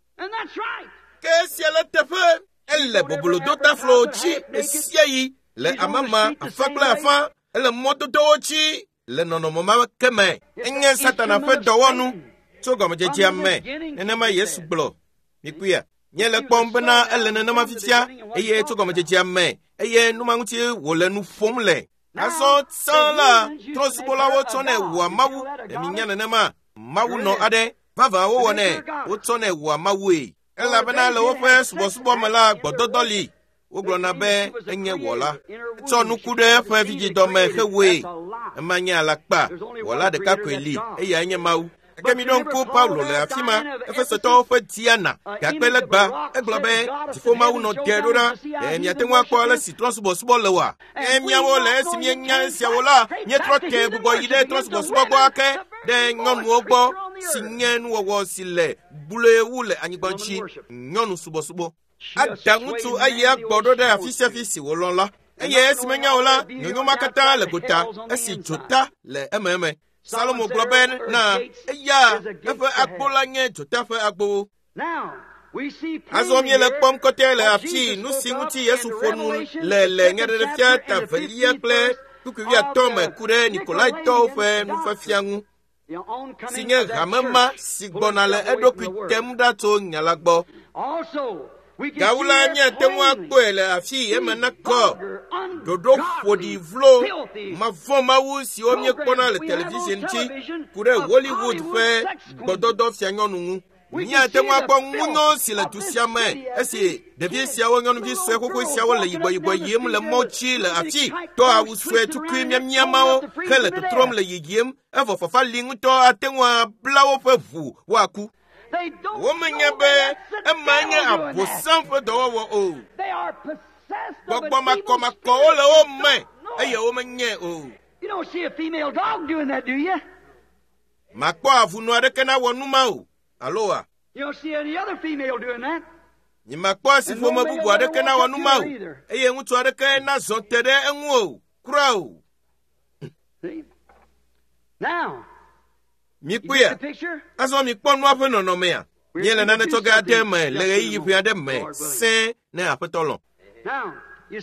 Ke esia le teƒe, ele bobolodotaflo dzi ɣe sia ɣi le amama afã kple afã, ele mɔdodowo dzi le nɔnɔme ma ke me. Enye Satana ƒe dɔwɔnu tso gɔmedzedzea me. Nenema Yesu gblɔ. Mikpɔea? Míele kpɔm bena ele nenema fifia eye tso gɔmedzedzea me eye numa ŋuti wòle nu ƒom le. Azɔ tsã la, trɔ̃subɔlawo tsɔnɛ wɔa Mawu. Ɖe minya nenema? Mawu nɔ aɖe. Vavã wowɔnɛ, wotsɔnɛ wɔa Mawue. Elabena le woƒe subɔsubɔ me la, gbɔdɔdɔ li. Wogblɔna be enye wɔla. Etsɔ nuku ɖe eƒe vidzidɔme hewɔe. Ema nye alakpa. Wɔla ɖeka koe li, eyae nye Mawu. Ke miɖo ŋku Paulo le afi ma, Efesotɔwo ƒe Diana, gakpe legba, egblɔ be dziƒo Mawu nɔ te ɖo ɖa. Ɖe miate ŋu akpɔ ale si trɔ̃subɔsubɔ le oa? Ke míawo le esi míenya esiawo la, míetrɔ te gbugbɔ yi ɖe trɔ̃subɔsubɔ gbɔ ake ɖe nyɔnuwo gbɔ si nye nuwɔwɔ si le gblɔe wu le anyigba dzi, nyɔnu subɔsubɔ. Ada ŋutsu ayi agbɔ ɖo ɖe afi sia afi si wòlɔ̃ la. Eye esi menya o la, nyonyo ma katã le gota esi dzota le ememe. Salomo gblɔ be na eya eƒe agbo la nye dzota ƒe agbowo. Azɔ míele kpɔm kɔtɛ le afi nu si ŋuti Yesu ƒo nu le le Nyaɖeɖefia ta velia kple kpukpui wuiatɔ̃ me ku ɖe Nikolaitɔwo ƒe nufiafia ŋu, si nye hame ma si gbɔna le eɖokui tem ɖa tso nya la gbɔ. Gawu la, míate ŋu akpɔe le afi eme nakɔ ɖoɖo ƒoɖi vlo mavɔ̃ Mawu siwo míekpɔna le television dzi ku ɖe Hollywood ƒe gbɔdɔdɔ fianyɔnu ŋu. Míate ŋu akpɔ ŋunyɔ si le du sia me esi ɖevi siawo nyɔnuvi sue xoxo siawo le yibɔyibɔ yim le mɔ dzi le afi tɔ awu sue tukui miamiamawo hele tɔtrɔm le yiyim evɔ fafa li ŋutɔ ate ŋu abla woƒe ʋu woaku. Womenye be ema nye Abosam ƒe dɔwɔwɔ o. Gbɔgbɔ makɔmakɔwo le wo me eye womenye o. Makpɔ avunu aɖeke nawɔ nu ma o. Alo wa? Nyemakpɔ asiƒome bubu aɖeke nawɔ nu ma o eye ŋutsu aɖeke nazɔ te ɖe eŋu o. Kura o. Mikpɔea? Azɔ mikpɔ nua ƒe nɔnɔmea. Míele nane tsɔ ge aɖe me le ɣeyiɣi ƒe aɖe me sẽe ne Aƒetɔ lɔ̃.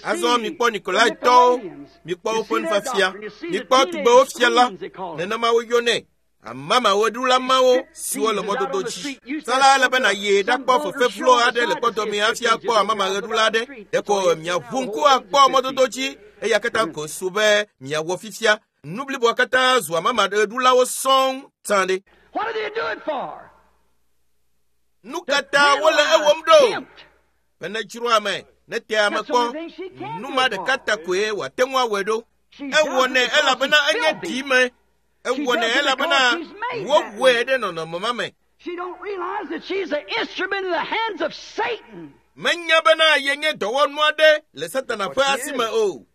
Azɔ mikpɔ Nikolaitɔwo, mikpɔ woƒe nufiafia, mikpɔ tugbewo fia la, nenema woyɔnɛ. Amamawoɖula mawo siwo le mɔdodo dzi. Sala ele be nàyi ɖakpɔ fefe vlo aɖe le kpɔtɔme hafi akpɔ amamaɣeɖula aɖe. Ɖeko miaʋu ŋku akpɔ mɔdodo dzi eya katã ko su be miawɔ fifia. Nu bliboa katã zu amamaɣeɖulawo sɔŋ tsã ɖe. Nu katã wole ewɔm ɖo? Be nedzro ame, nete ame kpɔ. Nu ma ɖeka ta koe wòate ŋu awɔe ɖo. Ewɔnɛ elabena enye ɖime. Ewɔnɛ elabena wowɔe ɖe nɔnɔme ma me. Menya bena yenye dɔwɔnu aɖe le Satana ƒe asi me o.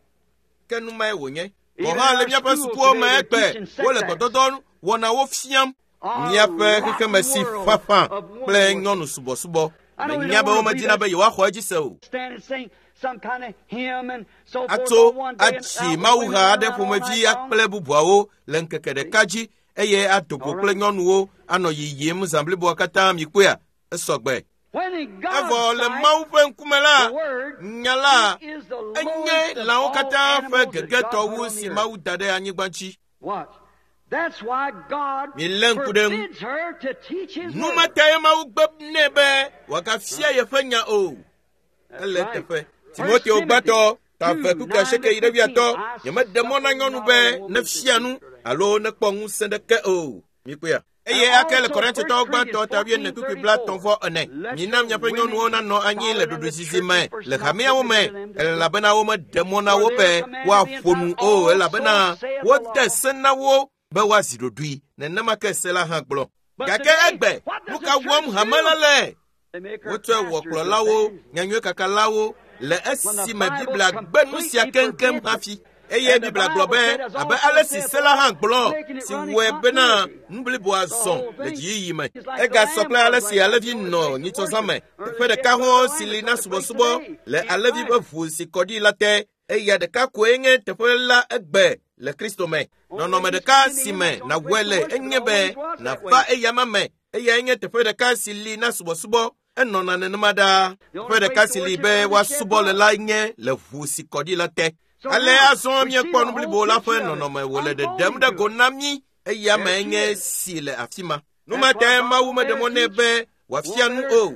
Ke nu mae wònye. Gɔ̃ hã le míaƒe sukuwo me egbe, wole gbɔdɔdɔ wɔnawo fiam. Míaƒe xexeme si ƒaƒã kple nyɔnu subɔsubɔ. Menya be womedina be yewoaxɔ edzi se o. Atso atsi mawuha aɖe ƒomevi kple bubuawo le ŋkeke ɖeka dzi eye ado go kple nyɔnuwo anɔ yiyim zã bliboa katã mikpɔea? Esɔgbe. Evɔ le Mawu ƒe ŋkume la, nya la enye lãwo katã ƒe gegetɔ wu si Mawu da ɖe anyigba dzi. Milé ŋku ɖe eŋu. Nu ma tae Mawu gbe nɛ be wòagafia yeƒe nya o. Ele teƒe. Timoteo gbãtɔ ta eve kpukpui asieke yi ɖe wuiatɔ̃. Nyemeɖe mɔ na nyɔnu be nefia nu alo nekpɔ ŋusẽ ɖeke o. Mikpɔea? Eye ake le Korintotɔwo gbãtɔ ta wuiene kpukpui blaetɔ̃ vɔ ene. Mina miaƒe nyɔnuwo nanɔ anyi le ɖoɖoezizi me le hameawo me elabena womeɖe mɔ na wo be woaƒo nu o elabena wode se na wo be woazi ɖoɖoe. Nenema ke se la hã gblɔ. Gake egbe, nu ka wɔm hame la le? Wotsɔe wɔ kplɔlawo, nyanyuiekakalawo le esime Biblia gbe nu sia keŋkeŋ hafi. Eye Biblia gblɔ be abe ale si se la hã gblɔ si wɔe bena nu bliboa zɔ le dziyiyi me. Egasɔ kple ale si alẽvi nɔ nyitsɔzã me. Teƒe ɖeka hɔ̃ si li na subɔsubɔ le alẽvi ƒe ʋu si kɔ ɖi la te. Eya ɖeka koe nye teƒe la egbe le Kristo me. Nɔnɔme ɖeka si me nàwɔe le enye be nàva eyama me. Eyae nye teƒe ɖeka si li na subɔsubɔ. Enɔna nenema ɖaa. Teƒe ɖeka si li be woasubɔ le la nye le ʋu si kɔ ɖi la te. Ale azɔ míekpɔ nu blibo la ƒe nɔnɔme wòle ɖeɖem ɖe go na mí. Eya me nye si le afi ma. Nu ma tae Mawu meɖe mɔ nɛ be wòafia nu o.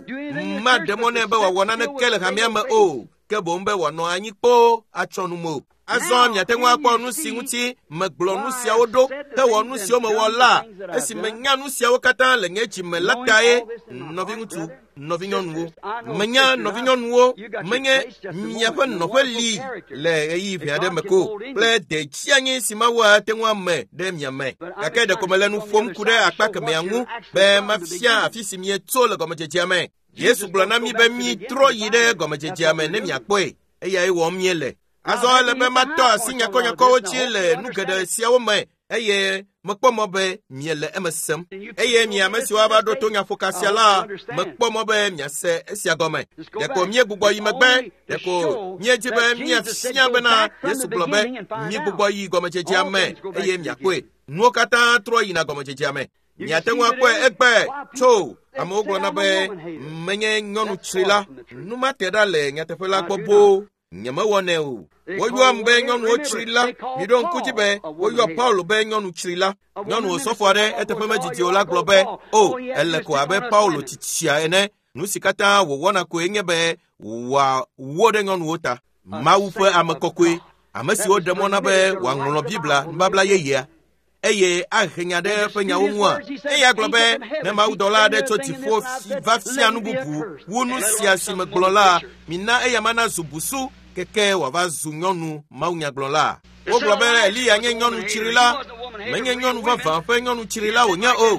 Maɖe mɔ nɛ be wòawɔ naneke le hamea me o. Ke boŋ be wòanɔ anyi kpoo atsɔ nu mo. Azɔ miate ŋu akpɔ nu si ŋuti megblɔ nu siawo ɖo hewɔ nu siwo mewɔ la esi menya nu siawo katã le nye dzime la tae. Nɔviŋutsu, nɔvinyɔnuwo, menya nɔvinyɔnuwo, menye miaƒe nɔƒe li le ɣeyiɣi ʋɛ aɖe me ko kple detsianyi si Mawu ate ŋu ame ɖe mia me. Gake ɖeko mele nu ƒom ku ɖe akpa kemɛa ŋu be mafia afi si mietso le gɔmedzedzea me. Yesu gblɔ na mí be mítrɔ yi ɖe gɔmedzedzea me ne miakpɔe. Eyae wɔm míele. Azɔ ele be matɔ asi nyakɔnyakɔwo dzi le nu geɖe siawo me eye mekpɔ mɔ be miele eme sem. Eye mi ame siwo ava ɖo to nyaƒoka sia la, mekpɔ mɔ be miase esia gɔme. Ɖeko míegbugbɔ yi megbe, ɖeko míedzi be míafia bena Yesu gblɔ be mígbugbɔ yi gɔmedzedzea me eye miakpɔe. Nuwo katã trɔ yina gɔmedzedzea me. Miate ŋu akpɔe egbe tso amewo gblɔna be menye nyɔnu tsrila. Nu ma te ɖa le nyateƒe la gbɔ boo. Nyemewɔnɛ o. Woyɔam be nyɔnuwo tsrila. Miɖo ŋku dzi be woyɔ Paulo be nyɔnu tsrila. Nyɔnu osɔfo aɖe eteƒe medzidzi o la gblɔ be o ele ko abe Paulo tsitsia ene. Nu si katã wòwɔna koe nye be wòawó ɖe nyɔnuwo ta. Mawu ƒe ame kɔkɔe, ame siwo ɖe mɔ na be wòaŋlɔ Biblia nubabla yeyea eye ahe nya ɖe eƒe nyawo ŋua. Eya gblɔ be ne mawudɔla aɖe tso dziƒo va fia nu bubu wu nu sia si megblɔ la, mina eya ma nazu busu keke wòava zu nyɔnu mawunyagblɔla. Wogblɔ be Eliya nye nyɔnu tsrila. Menye nyɔnu vavã ƒe nyɔnu tsrila wònye o.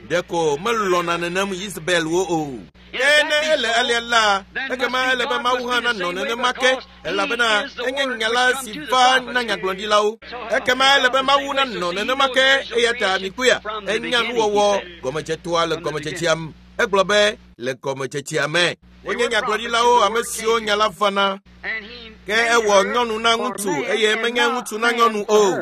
Ɖeko melɔ̃na nenem Yezebelwo o. Ke ne ele alea la, ekema ele be Mawu hã nanɔ nenema ke, elabena enye nya la si va na nyagblɔɖilawo. Ekema ele be Mawu nanɔ nenema ke, eya ta mikpɔea, enya nuwɔwɔ gɔmedzetoa le gɔmedzedzea me. Egblɔ be le gɔmedzedzea me. Wonye nyagblɔɖilawo ame siwo nya la va na. Ke ewɔ nyɔnu na ŋutsu eye menye ŋutsu na nyɔnu o.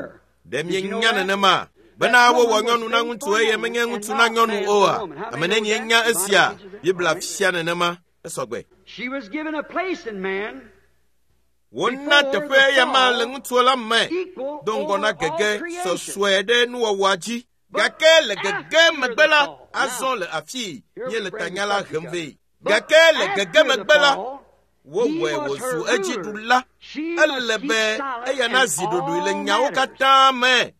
Ɖe mienya nenema? Bena wowɔ nyɔnu na ŋutsu eye menye ŋutsu na nyɔnu oa? Ame nenie nya esia? Biblia fia nenema. Esɔgbe. Wona teƒe eya ma le ŋutsuwo la me do ŋgɔ na gege sɔsɔe ɖe nuwɔwɔa dzi. Gake le gege megbe la, azɔ le afii míele tanya la hem vɛ. Gake le gege megbe la, wowɔe wòzu edziɖula. Ele be eya nazi ɖoɖoe le nyawo katã me.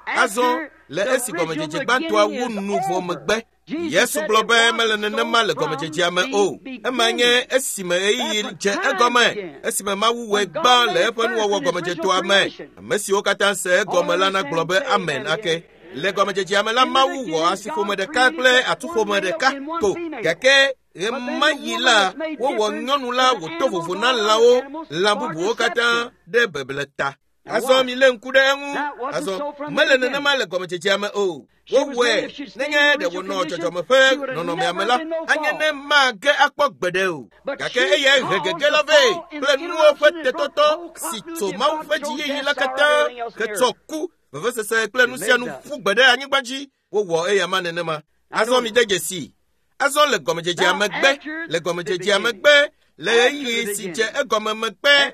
Azɔ le esi gɔmedzedze gbãtɔa wu nu vɔ megbe, Yesu gblɔ be mele nenema le gɔmedzedzea me o. Ema nye esime ɣeyiɣi dze egɔme, esime Mawu wɔe gbã le eƒe nuwɔwɔ gɔmedzetoa me. Ame siwo katã se egɔme la nagblɔ be amen ake. Le gɔmedzedzea me la, Mawu wɔ asiƒome ɖeka kple atuƒome ɖeka ko. Gake ɣemaɣi la, wowɔ nyɔnu la wòto vovo na lãwo, lã bubuwo katã ɖe beble ta. Azɔ milé ŋku ɖe eŋu. Azɔ mele nenema le gɔmedzedzea me o. Wowɔe nenye ɖe wònɔ dzɔdzɔme ƒe nɔnɔmea me la, anye ne mage akpɔ gbeɖe o. Gake eyae he gege la vɛ kple nuwo ƒe tetɔtɔ si tso Mawu ƒe dziyiyi la katã hetsɔ ku, vevesese kple nu sia nu ƒu gbe ɖe anyigba dzi. Wowɔ eya ma nenema. Azɔ mide dzesi. Azɔ le gɔmedzedzea megbe, le gɔmedzedzea megbe, le ɣeyiɣi si dze egɔme megbe,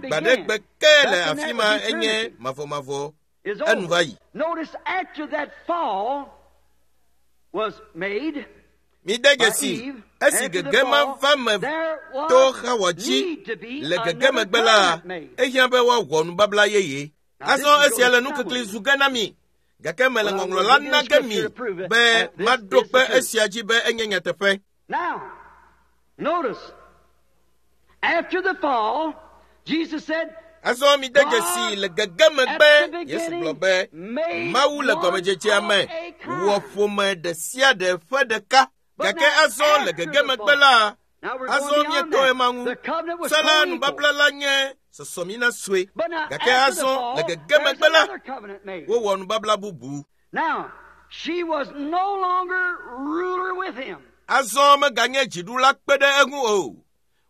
gbaɖegbe ke le afi ma enye mavɔmavɔ. Enu va yi. Mide dzesi, esi gege ma va me to Xawa dzi le gege megbe la, ehiã be woawɔ nubabla yeye. Azɔ esia le nukikli zu ge na mi. Gake mele ŋɔŋlɔ la na ge mi be maɖo kpe esia dzi be enye nyateƒe. Azɔ mi de dzesi le gege megbe Yesu gblɔ be Mawu le gɔmedzedzea me wɔ ƒome ɖe sia ɖe ƒe ɖeka. Gake azɔ le gege megbe la, azɔ míetɔ ema ŋu. Se la nubabla la nye sɔsɔmina sue. Gake azɔ le gege megbe la, wowɔ nubabla bubu. Azɔ meganye dziɖula kpe ɖe eŋu o.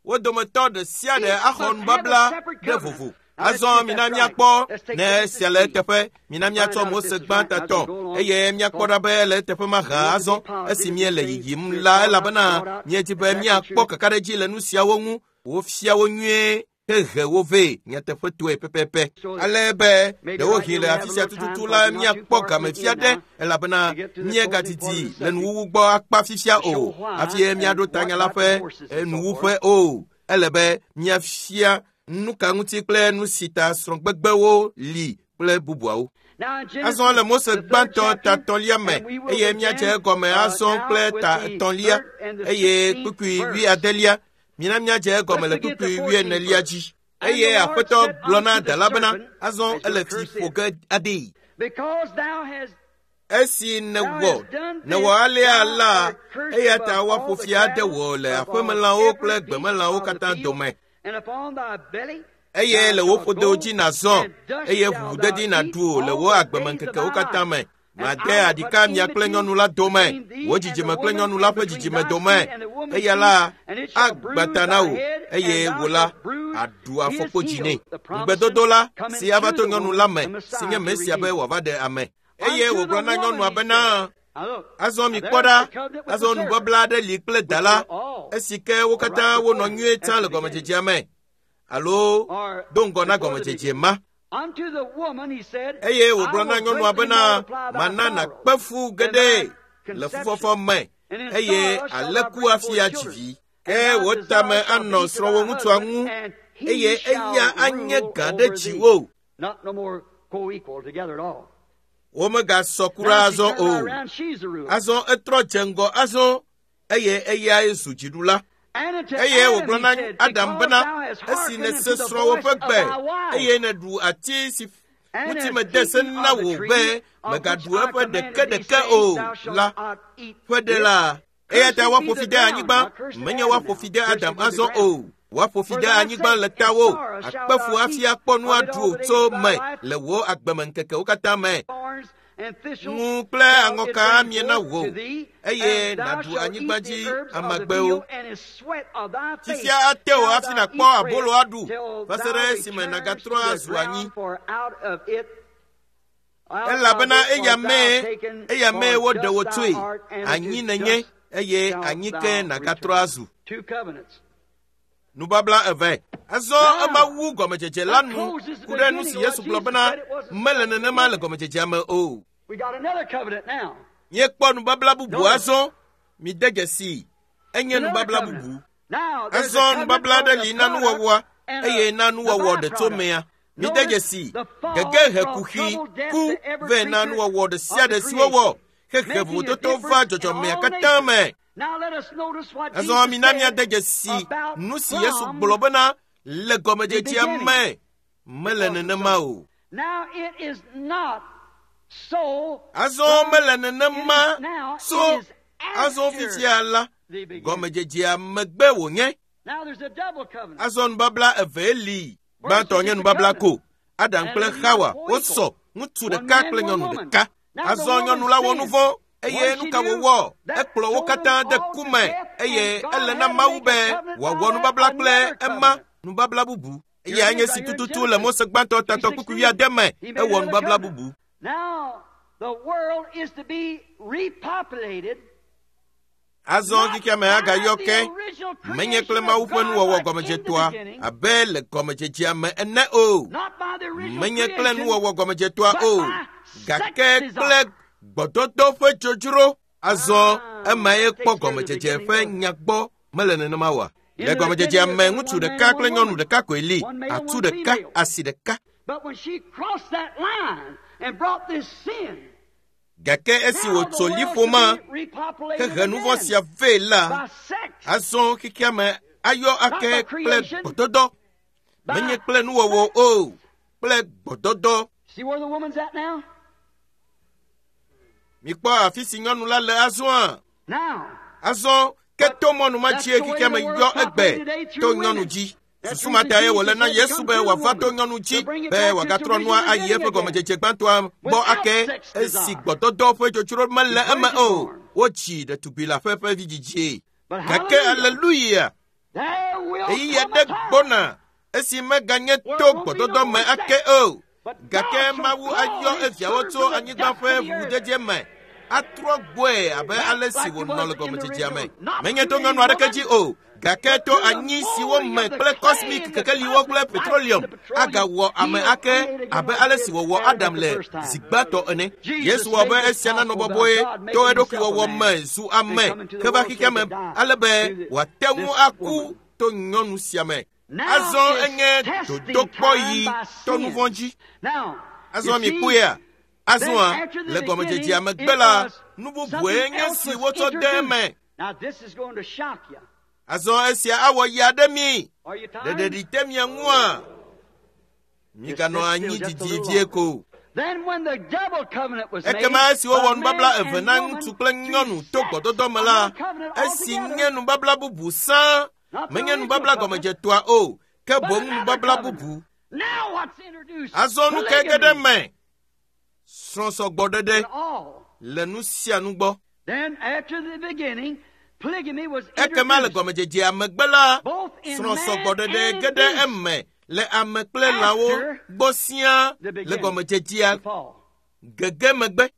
Wo dometɔ ɖe sia ɖe axɔ nubabla ɖe vovo. Azɔ mina míakpɔ ne esia le eteƒe. Mina míatsɔ Mose gbãtɔ tɔ eye míakpɔ ɖa be ele eteƒe mahã azɔ esi míele yiyim la elabena míedi be míakpɔ kakaɖedzi le nu siawo ŋu. Wofia wo nyuie hehe wo vɛ nyateƒetoe pɛpɛpɛ. Ale be ɖewohĩ le afi sia tututu la míakpɔ game fia ɖe elabena míegadidi le nuwuwu gbɔ akpa fifia o. Hafi míaɖo tanya la ƒe nuwuƒe o. Ele be míafia nu ka ŋuti kple nu si ta srɔ̃gbegbewo li kple bubuawo. Azɔ le Mose gbãtɔ ta etɔ̃lia me eye míadze egɔme azɔ kple ta etɔ̃lia eye kpukpui wuiadelia. Mina míadze egɔme le kpukpui wuienelia dzi. Eye Aƒetɔ gblɔ na dala bena azɔ ele fi ƒo ge aɖee. Esi nèwɔ nèwɔ alea la, eya ta woaƒo fi ade wò le aƒemelãwo kple gbemelãwo katã dome. Eye le wò ƒodo dzi nàzɔ, eye ʋuʋudedi nàɖu wò le wò agbemeŋkekewo katã me. Made aɖika mia kple nyɔnu la dome, wò dzidzime kple nyɔnu la ƒe dzidzime dome. Eya la agbã ta na wò, eye wò la aɖu afɔkpodzi nɛ. Ŋugbedodo la si ava to nyɔnu la me, si nye Mesia be wòava ɖe ame. Eye wògblɔ na nyɔnua bena, azɔ mikpɔ ɖa, azɔ nubabla aɖe li kple da la, esi ke wo katã wonɔ nyuie tsã le gɔmedzedzea me, alo do ŋgɔ na gɔmedzedze ma. Eye wògblɔ na nyɔnua bena, mana nàkpe fu geɖe le fufɔfɔ me, eye alé ku hafi adzi vi. Ke wò tame anɔ srɔ̃wò ŋutsua ŋu, eye eya anye gã ɖe dziwò. Womegasɔ kura azɔ o. Azɔ etrɔ dze ŋgɔ azɔ, eye eyae zu dziɖula. Eye wògblɔ na Adam bena, esi nèse srɔ̃wò ƒe gbe, eye nèɖu ati si ŋuti mede se na wò be mègaɖu eƒe ɖekeɖeke o la ƒe ɖe la, eya ta woaƒo fi de anyigba, menye woaƒo fi de Adam azɔ o. Woaƒo fi de anyigba le tawò, akpe fu hafi akpɔ nu aɖu tso me le wò agbemeŋkekewo katã me. Ŋu kple aŋɔka amie na wò, eye nàɖu anyigba dzi amagbewo. Fifia ate wò hafi nàkpɔ abolo aɖu va se ɖe esime nàgatrɔ azu anyi. Elabena eya mee eya mee woɖe wò tsoe, anyi nènye, eye anyi ke nàgatrɔ azu. Nubabla eve. Azɔ ema wu gɔmedzedze la nu ku ɖe nu si Yesu gblɔ bena mele nenema le gɔmedzedzea me o. Míekpɔ nubabla bubu azɔ. Mide dzesi, enye nubabla bubu. Azɔ nubabla aɖe li na nuwɔwɔa eye na nuwɔwɔ ɖe tso mea. Mide dzesi, gege he kuxi ku vɛ na nuwɔwɔ ɖe sia ɖe si wowɔ hehe vovototo va dzɔdzɔmea katã me. Azɔ mina míade dzesi nu si Yesu gblɔ bena le gɔmedzedzea me mele nenema o. Azɔ mele nenema tso azɔ fifia la gɔmedzedzea megbe wònye. Azɔ nubabla evee li. Gbãtɔ nye nubabla ko. Adam kple Xawa wosɔ ŋutsu ɖeka kple nyɔnu ɖeka. Azɔ nyɔnu la wɔ nu vɔ̃. Eye nu ka wòwɔ? Ekplɔ wo katã de ku me, eye ele na Mawu be wòawɔ nubabla kple ema nubabla bubu. Eya nye si tututu le Mose gbãtɔ tatɔ kpukpui wuiade me, ewɔ nubabla bubu. Azɔ xexea me agayɔ ke menye kple Mawu ƒe nuwɔwɔ gɔmedzetɔa abe le gɔmedzedzea me ene o. Menye kple nuwɔwɔ gɔmedzetɔa o, gake kple gbɔdɔdɔ ƒe dzodzro. Azɔ emae kpɔ gɔmedzedze ƒe nya gbɔ mele nenema oa? Le gɔmedzedzea me ŋutsu ɖeka kple nyɔnu ɖeka koe li, atu ɖeka, asi ɖeka. Gake esi wòtso liƒo ma hehe nu vɔ̃ sia vɛ la, azɔ xexea me ayɔ ake kple gbɔdɔdɔ. Menye kple nuwɔwɔ o, kple gbɔdɔdɔ. Mikpɔ afi si nyɔnu la le azɔa. Azɔ ke to mɔnu ma dzie xexea me yɔ egbe to nyɔnu dzi. Susu ma tae wòle na Yesu be wòava to nyɔnu dzi be wòagatrɔ nua ayi eƒe gɔmedzedze gbãtɔa gbɔ ake esi gbɔdɔdɔ ƒe dzodzro mele eme o. Wotsi ɖetugbui le aƒe ƒe vidzidzie. Gake aleluya! Ɣeyiɣi aɖe gbɔna esi meganye to gbɔdɔdɔ me ake o. Gake Mawu ayɔ eviawo tso anyigba ƒe ʋuʋudede me atrɔ gbɔe abe ale si wònɔ le gɔmedzedzea me. Menye to nyɔnu aɖeke dzi o, gake to anyi siwo me kple kɔsmik kekeliwo kple petroleum agawɔ ame ake abe ale si wòwɔ Adam le zi gbãtɔ ene. Yesu wɔ be esia nanɔ bɔbɔe to eɖokui wɔwɔ me zu ame heva xexea me ale be wòate ŋu aku to nyɔnu sia me. Azɔ enye dodokpɔɣi to nu vɔ̃ dzi. Azɔ mikpɔea? Azɔa le gɔmedzedzea megbe la, nu bubue nye si wotsɔ de eme. Azɔ esia awɔ ya ɖe mi. Ɖeɖeɖi te mia ŋua? Miganɔ anyi didi vie ko. Ekema esi wowɔ nubabla eve na ŋutsu kple nyɔnu to gbɔdɔdɔ me la, esi nye nubabla bubu sã, menye nubabla gɔmedzetɔa o, ke boŋ nubabla bubu. Azɔ nu ke ge ɖe me? Srɔ̃sɔgbɔɖeɖe le nu sia nu gbɔ. Ekema le gɔmedzedzea megbe la, srɔ̃sɔgbɔɖeɖe ge ɖe eme le ame kple lãwo gbɔ siaa le gɔmedzedzea gege megbe.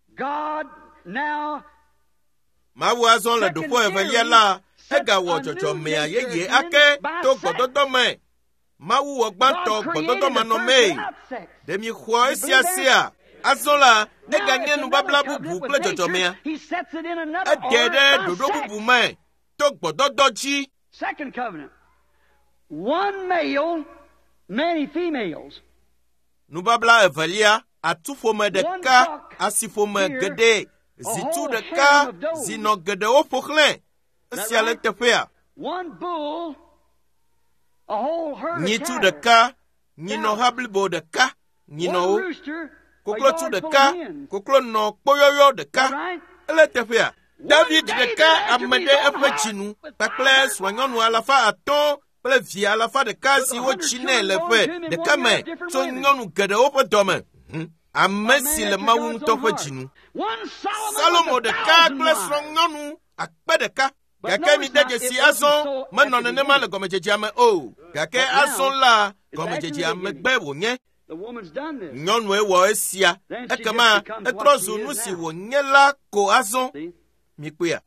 Mawu azɔ le ɖoƒe evelia la, egawɔ dzɔdzɔmea yeye ake to gbɔdɔdɔ me. Mawu wɔ gbãtɔ gbɔdɔdɔ manɔmee. Ɖe mi xɔ esia sia? Azɔ la, eganye nubabla bubu kple dzɔdzɔmea. Eɖe ɖe ɖoɖo bubu me to gbɔdɔdɔ dzi. Nubabla evelia, atuƒome ɖeka, asiƒome geɖe, zitu ɖeka, zinɔ geɖewo ƒo xlẽ. Esia le teƒea. Nyitu ɖeka, nyinɔha blibo ɖeka, nyinɔwo. Koklotsu ɖeka, koklonɔ kpoyɔyɔ ɖeka. Ele teƒea. David ɖeka ame ɖe eƒe dzinu kpakple srɔ̃nyɔnu alafa atɔ̃ kple vi alafa ɖeka si wotsi nɛ le ƒe ɖeka me tso nyɔnu geɖewo ƒe dɔme. Ame si le Mawu ŋutɔ ƒe dzinu. Salomo ɖeka kple srɔ̃nyɔnu akpe ɖeka. Gake mi de dzesi azɔ menɔ nenema le gɔmedzedzea me o. Gake azɔ la gɔmedzedzea megbe wònye. Nyɔnue wɔ esia. Ekema etrɔ zu nu si wònye la ko azɔ. Mikpɔea?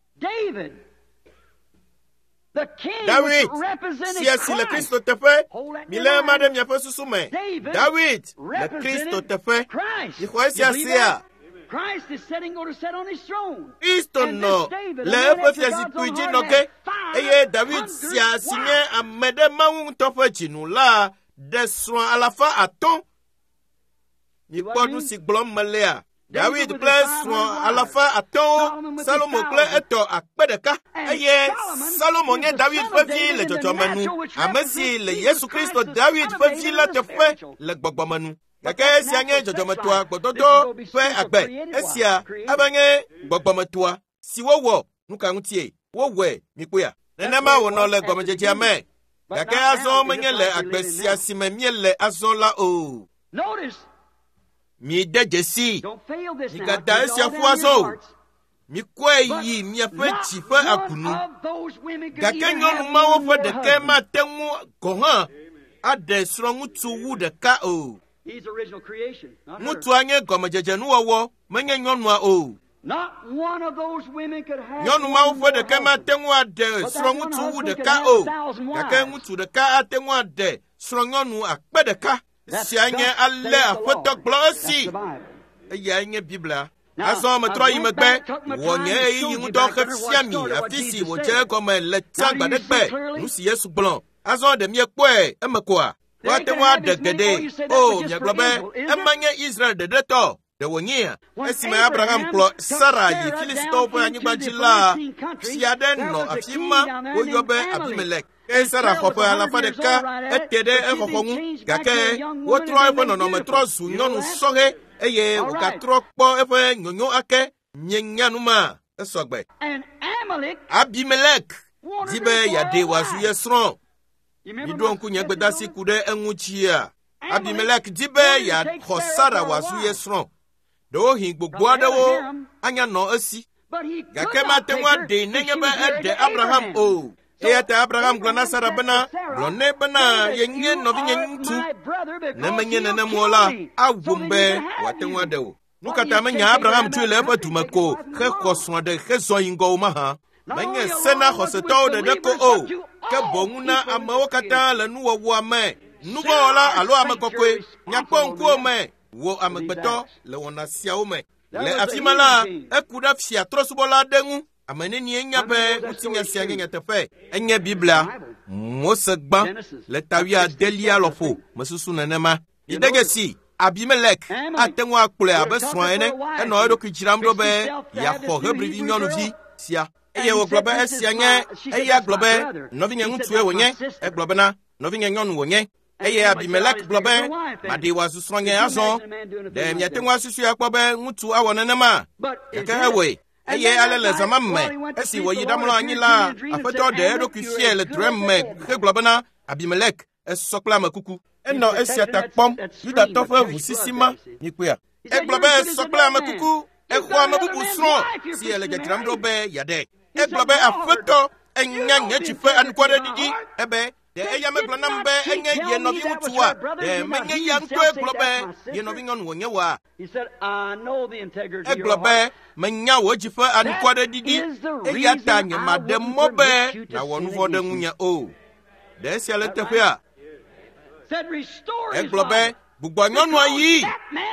Dawid sia si le Kristo teƒe, milé ema ɖe miaƒe susu me. Dawid le Kristo teƒe. Mixɔ esia sia? Kristo nɔ le eƒe fiazikpui dzi nɔ ke, eye Dawid sia si nye ame ɖe Mawu ŋutɔ ƒe dzinu la ɖe srɔ̃ alafa atɔ̃. Mikpɔ nu si gblɔm melea? Dawid kple srɔ̃ alafa atɔ̃wo, Salomo kple etɔ akpe ɖeka. Eye Salomo nye Dawid ƒe vi le dzɔdzɔme nu, ame si le Yesu Kristo Dawid ƒe vi la teƒe le gbɔgbɔme nu. Gake esia nye dzɔdzɔmetɔa gbɔdɔdɔ ƒe agbe. Esia eva nye gbɔgbɔmetɔa si wowɔ nu ka ŋutie? Wowɔe mikpɔea? Nenema wònɔ le gɔmedzedzea me. Gake azɔ menye le agbe sia si me míele azɔ la o. Mi de dzesi. Migada esia ƒu azɔ o. Mikɔe yi miaƒe dzi ƒe agunu. Gake nyɔnu mawo ƒe ɖeke mate ŋu gɔ̃ hã aɖe srɔ̃ŋutsu wu ɖeka o. Ŋutsua nye gɔmedzedzenuwɔwɔ, menye nyɔnua o. Nyɔnu mawo ƒe ɖeke mate ŋu aɖe srɔ̃ŋutsu wu ɖeka o. Gake ŋutsu ɖeka ate ŋu aɖe srɔ̃nyɔnu akpe ɖeka. Esia nye ale Aƒetɔ gblɔ esi. Eyae nye Biblia. Azɔ metrɔ yi megbe, wɔ nye ɣeyiɣi ŋudɔ hefia mi afi si wòdze egɔme le tsã gbaɖegbe, nu si Yesu gblɔ. Azɔ ɖe miekpɔe eme koa? Woate ŋu aɖe geɖe. O, miagblɔ be ema nye Israel ɖeɖe tɔ. Ɖe wònyea? Esime Abraham kplɔ Sara yi Filistitɔwo ƒe anyigba dzi la, fia aɖe nɔ afi ma woyɔ be Abimelek. Ke Sara xɔ ƒe alafa ɖeka ete ɖe exɔxɔ ŋu gake wotrɔ eƒe nɔnɔme trɔ zu nyɔnu sɔhɛ eye wògatrɔ kpɔ eƒe nyonyo ake. Mienya nu ma esɔgbe. Abimelek di be yeaɖe wòazu ye srɔ̃. Miɖo ŋku nye gbedasi ku ɖe eŋu dzia. Abimelek di be yeaxɔ Sara wòazu ye srɔ̃. Ɖewohĩ gbogbo aɖewo anya nɔ esi. Gake mate ŋu aɖee nenye be eɖe Abraham o. Eya ta Abraham gblɔ na Sara bena, gblɔ nɛ bena yenye nɔvinye ŋutsu. Ne menye nenem o la, awum be wòate ŋu aɖe wò. Nu ka ta menya Abraham tsoe le eƒe dume ko hexɔ srɔ̃ ɖe hezɔ yi ŋgɔ o mahã? Menye se na xɔsetɔwo ɖeɖe ko o, ke boŋ na amewo katã le nuwɔwɔa me. Nuvɔ̃wɔla alo ame kɔkɔe, nyakpɔ ŋkuwò me, wò amegbetɔ le wɔna siawo me. Le afi ma la, eku ɖe fia trɔ̃subɔla aɖe ŋu. Ame nenie nya be ŋutinya sia nye nyateƒe. Enye Biblia, Mose gbã le ta wuiadelia lɔƒo mesusu nenema. Mide dzesi Abimelek ate ŋu akplɔe abe srɔ̃a ene. Enɔ eɖokui dzram ɖo be yeaxɔ Hebrivi nyɔnuvi sia. Eye wògblɔ be esia nye eya gblɔ be nɔvinye ŋutsue wònye. Egblɔ bena nɔvinye nyɔnu wònye. Eye Abimelek gblɔ be maɖee wòazu srɔ̃nye azɔ. Ɖe miate ŋu asusui akpɔ be ŋutsu awɔ nenema? Gake ewɔe. Eye ale le zã ma me esi wòyi ɖamlɔ anyi la, Aƒetɔ ɖe eɖokui fiae le drɔ̃e me hegblɔ bena Abimelek esɔ kple ame kuku. Enɔ esia ta kpɔm Yudatɔ ƒe ʋusisi ma mikpɔea. Egblɔ be esɔ kple ame kuku. Exɔ ame bubu srɔ̃ si le dzadzram ɖo be yeaɖe. Egblɔ be Aƒetɔ enya nye dzi ƒe anukwareɖiɖi. Ebe ɖe eya megblɔ nam be enye ye nɔviŋutsua? Ɖe menye ya ŋutɔe gblɔ be ye nɔvinyɔnu wònye oa? Egblɔ be menya wò dzi ƒe anukwareɖiɖi eya ta nyemaɖe mɔ be nàwɔ nu vɔ̃ ɖe ŋunye o. Ɖe esia le teƒea? Egblɔ be gbugbɔ nyɔnua yi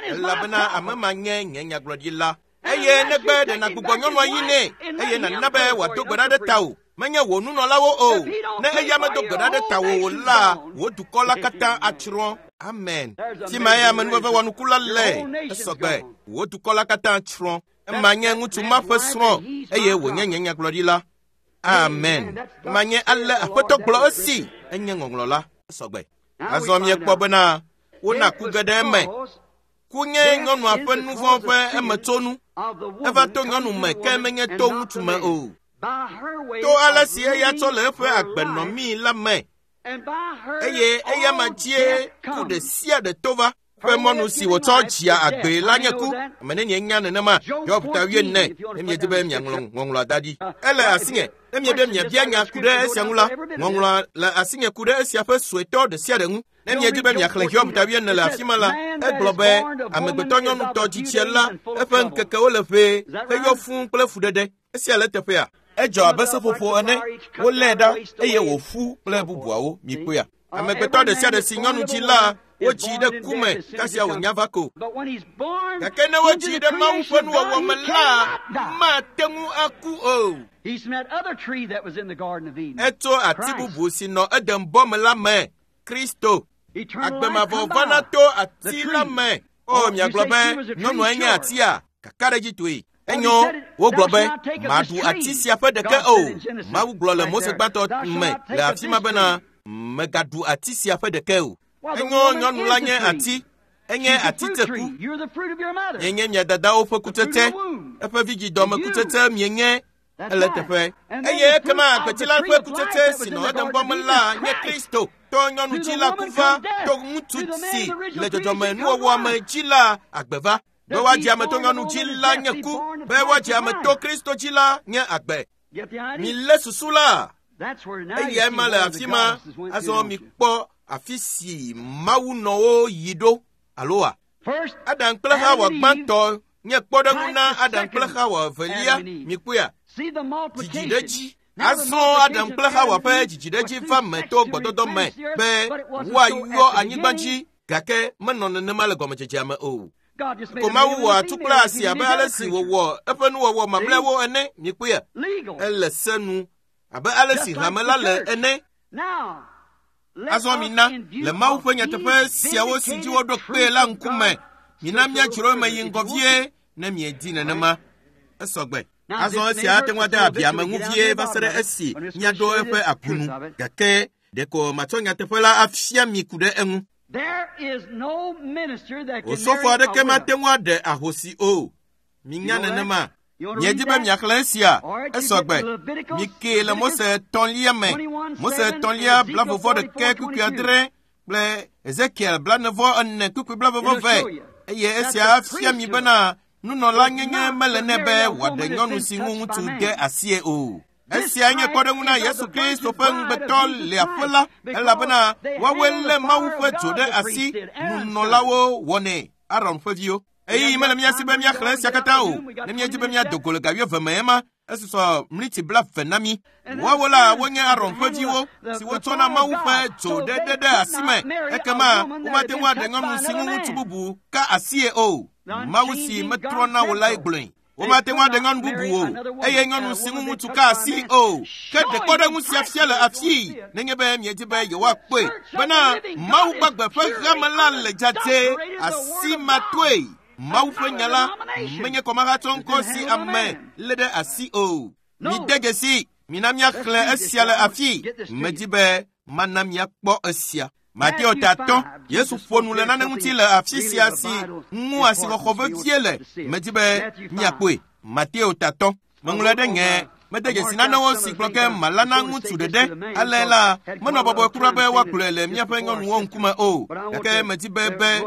elabena ame ma nye nye nyagblɔɖila. Eye negbe ɖe nàgbugbɔ nyɔnua yi nɛ eye nàna be wòado gbe ɖa ɖe tawò. Menye wò nunɔlawo o. Ne eya medo gbe ɖa ɖe tawò o la, wò dukɔ la katã atsrɔ̃. Amen. Fi ma ye amenuveve wɔnuku la le. Esɔgbe. Wò dukɔ la katã tsrɔ̃. Ema nye ŋutsu ma ƒe srɔ̃ eye wònye nye nyagblɔɖila. Amen. Ema nye ale Aƒetɔ gblɔ esi enye ŋɔŋlɔ la. Esɔgbe. Azɔ miekpɔ bena wona ku ge ɖe eme. Ku nye nyɔnua ƒe nu vɔ̃ ƒe emetsonu. Eva to nyɔnu me ke menye to ŋutsu me o. To ale si eya tsɔ le eƒe agbenɔmii la me. Eye eya ma dzie ku ɖe sia ɖe to va. Ƒe mɔnu si wòtsɔ dzia agbee la nye ku. Ame nenie nya nenema? Hiob ta wuiene ne miedi be miaŋlɔ ŋɔŋlɔa da ɖi. Ele asinye. Ne miebe miabia nya ku ɖe esia ŋu la, ŋɔŋlɔa le asinye ku ɖe esia ƒe suetɔ ɖe sia ɖe ŋu. Ne miedi be miaxlẽ Hiob ta wuiene le afi ma la, egblɔ be amegbetɔ nyɔnutɔ dzitsia la, eƒe ŋkekewo le ʋee heyɔ fũu kple fuɖeɖe. Esia le teƒea. Edzɔ abe seƒoƒo ene, wolée ɖa eye wòƒu kple bubuawo. Mikpɔea? Amegbetɔ ɖe sia ɖe si nyɔnu dzi la, wodzii ɖe ku me kasia wònya va ko. Gake ne wodzii ɖe Mawu ƒe nuwɔwɔ me la, mate ŋu aku o. Etso ati bubu si nɔ Eden bɔ me la me, Kristo. Agbemavɔ vana to ati la me. O, miagblɔ be nyɔnua nye atia? Kakaɖedzitɔe. Enyo, wogblɔ be maɖu ati sia ƒe ɖeke o. Mawu gblɔ le Mose gbãtɔ me le afi ma bena megaɖu ati sia ƒe ɖeke o. Enyo, nyɔnu la nye ati. Enye ati teku. Mienye mia dadawo ƒe kutsetse. Eƒe vidzidɔme kutsetse mienye. Ele teƒe. Eye ekema agbetsi la ƒe kutsetse si nɔ Eden bɔ me la nye Kristo. To nyɔnu dzi la ku va, to ŋutsu si le dzɔdzɔme nuwɔwɔ me dzi la agbe va. Be woadzi ame to nyɔnu dzi la nye ku, be woadzi ame to Kristo dzi la nye agbe. Milé susu la. Eyae ma le afi ma. Azɔ mikpɔ afi si Mawu nɔwo yi ɖo aloa? Adam kple Xawa gbãtɔ nye kpɔɖeŋu na Adam kple Xawa evelia. Mikpɔea? Dzidziɖedzi. Azɔ Adam kple Xawa ƒe dzidziɖedzi va me to gbɔdɔdɔ me be woayɔ anyigba dzi gake menɔ nenema le gɔmedzedzea me o. Ko Mawu wɔ atu kple asi abe ale si wòwɔ eƒe nuwɔwɔ mamlɛawo ene. Mikpɔea? Ele se nu abe ale si hame la le ene. Azɔ mina le Mawu ƒe nyateƒe siawo si dzi woɖo kpee la ŋkume, mina míadzro eme yi ŋgɔ vie ne miedi nenema. Esɔgbe. Azɔ esia ate ŋu ade abi ame ŋu vie va se ɖe esi míaɖo eƒe akunu. Gake ɖeko matsɔ nyateƒe la afia mi ku ɖe eŋu. Osɔfo aɖeke mate ŋu aɖe ahosi o. Minya nenema. Miedi be miaxlẽ esia esɔgbe. Mikee le Mose etɔ̃lia me. Mose etɔ̃lia blavovɔ ɖeke kpukpui adre kple Ezekiel blanevɔ ene kpukpui blavevɔ ve. Eye esia afia mi bena nunɔla nyenye mele nɛ be wòaɖe nyɔnu si ŋu ŋutsu de asie o. Esia nye kpɔɖeŋu na Yesu Kristo ƒe ŋugbetɔ le aƒe la, elabena woawoe lé Mawu ƒe dzo ɖe asi, nunɔlawo wɔnɛ, Aron ƒe viwo. Eye mele mía si be míaxlẽ esia katã o. Ne míedi be míado go le ga wuieve me ema, esusɔ mliti blaeve na mí. Woawo la wonye Aron ƒe viwo siwo tsɔna Mawu ƒe dzo ɖeɖe ɖe asi me. Ekema womate ŋu aɖe nyɔnu si ŋu ŋutsu bubu ka asie o. Mawu si metrɔna o lae gblɔe. Womate ŋu aɖe nyɔnu bubu o, eye nyɔnu si ŋu ŋutsu ka asi o. Ke ɖe kpɔɖeŋu sia fia le afii, nenye be miedi be yewoakpɔe bena Mawu gbagbe ƒe hame la le dzadzɛ asimatoe. Mawu ƒe nya la menye kɔmahatsɔ ŋkɔ si ame lé ɖe asi o. Mide dzesi, mina míaxlẽ esia le afii. Medi be mana míakpɔ esia. Mateo tatɔ, Yesu ƒo nu le nane ŋuti le afi sia si ŋu asixɔxɔ vevie le. Medi be míakpɔe. Mateo tatɔ. Meŋlɔe ɖe ŋe. Mede dzesi nanewo si gblɔ ke mala na ŋutsu ɖeɖe. Ale la, menɔ bɔbɔe kura be woagblɔe le míaƒe nyɔnuwo ŋkume o. Gake medi be be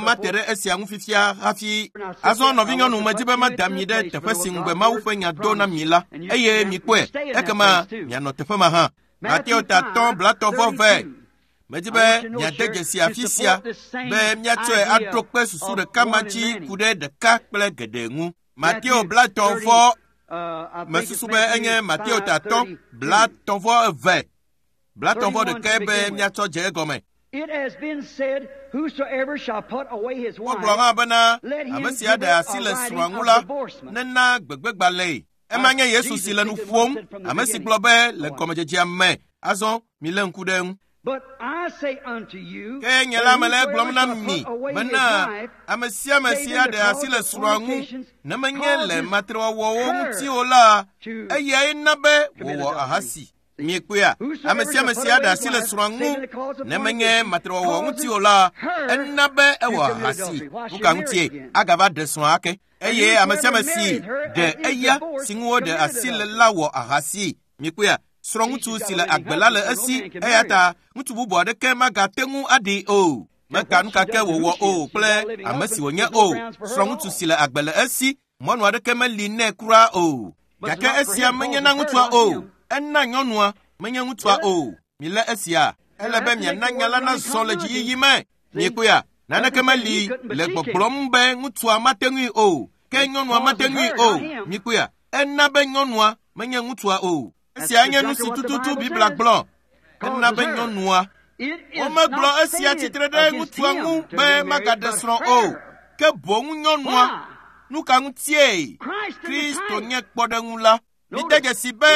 mate ɖe esia ŋu fifia hafi. Azɔ nɔvinyɔnu, medi be mada mi ɖe teƒe si ŋugbe Mawu ƒe nya do na mi la, eye mikpɔe. Ekema mianɔ teƒe ma hã. Mateo tatɔ blatɔ vɔ vɛ. Medi be miade dzesi afi sia be míatsɔe aɖo kpe susu ɖeka ma dzi ku ɖe ɖeka kple geɖe ŋu. Mateo blatɔ vɔ mesusu be enye Mateo tatɔ blatɔ vɔ eve. Blatɔ vɔ ɖekae be míatsɔ dze egɔme. Wogblɔ hã bena ame si aɖe asi le srɔ̃a ŋu la nena gbegbegbalẽe. Ema nye Yesu si le nu ƒom, ame si gblɔ be le gɔmedzedzea me. Azɔ milé ŋku ɖe eŋu. Ke nye la mele egblɔm na mi bena ame sia ame si aɖe asi le srɔ̃a ŋu ne menye le matrewɔwɔwo ŋuti o la, eyae na be wòwɔ ahasi. Miekpɔea, ame sia ame si aɖe asi le srɔ̃a ŋu ne menye matrewɔwɔ ŋuti o la, ena be ewɔ ahasi. Nu ka ŋutie agava ɖe srɔ̃a ake? Eye ame sia ame si ɖe eya si ŋu woɖe asi le la wɔ ahasi. Miekpɔea, srɔ̃ŋutsu si le agbe la le esi, eya ta ŋutsu bubu aɖeke magate ŋu aɖee o. Meka nu ka ke wòwɔ o kple ame si wònye o. Srɔ̃ŋutsu si le agbe le esi, mɔnu aɖeke meli nɛ kura o. Gake esia menye na ŋutsua o. Ena nyɔnua, menye ŋutsua o. Milé esia. Ele be miana nya la nazɔ le dziyiyi me. Miekpɔea, naneke meli le gbɔgblɔm be ŋutsua mate ŋui o, ke nyɔnua mate ŋui o. Miekpɔea, ena be nyɔnua menye ŋutsua o. Esia nye nu si tututu Biblia gblɔ. Ena be nyɔnua. Womegblɔ esia tsitre ɖe ŋutsua ŋu be magaɖe srɔ̃ o, ke boŋ nyɔnua. Nu ka ŋutie? Kristo nye kpɔɖeŋu la. Mide dzesi be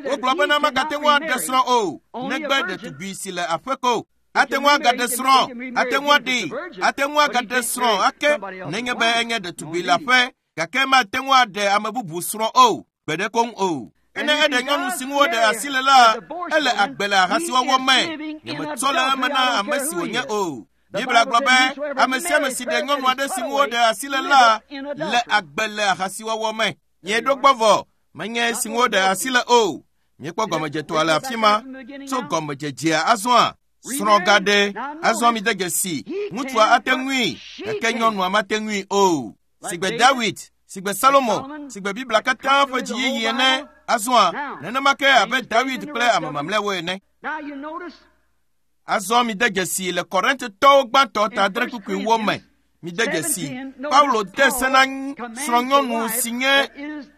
wogblɔ bena magate ŋu aɖe srɔ̃ o, negbe ɖetugbi si le aƒe ko. Ate ŋu agaɖe srɔ̃, ate ŋu aɖee, ate ŋu agaɖe srɔ̃ ake nenye be enye ɖetugbi le aƒe, gake mate ŋu aɖe ame bubu srɔ̃ o, gbe ɖe koŋ o. Ene eɖe nyɔnu si ŋu woɖe asi le la, ele agbe le ahasiwɔwɔ me. Nyemetsɔ le eme na ame si wònye o. Biblia gblɔ be ame sia ame si ɖe nyɔnu aɖe si ŋu woɖe asi le la, le agbe le ahasiwɔwɔ me. Mieɖo gbɔ vɔ, menye si ŋu woɖe asi le o. Miekpɔ gɔmedzetoa le afi ma tso gɔmedzedzea azɔa. Srɔ̃ gaɖe, azɔ mide dzesi, ŋutsua ate ŋui, gake nyɔnua mate ŋui o. Sigbe Dawid, sigbe Salomo, sigbe Biblia katã ƒe dziyiyi ene, azɔa nenema ke abe Dawid kple ame mamlɛawo ene. Azɔ mide dzesi le Korintotɔwo gbãtɔ ta adre kpukpuiwo me. Mide dzesi, Paulo de se na srɔ̃nyɔnu si nye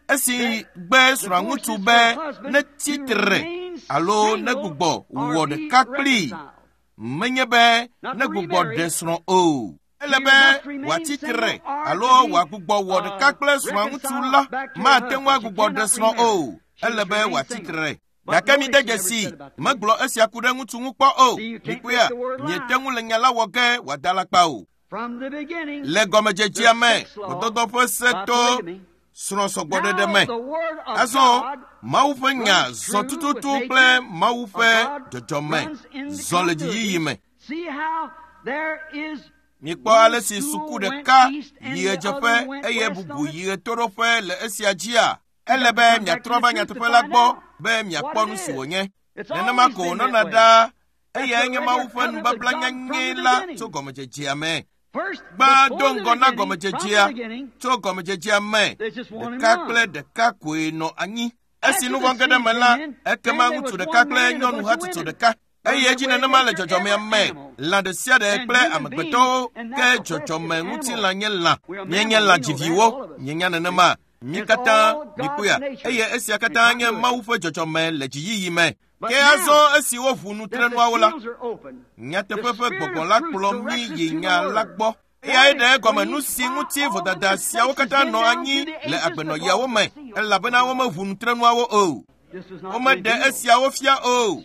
esi gbe srɔ̃ŋutsu be netsi tre alo negbugbɔ wɔ ɖeka kplii. Menye be negbugbɔ ɖe srɔ̃ o. Ele be wòatsi tre alo wòagbugbɔ wɔ ɖeka kple srɔ̃ŋutsu la mate ŋu agbugbɔ ɖe srɔ̃ o. Ele be wòatsi tre. Gake mide dzesi, megblɔ esia ku ɖe ŋutsu ŋu kpɔ o. Mikpɔea, miete ŋu le nya la wɔ ge wòada alakpa o. Le gɔmedzedzea me, gbɔdɔdɔ ƒe se to srɔ̃sɔgbɔɖeɖe me. Azɔ Mawu ƒe nya zɔ tututu kple Mawu ƒe dzɔdzɔme zɔ le dziyiyi me. Mikpɔ ale si suku ɖeka yi ɣedzeƒe eye bubu yi ɣetoɖoƒe le esia dzia? Ele be miatrɔ va nyateƒe la gbɔ be miakpɔ nu si wònye. Nenema ko wònɔna ɖaa eyae nye Mawu ƒe nubabla nyanyɛ la tso gɔmedzedzea me. Gbã do ŋgɔ na gɔmedzedzea, tso gɔmedzedzea me, ɖeka kple ɖeka koe nɔ anyi. Esi nu vɔ̃ ge ɖe me la, ekema ŋutsu ɖeka kple nyɔnu hatsotso ɖeka. Eye edzi nenema le dzɔdzɔmea me, lã ɖe sia ɖe kple amegbetɔwo, ke dzɔdzɔme ŋutilã nye lã. Míenye lã dziviwo, míenya nenema. Mí katã mikpɔea, eye esia katã nye Mawu ƒe dzɔdzɔme le dziyiyi me. Ke azɔ esi woʋu nutrenuawo la, nyateƒe ƒe gbɔgbɔ la kplɔ mí yi nya la gbɔ. Eyae ɖe egɔme nu si ŋuti vodada siawo katã nɔ anyi le agbenɔɣiawo me, elabena womeʋu nutrenuawo o. Womeɖe esiawo fia o.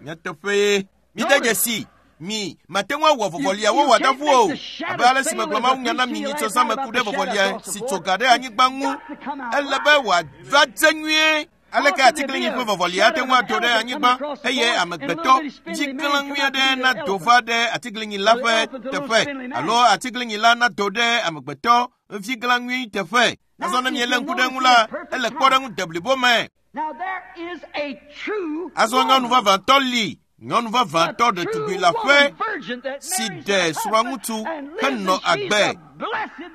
Nyateƒee. Mide dzesi. Mi mate ŋu awɔ vɔvɔliawo wòadaƒu o. Abe ale si megblɔ Mawu nya na mi nyitsɔ zã me ku ɖe vɔvɔlia si tso ga ɖe anyigba ŋu, ele be wòava dze nyuie. Aleke atiglinyi ƒe vɔvɔlia ate ŋu ado ɖe anyigba eye amegbetɔ dziklẽ nyui aɖe nado va ɖe atiglinyi la ƒe teƒe alo atiglinyi la nado ɖe amegbetɔ viglã nyui teƒe. Azɔ ne mielé ŋku ɖe eŋu la, ele kpɔɖeŋu deblibo me. Azɔ nyɔnu vavãtɔ li. Nyɔnu vavãtɔ ɖetugbi la ƒe si ɖe srɔ̃ŋutsu henɔ agbe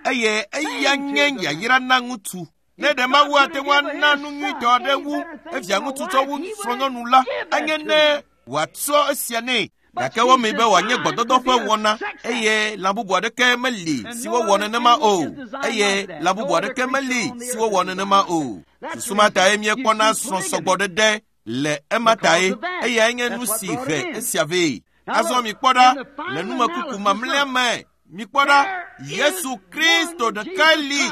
eye eya nye yayra na ŋutsu. Ne ɖe Mawu ate ŋu ana nu nyuitɔ aɖe wu evia ŋutsu tsɔ wu srɔ̃nyɔnu la, anye ne wòatsɔ esia nɛ. Gake womee be wòanye gbɔdɔdɔ ƒe wɔna eye lã bubu aɖeke meli si wowɔ nenema o. Eye lã bubu aɖeke meli si wowɔ nenema o. Susu ma tae míekpɔna srɔ̃sɔgbɔɖeɖe le ema tae, eyae nye nu si he esia vɛ. Azɔ mikpɔ ɖa le numekuku mamlɛa me. Mikpɔ ɖa, Yesu Kristo ɖekae li.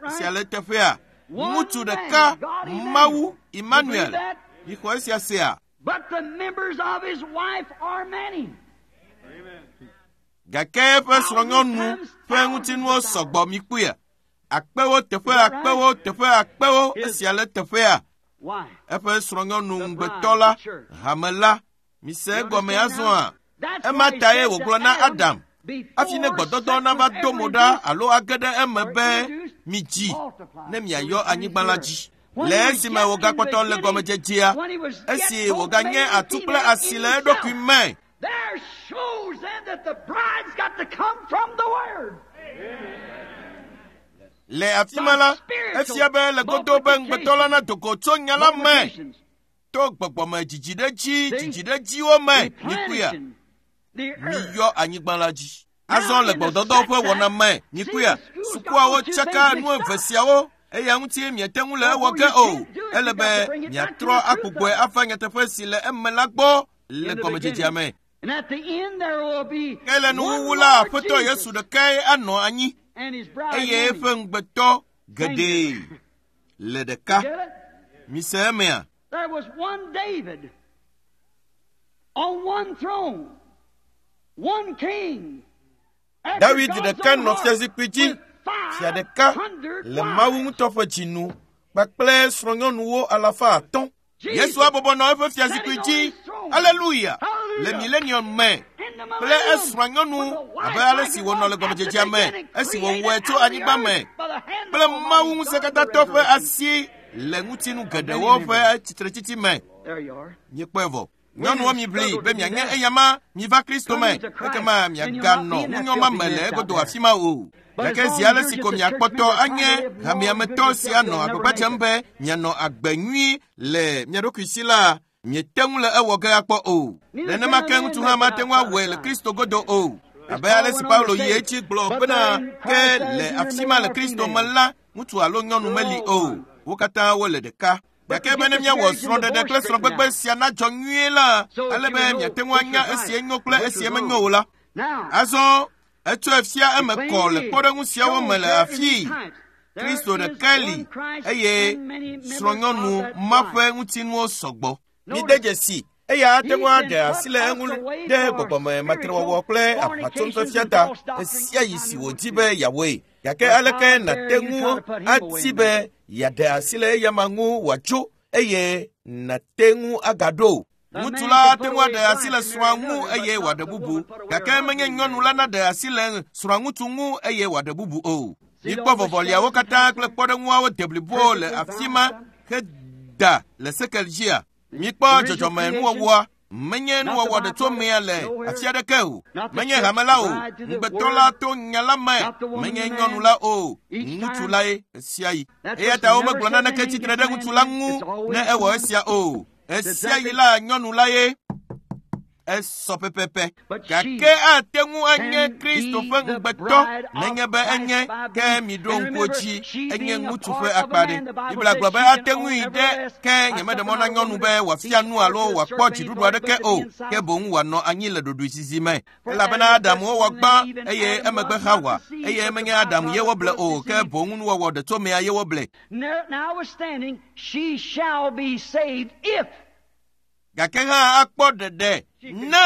Esia le teƒea. Ŋutsu ɖeka, Mawu Emmanuel. Mixɔ esia sea? Gake eƒe srɔ̃nyɔnu ƒe ŋutinuwo sɔgbɔ mikpɔea. Akpewo teƒe akpewo teƒe akpewo esia le teƒea. Eƒe srɔ̃nyɔnu ŋugbetɔ la, hame la, mise egɔme azɔa. Ema tae wògblɔ na Adam, hafi ne gbɔdɔdɔ nava do mo ɖa alo age ɖe eme be midzi ne miayɔ anyigba la dzi. Le esime wògakpɔtɔ le gɔmedzedzea, esi wòganye atu kple asi le eɖokui me. Le afi ma la, efia be le godo be ŋugbetɔ la nado go tso nya la me to gbɔgbɔme dzidziɖedzi dzidziɖedziwo me mikpɔea. Miyɔ anyigba la dzi. Azɔ le gbɔdɔdɔ ƒe wɔna me mikpɔea, sukuawo tsaka nu eve siawo eya ŋuti miate ŋu le ewɔ ge o. Ele be miatrɔ agbugbɔe ava nyateƒe si le eme la gbɔ le gɔmedzedzea me. Ke le nuwuwu la, Aƒetɔ Yesu ɖekae anɔ anyi eye eƒe ŋugbetɔ geɖe le ɖeka. Mise emea? There was one David on one throne, one king. David ɖeka nɔ fiazikpui dzi, fia ɖeka le Mawu ŋutɔ ƒe dzinu kpakple srɔ̃nyɔnuwo alafa atɔ̃. Yesu abɔbɔ nɔ eƒe fiazikpui dzi, aleluya, le milenium me kple esrɔ̃nyɔnu abe ale si wònɔ le gɔmedzedzea me esi wòwɔe tso anyigba me kple Mawu ŋusẽkatãtɔ ƒe asi le ŋutinu geɖewo ƒe tsitretsitsi me. Míekpɔe vɔ. Nyɔnuwo miʋli be mianye eyama miva Kristo me, ekema miaganɔ ŋunyɔma me le egodo afi ma o. Gake zi ale si ko miakpɔtɔ anye hameametɔ si anɔ agbagba dzem be mianɔ agbe nyui le mia ɖokui si la, miete ŋu le ewɔ ge akpɔ o. Nenema ke ŋutsu hã mate ŋu awɔe le Kristo godo o. Abe ale si Paulo yi edzi gblɔ bena ke le afi ma le Kristo me la, ŋutsu alo nyɔnu meli o. Wo katã wole ɖeka. Gake be ne míawɔ srɔ̃ɖeɖe kple srɔ̃gbegbe sia nadzɔ nyuie la, ele be miate ŋu anya esie nyo kple esie menyo o la. Azɔ etsɔe fia eme kɔ le kpɔɖeŋu siawo me le afii. Kristo ɖekae li eye srɔ̃nyɔnu ma ƒe ŋutinuwo sɔgbɔ. Mide dzesi eya ate ŋu aɖe asi le eŋu ɖe gbɔgbɔme matrewɔwɔ kple aʋatsonufiafia ta ɣe sia ɣi si wòdi be yeawɔe. Gake aleke nàte ŋu ati be yeaɖe asi le eyama ŋu wòatso eye nàte ŋu agaɖo. Ŋutsu la ate ŋu aɖe asi le srɔ̃a ŋu eye wòaɖe bubu. Gake menye nyɔnu la naɖe asi le srɔ̃a ŋutsu ŋu eye wòaɖe bubu o. Mikpɔ vɔvɔliawo katã kple kpɔɖeŋuawo de blibo le afi ma heda le sekel dzia. Mikpɔ dzɔdzɔme nuwɔwɔa. Menye nuwɔwɔ ɖe tso mea le afi aɖeke o. Menye hame la o. Ŋugbetɔ la to nya la me. Menye nyɔnu la o. Ŋutsu lae esia yi. Eya ta womegblɔ naneke tsitre ɖe ŋutsu la ŋu ne ewɔ esia o. Esia yi la nyɔnu la ye. Esɔ pɛpɛpɛ. Gake ate ŋu anye Kristo ƒe ŋugbetɔ nenye be enye ke miɖo ŋku dzi enye ŋutsu ƒe akpa ɖe. Biblia gblɔ be ate ŋui ɖe ke nyemeɖe mɔ na nyɔnu be wòafia nu alo wòakpɔ dziɖuɖu aɖeke o ke boŋ wòanɔ anyi le ɖoɖoezizi me. Elabena Adamu wowɔ gbã eye emegbe Hawa eye menye Adamu ye woble o ke boŋ nuwɔwɔ ɖe tso mea ye woble. Notwithstanding, she shall be saved if Gake hã akpɔ ɖeɖe ne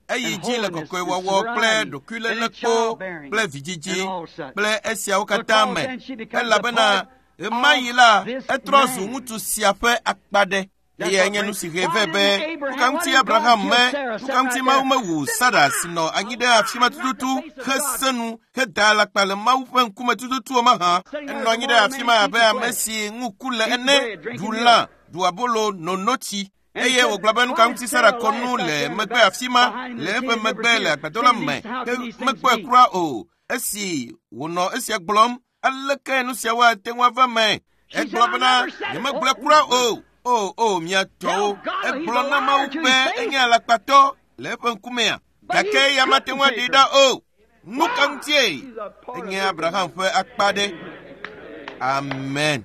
eyi dzi le kɔkɔewɔwɔ kple ɖokuilélekpo kple vidzidzi kple esiawo katã me elabena ɣemaɣi la etrɔ zu ŋutsu sia ƒe akpa ɖe. Eye enye nu si he vɛ be nuka ŋuti Abraham me nuka ŋuti Mawu mewu Sara si nɔ anyi ɖe afi ma tututu hese nu heda alakpa le Mawu ƒe ŋkume tututu o mahã. Enɔ anyi ɖe afi ma abe ame si ŋu ku le ene, ɖu lã, ɖu abolo, no notsi. Eye wògblɔ be nuka ŋuti Sara kɔ nu le megbe afi ma le eƒe megbe le agbadɔ la me ke mekpɔe kura o. Esi wònɔ esia gblɔm, aleke nu siawo ate ŋu ava me? Egblɔ bena nyemegblɔe kura o. O o mia tɔwo. Egblɔ na Mawu be enye alakpatɔ le eƒe ŋkumea. Gake eya mate ŋu aɖee ɖa o. Nu ka ŋutie? Enye Abraham ƒe akpa ɖe. Amen.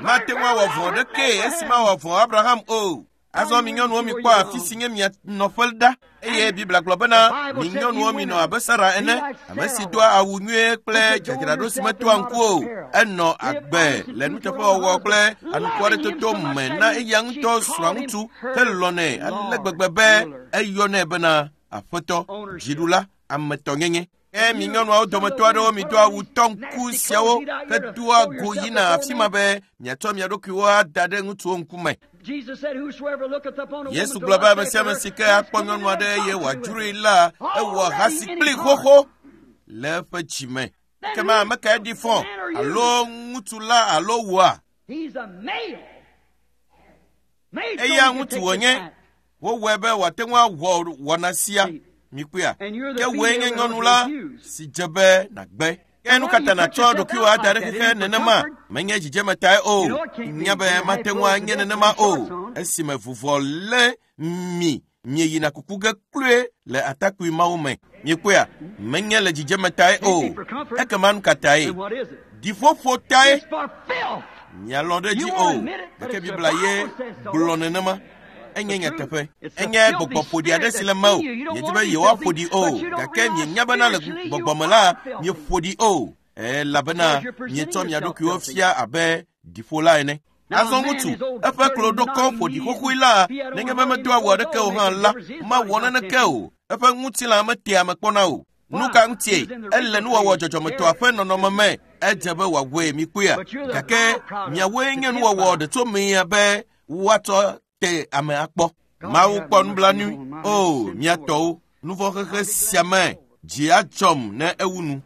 Mate ŋu awɔ vɔ̃ ɖeke esi mawɔ vɔ̃ Abraham o. Azɔ mi nyɔnuwo mikpɔ afi si nye mia nɔƒe ɖa. Eye Biblia gblɔ bena mi nyɔnuwo minɔ abe Sara ene, ame si doa awu nyuie kple dzadzraɖo si metoa ŋku o. Enɔ agbe le nuteƒewɔwɔ kple anukwɔɖetoto me na eya ŋutɔ srɔ̃a ŋutsu helɔ̃nɛ ale gbegbe be eyɔnɛ bena aƒetɔ, dziɖula, ametɔnyenye. Ke mi nyɔnuawo dometɔ aɖewo mido awu tɔŋku siawo hedoa go yina afi ma be miatsɔ mia ɖokuiwo ada ɖe ŋutsuwo ŋkume. Yesu gblɔ be ame sia ame si ke akpɔ nyɔnu aɖe eye wòadzroe la, ewɔ ahasi kpli xoxo le eƒe dzime. Ekema ame kae ɖi fɔ alo ŋutsu la alo wòa? Eya ŋutsu wònye. Wowɔe be wòate ŋu awɔ wɔna sia. Mikpɔea? Ke wòe nye nyɔnu la si dze be nàgbe. Ke nu katã nàtsɔ ɖokuiwò ada ɖe xexe nenema menye dzidzeme tae o. Nya be mate ŋu anye nenema o. Esime vuvɔ lé mi mieyina kuku ge kloe le atakpui mawo me. Mikpɔea? Menye le dzidzeme tae o. Ekema nu katãe? Ɖiƒoƒo tae. Mialɔ̃ ɖe edzi o. Gake Biblia ye gblɔ nenema. Enye nyateƒe. Enye gbɔgbɔ ƒoɖi aɖe si le mewò. Miedi be yewoaƒo ɖi o. Gake mienya bena le gbɔgbɔ me la, mieƒo ɖi o. Elabena mietsɔ mia ɖokuiwo fia abe ɖiƒola ene. Azɔ ŋutsu, eƒe klo ɖo kɔ ƒo ɖi xoxoe la, nenye be medo awu aɖeke o hã la, mawɔ naneke o. Eƒe ŋutilã metea ame kpɔna o. Nu ka ŋutie? Ele nuwɔwɔ dzɔdzɔmetɔa ƒe nɔnɔme me. Edze be wòawɔe mikpɔea. Gake miawoe nye nuwɔwɔ ɖe tso mea be woatsɔ te ame akpɔ. Mawu kpɔ nublanui. O, mia tɔwo, nuvɔ̃ xexe sia me dzi adzɔm ne ewu nu.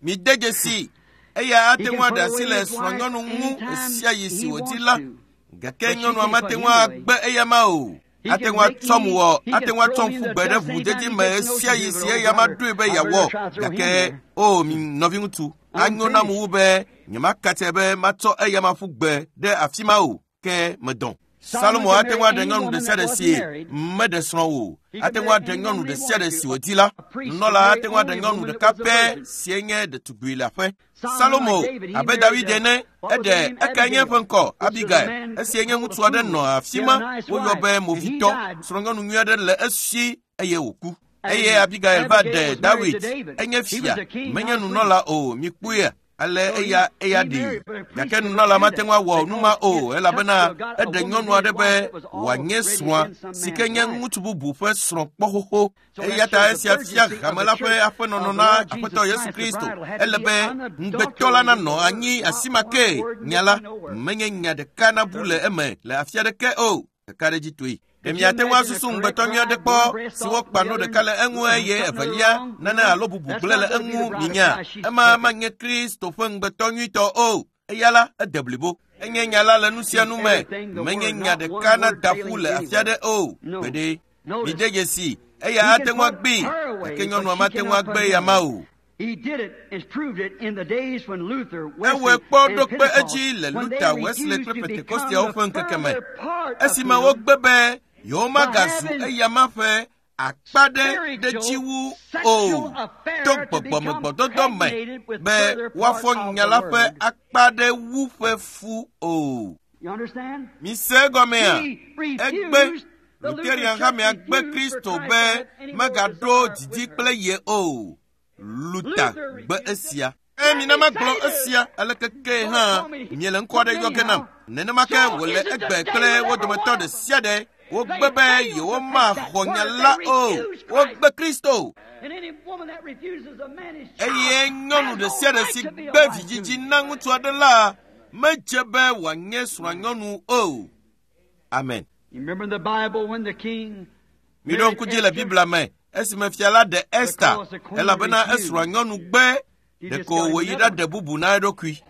Mide dzesi, eya ate ŋu aɖe asi le srɔ̃nyɔnu ŋu ɣesia ɣi si wòdi la. Gake nyɔnua mate ŋu agbe eyama o. Ate ŋu atsɔm wɔ, ate ŋu atsɔm ƒu gbe ɖe ʋudzedzi me ɣesia ɣi si eyama ɖoe be yeawɔ. Gake o, mi nɔviŋutsu, anyo nam wu be nyemakatse be matsɔ eyama ƒu gbe ɖe afi ma o, ke medɔn. Salomo ate ŋu aɖe nyɔnu ɖe sia ɖe si meɖe srɔ̃ o. Ate ŋu aɖe nyɔnu ɖe sia ɖe si wòdi la. Nunɔla ate ŋu aɖe nyɔnu ɖeka pɛ si nye ɖetugbui le aƒe. Salomo abe David ene, eɖe ekae nye eƒe ŋkɔ Abigail. Esi nye ŋutsu aɖe nɔ afi ma, woyɔ be movitɔ. Srɔ̃nyɔnu nyui aɖe le esi eye wòku. Eye Abigail va ɖe David. Enye fia, menye nunɔla o. Mikpɔea? Ale eya eya ɖi. Gake nunɔla mate ŋu awɔ nu ma o elabena eɖe nyɔnu aɖe be wòanye srɔ̃a si ke nye ŋutsu bubu ƒe srɔ̃ kpɔ xoxo. Eya ta esia fia hame la ƒe aƒenɔnɔ na Aƒetɔ Yesu Kristo. Ele be ŋugbetɔ la nanɔ anyi asi ma ke nya la menye nya ɖeka nabu le eme le afi aɖeke o. Ɖeka ɖe dzi toe. Ɖe miate ŋu asusu ŋugbetɔ nyui aɖe kpɔ si wokpa nu ɖeka le eŋu eye evelia nane alo bubu gblẽ le eŋu minya. Ema manye Kristo ƒe ŋugbetɔ nyuitɔ o. Eya la ede blibo. Enye nya la le nu sia nu me. Menye nya ɖeka nada ƒu le afi aɖe o. Gbeɖe. Mide dzesi. Eya ate ŋu agbee gake nyɔnua mate ŋu agbe ya ma o. Ewɔe kpɔ ɖo kpe edzi le Luther, Wesley kple Pentekosteawo ƒe ŋkeke me. Esime wogbe be yewomagazu eyama ƒe akpa ɖe ɖe dzi wu o to gbɔgbɔmegbɔdɔdɔ me be woafɔ nya la ƒe akpa ɖe wu ƒe fu o. Mise egɔmea? Egbe Lutheran hamea gbe Kristo be megaɖo didi kple ye o. Luther gbe esia. Eye mina magblɔ esia aleke ke hã miele ŋkɔ aɖe yɔ ge nam. Nenema ke wòle egbe kple wo dometɔ ɖe sia ɖe. Wogbe be yewomaxɔ nya la o. Wogbe Kristo. Eye nyɔnu ɖe sia ɖe si gbe vidzidzi na ŋutsu aɖe la medze be wòanye srɔ̃anyɔnu o. Amen. Miɖo ŋku dzi le Biblia me esime fia la ɖe Esta elabena esrɔ̃a nyɔnu gbe ɖeko wòyi ɖaɖe bubu na eɖokui.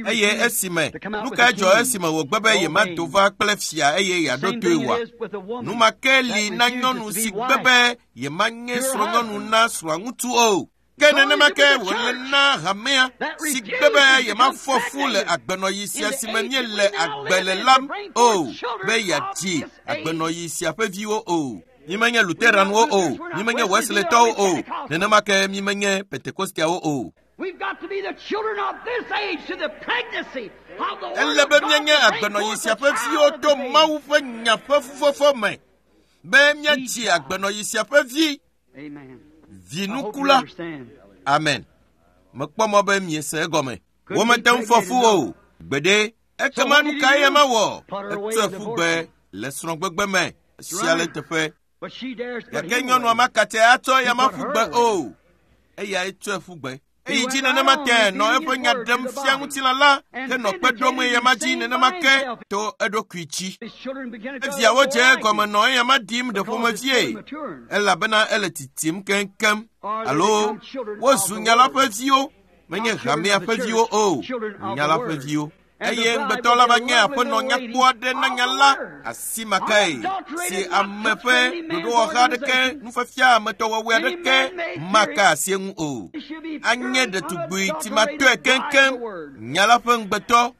Eye esime nu kae dzɔ esime wògbe be yemado va kple fia eye yeaɖo toe wòa? Nu ma ke li na nyɔnu si gbe be yemanye srɔ̃nyɔnu na srɔ̃aŋutsu o. Ke nenema ke wòle na hamea si gbe be yemafɔ fu le agbenɔɣi sia si me míele agbe le lam o be yeadzi agbenɔɣi sia ƒe viwo o. Mímenye Lutheranwo o, mímenye Wesleytɔwo o, nenema ke mímenye Pentekosteawo o. Ele be míanye agbenɔɣi sia ƒe viwo to Mawu ƒe nya ƒe fufɔfɔ me be míadzi agbenɔɣi sia ƒe vi. Vinukula. Amen. Mekpɔ mɔ be miese egɔme. Womete ŋu fɔ fu o. Gbeɖe. Ekema nu kae ema wɔ? Etsɔe ƒu gbe le srɔ̃gbegbe me sia le teƒe. Gake nyɔnua makate atsɔ eya ma ƒu gbe o. Eyae tsɔe ƒu gbe. Eyi dzi nenema ke nɔ eƒe nya ɖem fia ŋutilã la ke nɔ kpe ɖom eyama dzi nenema ke to eɖokui dzi. Eviawo dze egɔme nɔ eyama ɖim ɖe ƒomevie elabena ele titim keŋkeŋ alo wozu nya la ƒe viwo menye hamea ƒe viwo o, nya la ƒe viwo. Eye ŋugbetɔ la va nye aƒenɔ nyakpɔ aɖe na nya la asi ma kae si ame ƒe ɖoɖowɔha aɖeke nufiafia ametɔwɔwɔe aɖeke maka asi eŋu o. Anye ɖetugbui timatɔe keŋkeŋ nya la ƒe ŋugbetɔ.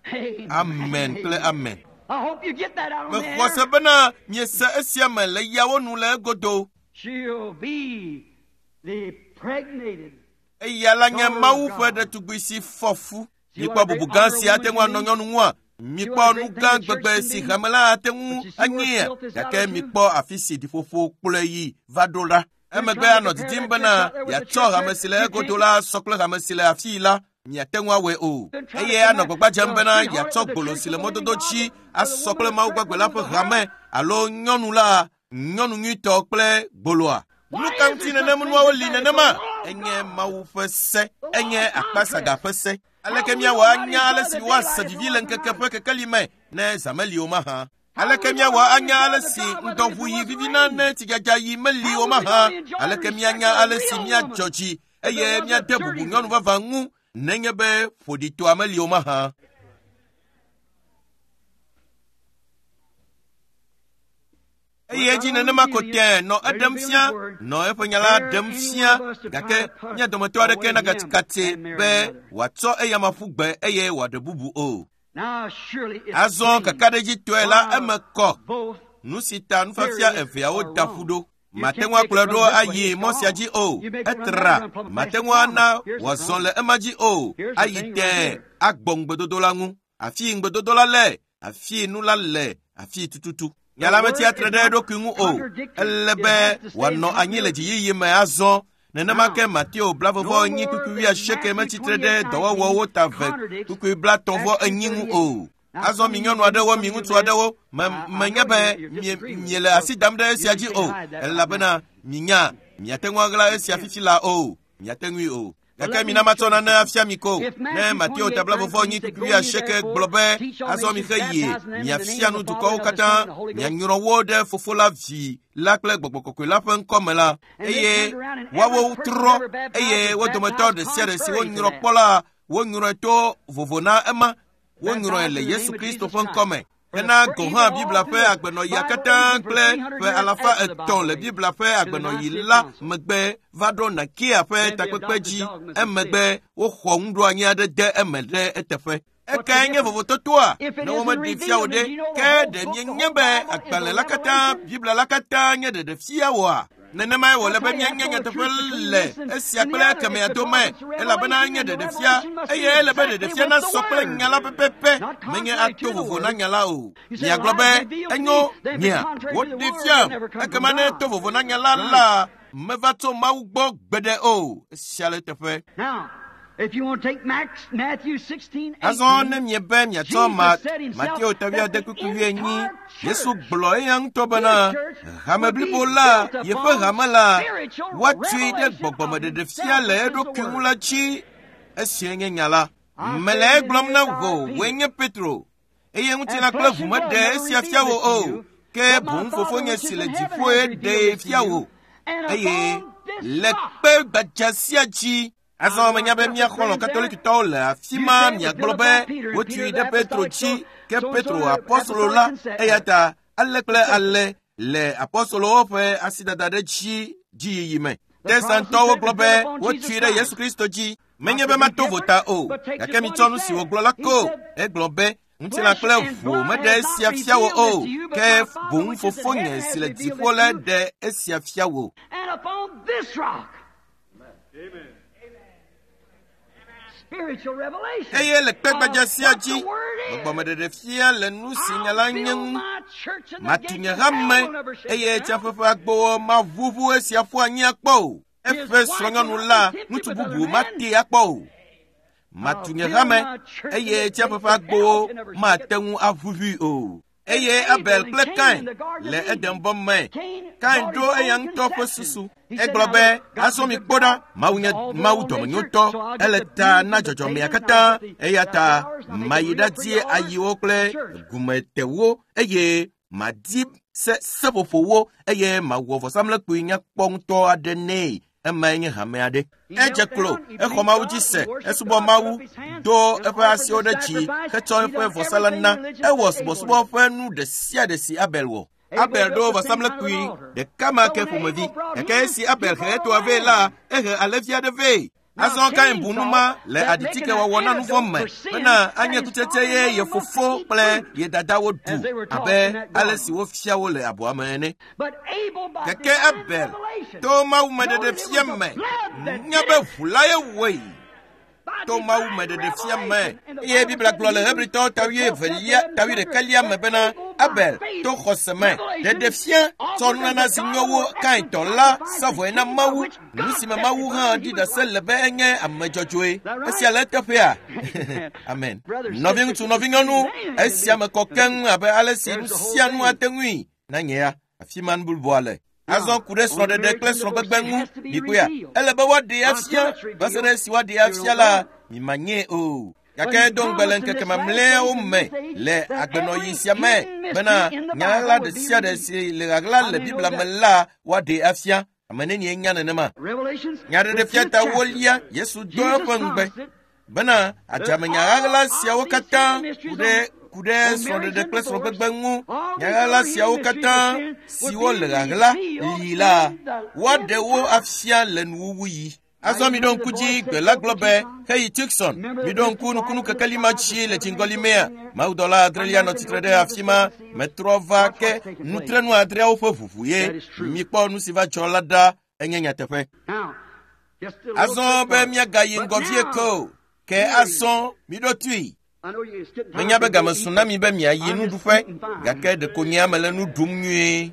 Amen kple amen. Mexɔ se bena miese esia me le yawo nu le egodo. Eya la nye Mawu ƒe ɖetugbui si fɔ fu. Mikpɔ bubu gã si ate ŋu anɔ nyɔnu ŋua? Mikpɔ nu gã gbegbe si hame la ate ŋu anyea? Gake mikpɔ afi si ɖiƒoƒo kplɔe yi va ɖo la. Emegbe anɔ didim bena yeatsɔ hame si le egodo la sɔ kple hame si le afii la. Miate ŋu awɔe o. Eye anɔ gbagba dzem bena yeatsɔ gbolo si le mɔdodo dzi asɔ kple Mawu gbagbe la ƒe hame alo nyɔnu la, nyɔnu nyuitɔ kple gboloa. Nu ka ŋuti nenem nuawo li nenema? Enye Mawu ƒe se. Enye akpasaga ƒe se. Aleke míawɔ anya ale si woase vivi le ŋkeke ƒe kekeli me ne zã meli o mahã? Aleke míawɔ anya ale si ŋdɔʋuyi vivina ne tsidzadza yi meli o mahã? Aleke míanya ale si míadzɔ dzi eye míade bubu nyɔnu vavã ŋu nenye be ƒoɖitɔa meli o mahã? Eye edzi nenema ko tɛ nɔ eɖem fia, nɔ eƒe nya la ɖem fia, gake mía dometɔ aɖeke nagatsikatse be wòatsɔ eyama ƒu gbe eye wòaɖe bubu o. Azɔ kakaɖedzitɔe la eme kɔ nu si ta nufiafia eveawo da ƒu ɖo. Mate ŋu akplɔe ɖo ayi mɔ sia dzi o. Etra. Mate ŋu ana wòazɔ le ema dzi o. Ayi tɛɛ agbɔ ŋugbedodo la ŋu. Afii ŋugbedodo la le, afii nu la le, afii tututu. Nya la metsia tre ɖe eɖokui ŋu o. Ele be wòanɔ anyi le dziyiyi me azɔ. Nenema ke Mateo blavevɔ enyi kpukpui wuiasieke metsitre ɖe dɔwɔwɔwo ta ve kpukpui blatɔ̃ vɔ enyi ŋu o. Azɔ mi nyɔnu aɖewo, mi ŋutsu aɖewo, me menye be mie miele asi dam ɖe esia dzi o, elabena minya miate ŋu aɣla esia fifi la o, miate ŋui o. Gake mina matsɔ nane afia mi ko. Ne Mateo ta blavevɔ enyi kpukpui wuiasieke gblɔ be azɔ mixe yie, miafia nu dukɔwo katã, mianyrɔ wo ɖe Fofo la, Vi la kple Gbɔgbɔ Kɔkɔe la ƒe ŋkɔ me la, eye woawo trɔ, eye wo dometɔ ɖe sia ɖe si wonyrɔ kpɔ la, wonyrɔe to vovo na ema. Wonyrɔe le Yesu Kristo ƒe ŋkɔ me. Hena gɔ̃ hã Biblia ƒe agbenɔɣia katã kple ƒe alafa etɔ̃ le Biblia ƒe agbenɔɣi la megbe va ɖo Nikea ƒe takpekpe dzi. Emegbe woxɔ nuɖoanyi aɖe de eme ɖe eteƒe. Ekae nye vovototoa? Ne womeɖee fia wò ɖe, ke ɖe mienye be agbalẽ la katã, Biblia la katã nye ɖeɖefia woa? Nenemae wòle be míanye nyateƒe le esia kple ekemea dome, elabena nye ɖeɖefia, eye ele be ɖeɖefia nasɔ kple nya la pɛpɛpɛ, menye ato vovo na nya la o. Miagblɔ be enyo nyea, woɖee fiam, ekema ne to vovo na nya la la, meva tso Mawu gbɔ gbeɖe o. Esia le eteƒe. Azɔ ne miebe miatsɔ ma Mateo ta wuiade kpukpui wuienyi, Yesu gblɔ eya ŋutɔ bena hame blibo la, yeƒe hame la, woatui ɖe gbɔgbɔmeɖeɖefia le eɖokui ŋu la dzi. Esia nye nya la. Mele egblɔm na wò, wòe nye Petro, eye ŋutilã kple ʋu meɖe esia fia wò o, ke boŋ Fofonye si le dziƒoe ɖee fia wò. Eye le kpe gbadza sia dzi. Azɔ menya be mía xɔlɔ̃ Katolikitɔwo le afi ma miagblɔ be wotui ɖe Petro dzi, ke Petro apɔstolo la, eya ta ale kple ale le apɔstolowo ƒe asidada ɖe dzi dziyiyi me. Protestantɔwo gblɔ be wotui ɖe Yesu Kristo dzi. Menye be mato vota o, gake mitsɔ nu si wògblɔ la ko. Egblɔ be ŋutilã kple ʋu meɖe esia fia wò o, ke boŋ Fofonye si le dziƒo la ɖe esia fia wò. Eye le kpe gbadza sia dzi, gbɔgbɔmeɖeɖefia le nu si nya la nye ŋu. Matu nye hame, eye tsiaƒe ƒe agbowo maʋuʋu esia ƒu anyi akpɔ o. Eƒe srɔ̃nyɔnu la, ŋutsu bubu matee akpɔ o. Matu nye hame, eye tsiaƒe ƒe agbowo mate ŋu aʋuʋui o. Eye Abel kple Kain le Edenbɔ me. Kain ɖo eya ŋutɔ ƒe susu. Egblɔ be azɔ mi kpɔ ɖa, Mawu nye Mawu dɔmenyotɔ, ele ta na dzɔdzɔmea katã, eya ta mayi ɖadie ayiwo kple gumetewo, eye madi se seƒoƒowo, eye mawɔ vɔsamlekpui nyakpɔ ŋutɔ aɖe nɛ. Emae nye hame aɖe. Edze klo, exɔ Mawu dzi se, esubɔ Mawu, do eƒe asiwo ɖe dzi, hetsɔ eƒe vɔsa la na. Ewɔ subɔsubɔ ƒe nu ɖe sia ɖe si Abel wɔ. Abel ɖo vɔsamlekpui ɖeka ma ke ƒomevi, gake esi Abel he etoa vɛ la, ehe alẽvi aɖe vɛ. Azɔ Kain bu nu ma le aɖitikewɔwɔ na nu vɔ̃ me bena anye kutsetse ye ye fofo kple ye dadawo ɖu abe ale si wofia wo le abɔa me ene. Gake Abel to mawumeɖeɖefia me nya be ʋu la ye wɔe. To mawumeɖeɖefia me eye Biblia gblɔ le Hebritɔwo ta wuievelia ta wuiɖekɛlia me bena Abel to xɔse me ɖeɖefia tsɔ nunana si nyo wu Kain tɔ la sa vɔe na Mawu, nu si me Mawu hã ɖi ɖase le be enye ame dzɔdzɔe. Esia le eteƒea? Amen. Nɔviŋutsu, nɔvinyɔnu, esia me kɔ keŋ abe ale si nu sia nu ate ŋui na nye ya. Afi ma nu bubua le. Azɔ ku ɖe srɔ̃ɖeɖe kple srɔ̃gbegbe ŋu, mikpɔea, ele be woaɖee afia, va se ɖe esi woaɖee afia la, mimanyee o. Gake do ŋugbe le ŋkeke mamlɛawo me le agbenɔɣi sia me bena nya ɣaɣla ɖe sia ɖe si le ɣaɣla le Biblia me la woaɖee afia. Ame nenie nya nenema? Nyaɖeɖefia ta wolia Yesu do eƒe ŋugbe bena adzamenya ɣaɣla siawo katã ku ɖe ku ɖe srɔ̃ɖeɖe kple srɔ̃gbegbe ŋu. Nya ɣaɣla siawo katã siwo le ɣaɣla li la, woaɖe wo afia le nuwuwuɣi. Azɔ miɖo ŋku dzi gbe la gblɔ be heyi Tucson, miɖo ŋku nukunu kekeli ma dzi le dziŋgɔli mea. Mawudɔla adrelia nɔ tsitre ɖe afi ma, metrɔ va ke nutrenu adreawo ƒe ʋuʋu ye. Mikpɔ nu si va dzɔ la ɖa, enye nyateƒe. Azɔ be míagayi ŋgɔ vie ke o, ke azɔ miɖo tui. Menya be game su na mi be miayi nuɖuƒe, gake ɖeko nye ame le nu ɖum nyuie.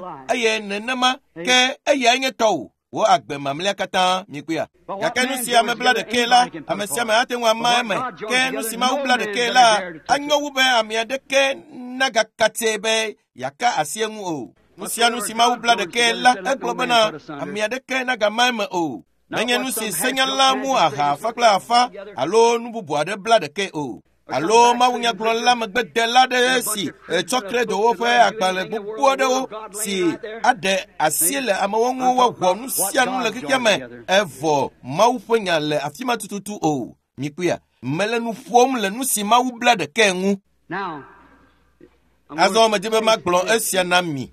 la, eye nenema ke eyae nye tɔwò. Wo agbe mamlɛa katã mikpɔea. Gake nu si ame bla ɖekae la, ame sia ame ate ŋu ama eme. Ke nu si Mawu bla ɖekae la, anyo wu be ame aɖeke nagakatse be yeaka asi eŋu o. Nu sia nu si Mawu bla ɖekae la, egblɔ bena ame aɖeke nagama eme o. Menye nu si senyala mu aha afa kple afa alo nu bubu aɖe bla ɖekae o. Alo mawunyagblɔla megbedela aɖe si tsɔ kredowo ƒe agbalẽ gbogbo aɖewo si aɖe asi le amewo ŋu woawɔ nu sia nu le xexea me evɔ Mawu ƒe nya le afi ma tututu o. Mikpɔea, mele nu ƒom le nu si Mawu bla ɖekae ŋu. Azɔ medi be magblɔ esia na mi.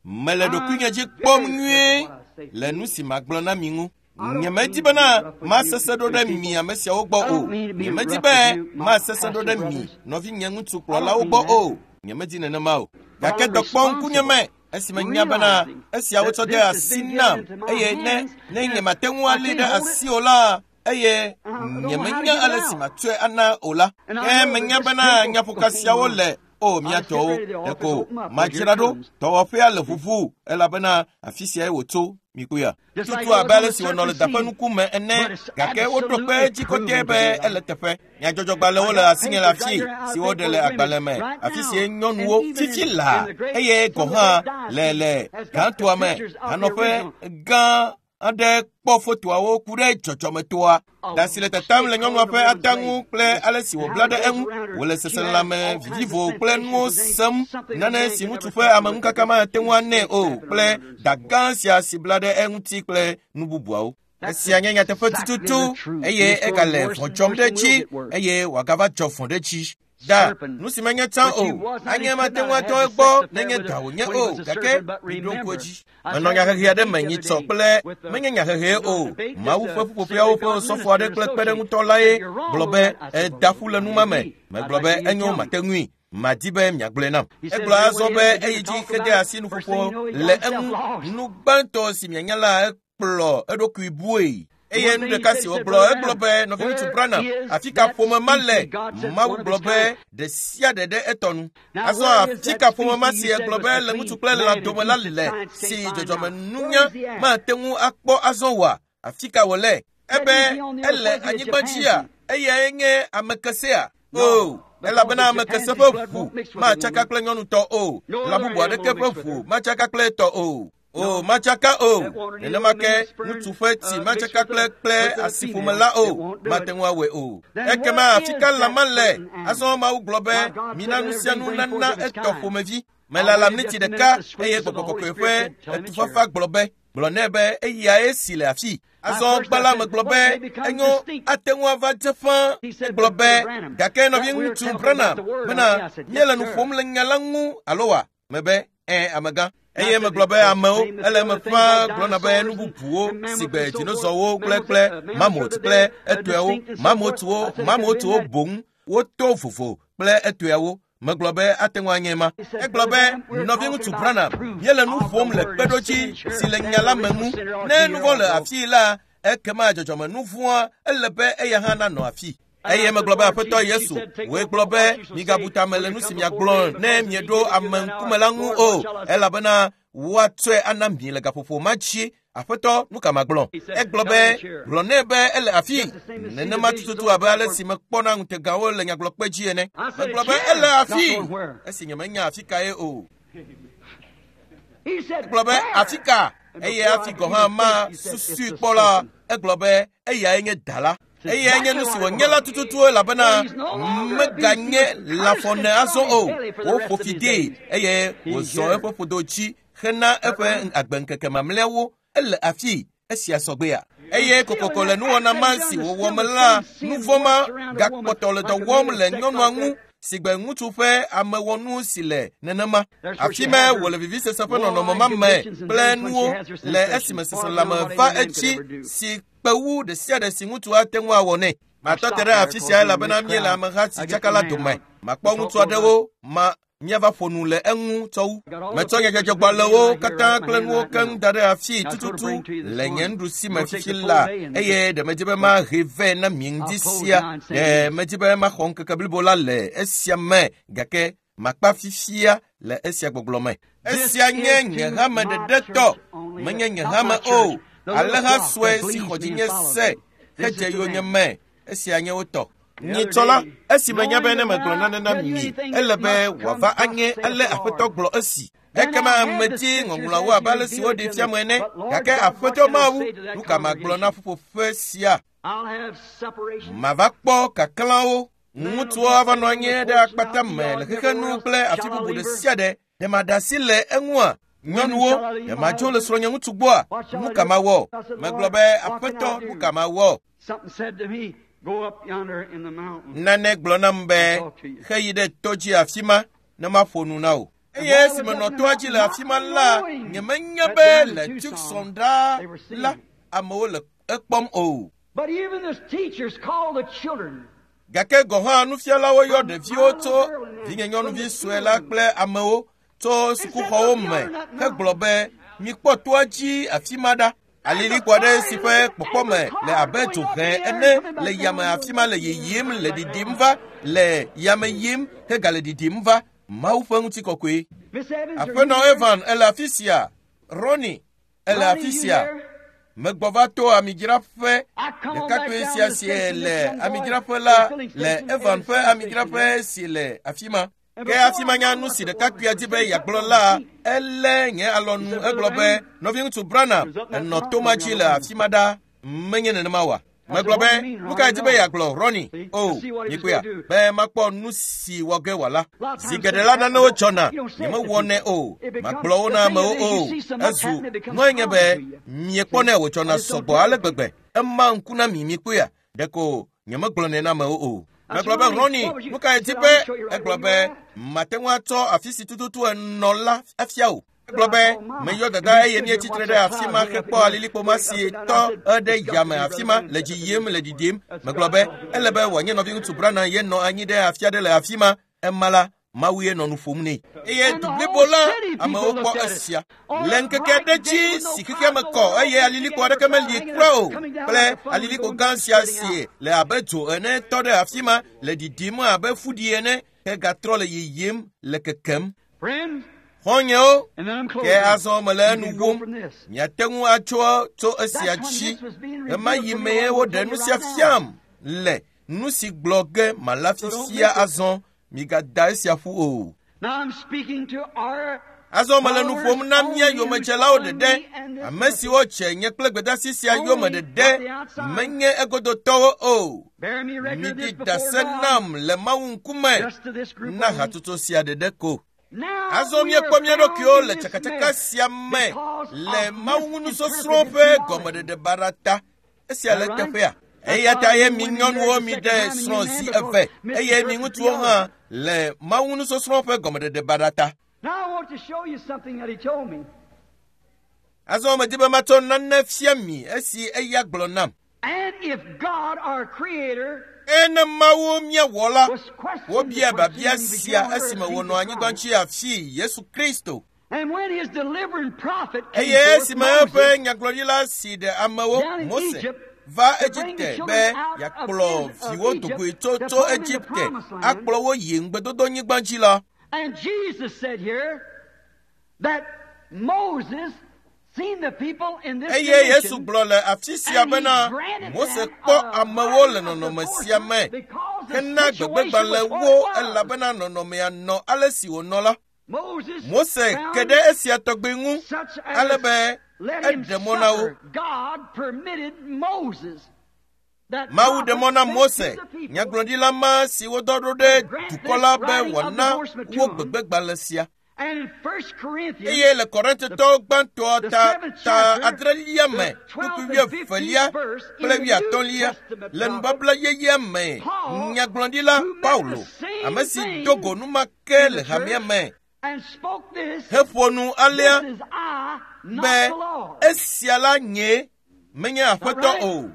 Mele ɖokuinye dzi kpɔm nyuie le nu si magblɔ na mi ŋu. Nyemedi bena masese ɖo ɖe mi ame siawo gbɔ o. Nyemedi be masese ɖo ɖe mi nɔvinye ŋutsu kplɔlawo gbɔ o. Nyemedi nenema o. Gake dɔ kpɔ ŋkunye me esime nya bena esiawo tsɔ de asi nam eye ne ne nyemate ŋu alé ɖe asi o la eye nyemenya ale si matsɔe ana o la. Ke menya bena nyaƒoka siawo le o mia tɔwo ɖeko madzra ɖo dɔwɔƒea le ʋuʋu elabena afi siae wòtso mikpɔea. Tutu abe ale si wònɔ le daƒe nukume ene gake woɖo kpe edzi kɔtɛ be ele teƒe. Nyadzɔdzɔgbalẽwo le asinye le afi si woɖe le agbalẽ me afi sie nyɔnuwo fifi laa eye gɔ̃ hã le le gãtoa me hanɔƒe gã aɖe kpɔ fotoawo ku ɖe dzɔdzɔmetoa. Da si le tatam le nyɔnua ƒe ata ŋu kple ale si wòbla ɖe eŋu wòle seselelãme vivivo kple nuwo sem nane si ŋutsu ƒe ameŋukaka mate ŋu anɛ o kple da gã sia si bla ɖe eŋuti kple nu bubuawo. Esia nye nyateƒe tututu eye egale vɔ̃ dzɔm ɖe edzi eye wòagava dzɔ vɔ̃ ɖe edzi. Da, nu si menye tsã o, anye mate ŋu atɔ egbɔ nenye da wònye o, gake miɖo ŋku edzi. Menɔ nyahehe aɖe me nyitsɔ kple menye nyahehee o. Mawu ƒe ƒuƒoƒeawo ƒe osɔfo aɖe kple kpeɖeŋutɔ lae gblɔ be eda ƒu le nu ma me. Megblɔ be enyo mate ŋui. Madi be miagblɔe nam. Egblɔ azɔ be eyi dzi hede asi nuƒoƒo le eŋu. Nu gbãtɔ si mianya la ekplɔ eɖokui bue. Eye nu ɖeka si wògblɔ egblɔ be nɔviŋutsu Branham afi ka ƒome ma le Mawu gblɔ be ɖe sia ɖe ɖe etɔ nu. Azɔ afi ka ƒome ma si egblɔ be le ŋutsu kple lã dome la le si dzɔdzɔmenunya mate ŋu akpɔ azɔ oa? Afi ka wòle? Ebe ele anyigba dzia eyae nye ame kesea? O, elabena ame kese ƒe ʋu matsaka kple nyɔnutɔ o. Lã bubu aɖeke ƒe ʋu matsaka kple etɔ o. O, matsaka o. Nenema ke ŋutsu ƒe tsi matsaka kple kple asiƒome la o. Mate ŋu awɔe o. Ekema afi ka lã ma le? Azɔ Mawu gblɔ be mina nu sia nu nana etɔ ƒomevi. Melala miniti ɖeka eye gbɔgbɔ kɔkɔe ƒe etufafa gblɔ be gblɔ nɛ be eyae si le afi. Azɔ gbã la megblɔ be enyo ate ŋu ava dze ƒãa. Egblɔ be gake nɔviŋutsu Branham bena míele nu ƒom le nya la ŋu alo wa? Mebe ẽ amegã. Eye megblɔ be amewo ele eme ƒãa gblɔna be nu bubuwo si gbe dinozɔwo kple kple mamot kple etɔewo mamotwo mamotwo boŋ woto vovo kple etɔeawo. Megblɔ be ate ŋu anye ma. Egblɔ be nɔviŋutsu Branham míele nu ƒom le kpeɖodzi si le nya la me ŋu. Ne nu vɔ̃ le afii la, ekema dzɔdzɔme nu vɔ̃a ele be eya hã nanɔ afi. Eye megblɔ be Aƒetɔ Yesu, wòe gblɔ be migabu tame le nu si miagblɔ ne mieɖo ame ŋkume la ŋu o, elabena woatsɔe ana mi le gaƒoƒo ma dzi. Aƒetɔ, nu ka magblɔ? Egblɔ be gblɔ nɛ be ele afi. Nenema tututu abe ale si mekpɔna ŋutegawo le nyagblɔkpe dzi ene. Megblɔ be ele afi. Esi nyemenya afi kae o. Egblɔ be afi ka? Eye afi gɔ̃ hã ma susui kpɔ la, egblɔ be eyae nye da la. Eyae nye nu si wònye la tututu elabena meganye lãfɔne azɔ o. Woƒo fi dee eye wòzɔ eƒe ƒodo dzi hena eƒe agbeŋkeke mamlɛawo. Ele afi esia sɔgbea. Eye kokoko le nuwɔna ma si wòwɔ me la, nu vɔ̃ ma gakpɔtɔ le dɔ wɔm le nyɔnua ŋu si gbe ŋutsu ƒe amewɔnu si le nenema. Afi me wòle vivisese ƒe nɔnɔme ma me kple nuwo le esime seselelãme va edzi si kpe wu ɖe sia ɖe si ŋutsu ate ŋu awɔ nɛ. Matɔ te ɖe afi sia elabena míele ameha si tsaka la dome. Makpɔ ŋutsu aɖewo ma míava ƒo nu le eŋu tsɔ wu. Metsɔ nyadzɔdzɔgbalẽwo katã kple nuwo keŋ da ɖe afi tututu le nye nuɖusi me fifi la eye ɖe medzi be mahe vɛ na mi ŋdi sia. Ɖe medzi be maxɔ ŋkeke blibo la le esia me gake makpa fifia le esia gbɔgblɔ me. Esia nye nye hame ɖeɖe tɔ, menye nye hame o. Alẽha sue si xɔ dzinye se hedze yonyeme. Esia nye wo tɔ. Nyitsɔ la, esi menya be ne megblɔ nane na mi, ele be wòava anye ale Aƒetɔ gblɔ esi. Ekema medi ŋɔŋlɔawo abe ale si woɖee fia me ene. Gake Aƒetɔ Mawu, nu ka magblɔ na ƒuƒoƒe sia? Mava kpɔ kaklãwo. Ŋutsuwo ava nɔ anyi ɖe akpata me le xexenu kple afi bubu ɖe sia ɖe. Ɖe maɖe asi le eŋua? Nyɔnuwo, ɖe madzo le srɔ̃nye ŋutsu gbɔa? Nu ka mawɔ? Megblɔ be, Aƒetɔ, nu ka mawɔ? Nane gblɔ nam be, heyi ɖe to dzi afi ma ne maƒo nu na wò. Eye esi menɔ toa dzi le afi ma la, nyemenya be le Tucson ɖaa la, amewo le ekpɔm o. Gake gɔ̃ hã nufialawo yɔ ɖeviwo tso vinyenyɔnuvi sue la kple amewo tso sukuxɔwo me hegblɔ be, mikpɔ toa dzi afi ma ɖa. Alilikpo aɖe si ƒe kpɔkpɔme le abe dzohẽ ene le yame afi ma le yiyim le ɖiɖim va le yame yim hegale ɖiɖim va. Mawu ƒe ŋutikɔkɔe. Aƒenɔ Evan ele afi sia. Ronnie ele afi sia. Megbɔ va to amidzraƒe ɖekakpui sia si le amidzraƒe la le Evan ƒe amidzraƒe si le afi ma. Ke hafi manya nu si ɖekakpuia di be yeagblɔ la, elé nye alɔnu egblɔ be, nɔviŋutsu Branham, enɔ to ma dzi le afi ma ɖa, menye nenema oa? Megblɔ be, nu kae di be yeagblɔ, Ronnie? O, mikpɔea, be makpɔ nu si wɔ ge wòala. Zi geɖe la nanewo dzɔna, nyemewɔnɛ o, magblɔ wo na amewo o. Ezu nue nye be miekpɔnɛ wòdzɔna sɔgbɔ ale gbegbe. Ema ŋku na mi, mikpɔea, ɖeko nyemegblɔnɛ na amewo o. Megblɔ be, Ronnie, nu kae di be? Egblɔ be, mate ŋu atsɔ afi si tututu enɔ la afia o. Egblɔ be, meyɔ dada eye míetsitre ɖe afi ma hekpɔ alilikpo ma si tɔ ɖe yame afi ma le dzi yim le ɖiɖim. Megblɔ be, ele be wòanye nɔviŋutsu Branham ye nɔ anyi ɖe afi aɖe le afi ma. Ema la, Mawu ye nɔ nu ƒom nɛ. Eye du blibo la, amewo kpɔ esia. Le ŋkeke aɖe dzi si xexea me kɔ eye alilikpo aɖeke meli kura o kple alilikpo gã sia si le abe dzo ene tɔ ɖe afi ma le ɖiɖim abe fuɖi ene hegatrɔ le yiyim le kekem. Xɔ̃nyewo, ke azɔ mele enu wom. Miate ŋu atso tso esia dzi. Ɣemaɣi mee woɖe nu sia fiam le nu si gblɔ ge mala fifia azɔ. Migada esia ƒu o. Azɔ mele nu ƒom na mía yomedzelawo ɖeɖe, ame siwo dze nye kple gbedeasi sia yome ɖeɖe, menye egodotɔwo o. Miɖi ɖase nam le Mawu ŋkume na hatsotso sia ɖeɖe ko. Azɔ míekpɔ mía ɖokuiwo le tsakatsaka sia me le Mawu ŋu nusɔsrɔ̃ ƒe gɔmeɖeɖe baɖa ta. Esia le teƒea. Eya ta ye mi nyɔnuwo mi ɖe srɔ̃ zi eve eye mi ŋutsuwo hã le Mawu nusɔsrɔ̃ ƒe gɔmeɖeɖe baɖa ta. Azɔ medi be matsɔ nane fia mi esi eya gblɔ nam. Ene Mawu mía wɔla, wobia biabia sia esime wònɔ anyigba dzi afi Yesu Kristo. Eye esime eƒe nyagblɔɖila si ɖe amewo, Mose, va Egipte be yeakplɔ viwo dogoe tso tso Egipte akplɔ wo yi ŋugbedodonyigba dzi la. And Jesus said here that Moses seen the people in this Eye Yesu condition, gblɔ le afi sia and he bena granted Mose them kpɔ a amewo le right of nɔnɔme sia me divorcement because the hena situation gbegbegbalẽ was what wo it was. elabena nɔnɔmea nɔ ale si wònɔ la. Moses Mose found ke ɖe esia tɔgbi ŋu such ale as be let him eɖe mɔ na wo. suffer. God permitted Moses that Mawu ɖe mɔ na prophet Mose, sent to the people nyagblɔɖila ma si wodɔ ɖo ɖe grant dukɔ this la be writing of wòana divorcement to wo them. gbegbegbalẽ sia. And in First Corinthians, Eye le Korintotɔwo gbãtɔ the ta seventh ta chapter, adrelia me, the twelfth kpukpui and fifteenth wuievelia verse in kple the New wuiatɔ̃lia Testament le prophet, nubabla yeyea me, Paul, nyagblɔɖila who met Paulo, the same ame si thing do go numake in le the hamea church, me, and spoke this, heƒo nu alea this is I, not be the Lord. esia la nye, menye Aƒetɔ right? o,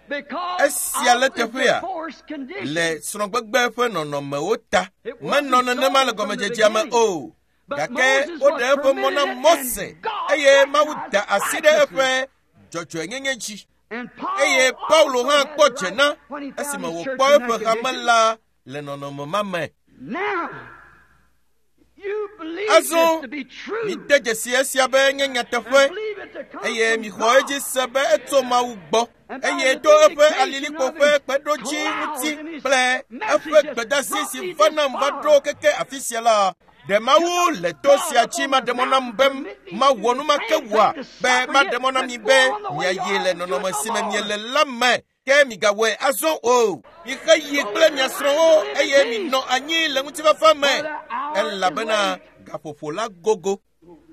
Because esia le of the teƒea divorce condition. le srɔ̃gbegbe ƒe nɔnɔmewo ta. It wasn't Menɔ nenema le so from the gɔmedzedzea me beginning. o. But Gake Moses woɖe was eƒe mɔ na permitted it, Mose and God eye Mawu recognized da asi ɖe eƒe righteousness. dzɔdzɔenyenye dzi. And Paul Eye Paulo also hã had kpɔ the dze right na when he found esime his church wòkpɔ in eƒe that hame condition. la le nɔnɔme ma me. Now, Azɔ mide dzesi esia be nye nyateƒe eye mixɔ edzi se be etso Mawu gbɔ eye to eƒe alilikpo ƒe kpeɖodzi ŋuti kple eƒe gbedasi si va nam va ɖo keke afi sia la, ɖe Mawu le to sia dzi maɖe mɔ nam be mawɔ nu ma ke wòa be maɖe mɔ na mi be miayi le nɔnɔme si me miele la me ke migawɔe azɔ o. Mixe yi kple mia srɔ̃wo eye minɔ anyi le ŋutifafa me elabena gaƒoƒo la gogo.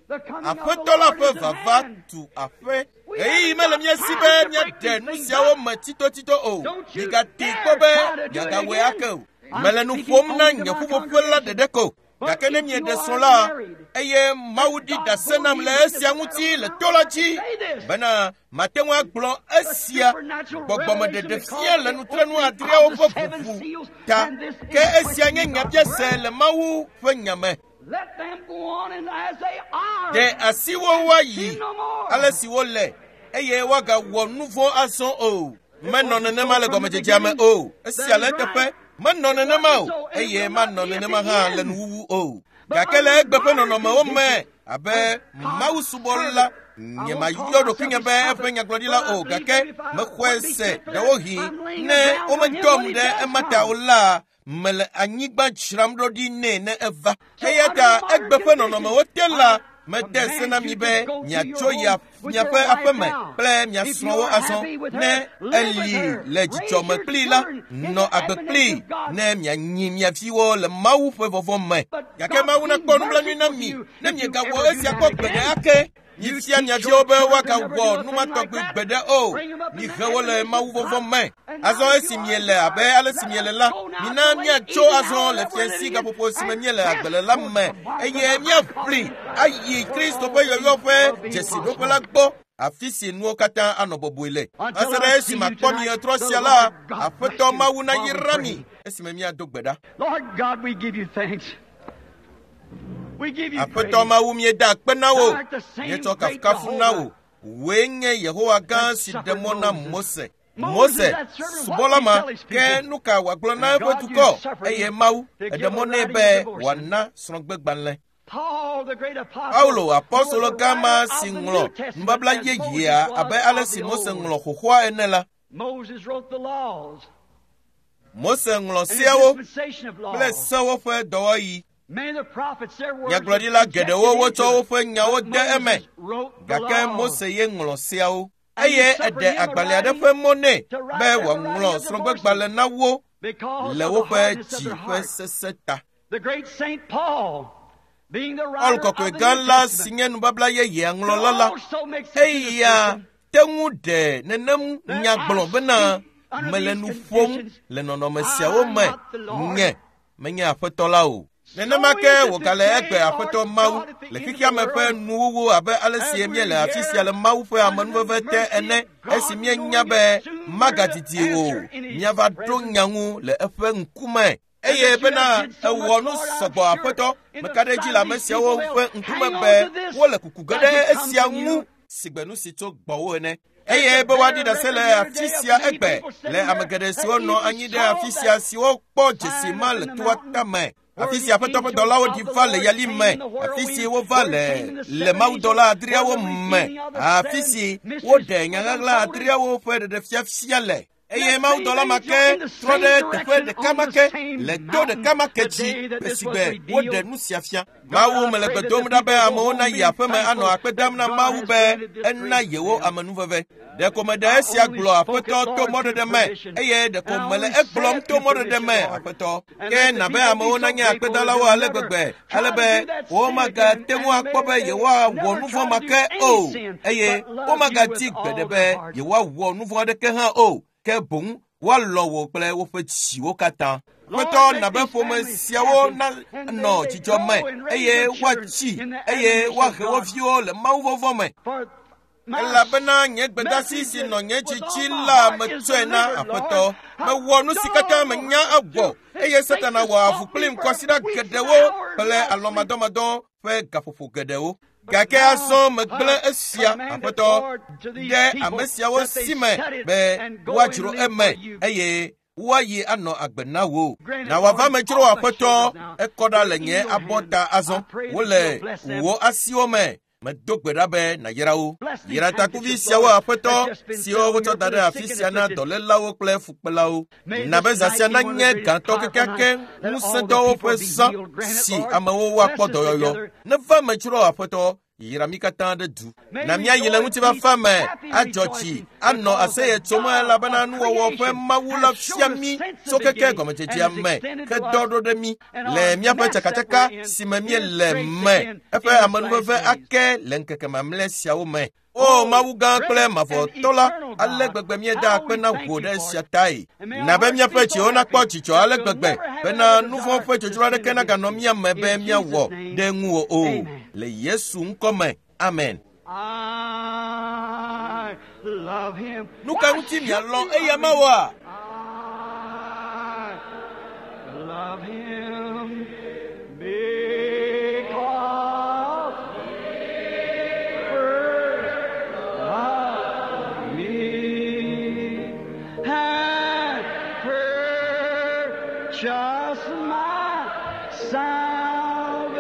Aƒetɔ la ƒe vava tu aƒe. Ɣeyiɣi mele mía si be míaɖe nu siawo me tsitotsito o. Migate kpɔ be miagawɔe ake o. Mele nu ƒom na nye ƒuƒoƒe la ɖeɖe ko. Gake ne mieɖe srɔ̃ la, eye Mawu ɖi ɖase nam le esia ŋuti le to la dzi bena mate ŋu agblɔ esia gbɔgbɔmeɖeɖefia le nutrenu adreawo ƒe ʋuʋu ta. Ke esia nye nyabiase le Mawu ƒe nya me. Ɖe asiwo woayi ale si wole eye woagawɔ nu vɔ̃ azɔ o. Menɔ nenema le gɔmedzedzea me o. Esia le eteƒe. Menɔ nenema o eye manɔ nenema hã le nuwuwu o. Gake le egbe ƒe nɔnɔmewo me abe Mawu subɔla nyemayɔ ɖokuinye be eƒe nyagblɔɖila o gake mexɔe se ɖewohĩ ne womedɔm ɖe ema ta o la mele anyigba dzram ɖo ɖi nɛ ne eva. Eya ta egbe ƒe nɔnɔmewo te la mede se na mi be miatso yi miaƒe aƒeme kple mia srɔ̃wo azɔ ne eli le dzidzɔme kplii la nɔ agbe kplii ne mianyi mia viwo le Mawu ƒe vɔvɔ̃ me. Gake Mawu nakpɔ nublanui na mi ne miegawɔ esia kpɔ gbeɖe ake. Mifia mia viwo be woagawɔ nu ma tɔgbi gbeɖe o. Mihe wo le Mawu vɔvɔ̃ me. Azɔ esi miele abe ale si miele la, mina miatso azɔ le fiasi gaƒoƒo si me miele agbe le la me eye miaʋli ayi Kristo ƒe yɔyɔ ƒe dzesiɖoƒe la gbɔ afi si nuwo katã anɔ bɔbɔe le. Va se ɖe esi makpɔ mi ɣetrɔ sia la, Aƒetɔ Mawu nayra mi esime míado gbe ɖa. Aƒetɔ Mawu míeda akpe na wò, míetsɔ kafukafu na wò. Wòe nye Yehowa gã si ɖe mɔ na Mose. Mose, subɔla ma, ke nu ka wòagblɔ na eƒe dukɔ eye Mawu eɖe mɔ nɛ be wòana srɔ̃gbegbalẽ. Paulo apɔstolo gã ma si ŋlɔ nubabla yeyea abe ale si Mose ŋlɔ xoxoa ene la. Mose ŋlɔ seawo kple sewo ƒe dɔwɔɣi. Nyagblɔɖila geɖewo wotsɔ woƒe nyawo de eme gake Mose ye ŋlɔ seawo eye eɖe agbalẽ aɖe ƒe mɔ nɛ be wòaŋlɔ srɔ̃gbegbalẽ na wo le woƒe dzi ƒe sesẽ ta. Paul kɔkɔe gã la si nye nubabla yeyea ŋlɔla la, eya te ŋu ɖe nenem nya gblɔ bena mele nu ƒom le nɔnɔme siawo me nye menye Aƒetɔ la o. Nenema ke wògale egbe Aƒetɔ Mawu le xexea me ƒe nuwuwu abe ale si míele afi sia le Mawu ƒe amenuveve te ene esi míenya be magadidi o míava ɖo nya ŋu le eƒe ŋkume. Eye bena ewɔ nu sɔgbɔ Aƒetɔ meka ɖe edzi le ame siawo ƒe ŋkume be wole kuku ge ɖe esia ŋu sigbe nu si tso gbɔwò ene. Eye be woaɖi ɖase le afi sia egbe le ame geɖe siwo nɔ anyi ɖe afi sia siwo kpɔ dzesi ma le toa tame. Afi si Aƒetɔ ƒe dɔlawo ɖi va le yali me, afi si wova le le mawudɔla adreawo me, afi si woɖe nyaɣaɣla adreawo ƒe ɖeɖefiafia le. Eye mawudɔla ma ke trɔ ɖe teƒe ɖeka ma ke le to ɖeka ma ke dzi esigbe woɖe nu sia fia. Mawu mele gbe dom ɖa be amewo nayi aƒeme anɔ akpe dam na Mawu be ena yewo amenuveve. Ɖeko meɖe esia gblɔ Aƒetɔ to mɔɖeɖe me eye ɖeko mele egblɔm to mɔɖeɖe me Aƒetɔ. Ke na be amewo nanye akpedalawo ale gbegbe ale be womagate ŋu akpɔ be yewoawɔ nu vɔ̃ ma ke o eye womagadi gbeɖe be yewoawɔ nu vɔ̃ aɖeke hã o. Ke boŋ woalɔ̃ wò kple woƒe dziwo katã. Aƒetɔ na be ƒome siawo nanɔ dzidzɔ me eye woatsi eye woahe wo viwo le Mawu vɔvɔ̃ me. Elabena nye gbedasi si nɔ nye dzidzi la metsɔe na Aƒetɔ. Mewɔ nu si katã menya awɔ eye Satana wɔ avu kplim kɔsiɖa geɖewo kple alɔmadɔmadɔ ƒe gaƒoƒo geɖewo. Gake azɔ megblẽ esia Aƒetɔ ɖe ame siawo si me be woadzro eme eye Woayi anɔ agbe na wò. Na wòava me dzro aƒetɔ, ekɔ ɖa le nye abɔta azɔ. Wole wò asiwo me. Medo gbe ɖa be nàyra wo. Yra takuvi siawo aƒetɔ siwo wotsɔ da ɖe afi sia na dɔlélawo kple fukpelawo. Na be zã sia nanye gãtɔ kekeake ŋusẽdɔwo ƒe zã si amewo woakpɔ dɔyɔyɔ. Neva me dzro aƒetɔ, yra mí katã ɖe du. Na míayi le ŋutifafa me, adzɔ dzi, anɔ aseye tsom elabena nuwɔwɔ ƒe Mawu la fia mí tso keke gɔmedzedzea me ke dɔ ɖo ɖe mí le míaƒe tsakatsaka si me míele me. Eƒe amenuveve ake le ŋkeke mamlɛ siawo me. O Mawu gã kple mavɔtɔ la, ale gbegbe míeda akpe na wò ɖe esia tae. Na be míaƒe dziwo nakpɔ dzidzɔ ale gbegbe bena nu vɔ̃ ƒe dzodzro aɖeke naganɔ mía me be míawɔ ɖe ŋuwò o. Le Yesu ŋkɔ me, amen. I love him. Nu ka ŋuti mialɔ̃ eya mawɔa? I love him because he first loved me and purchased my salvation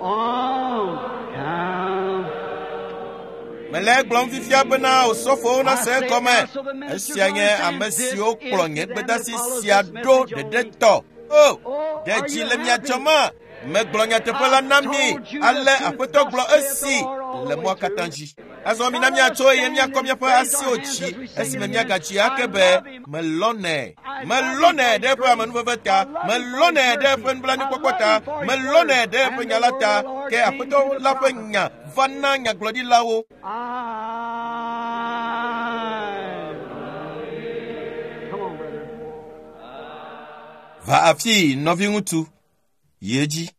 on Calvary. Mele egblɔm fifia bena osɔfowo nase egɔme. Esia nye ame siwo kplɔ nye gbedasi sia ɖo ɖeɖetɔ. O, ɖe dzi le mia dzɔma. Megblɔ nyateƒe la na mi ale aƒetɔ gblɔ esi le mɔa katã dzi. Azɔ mina míatso eye míakɔ míaƒe asiwo dzi esime míagadzi ake be melɔnɛ. Melɔnɛ ɖe eƒe amenuveve ta, melɔnɛ ɖe eƒe nublanuikpɔkpɔ ta, melɔnɛ ɖe eƒe nya la ta. Ke aƒetɔ la ƒe nya va na nyagblɔɖilawo. I Come on, brother. Va afii, nɔviŋutsu, yi edzi.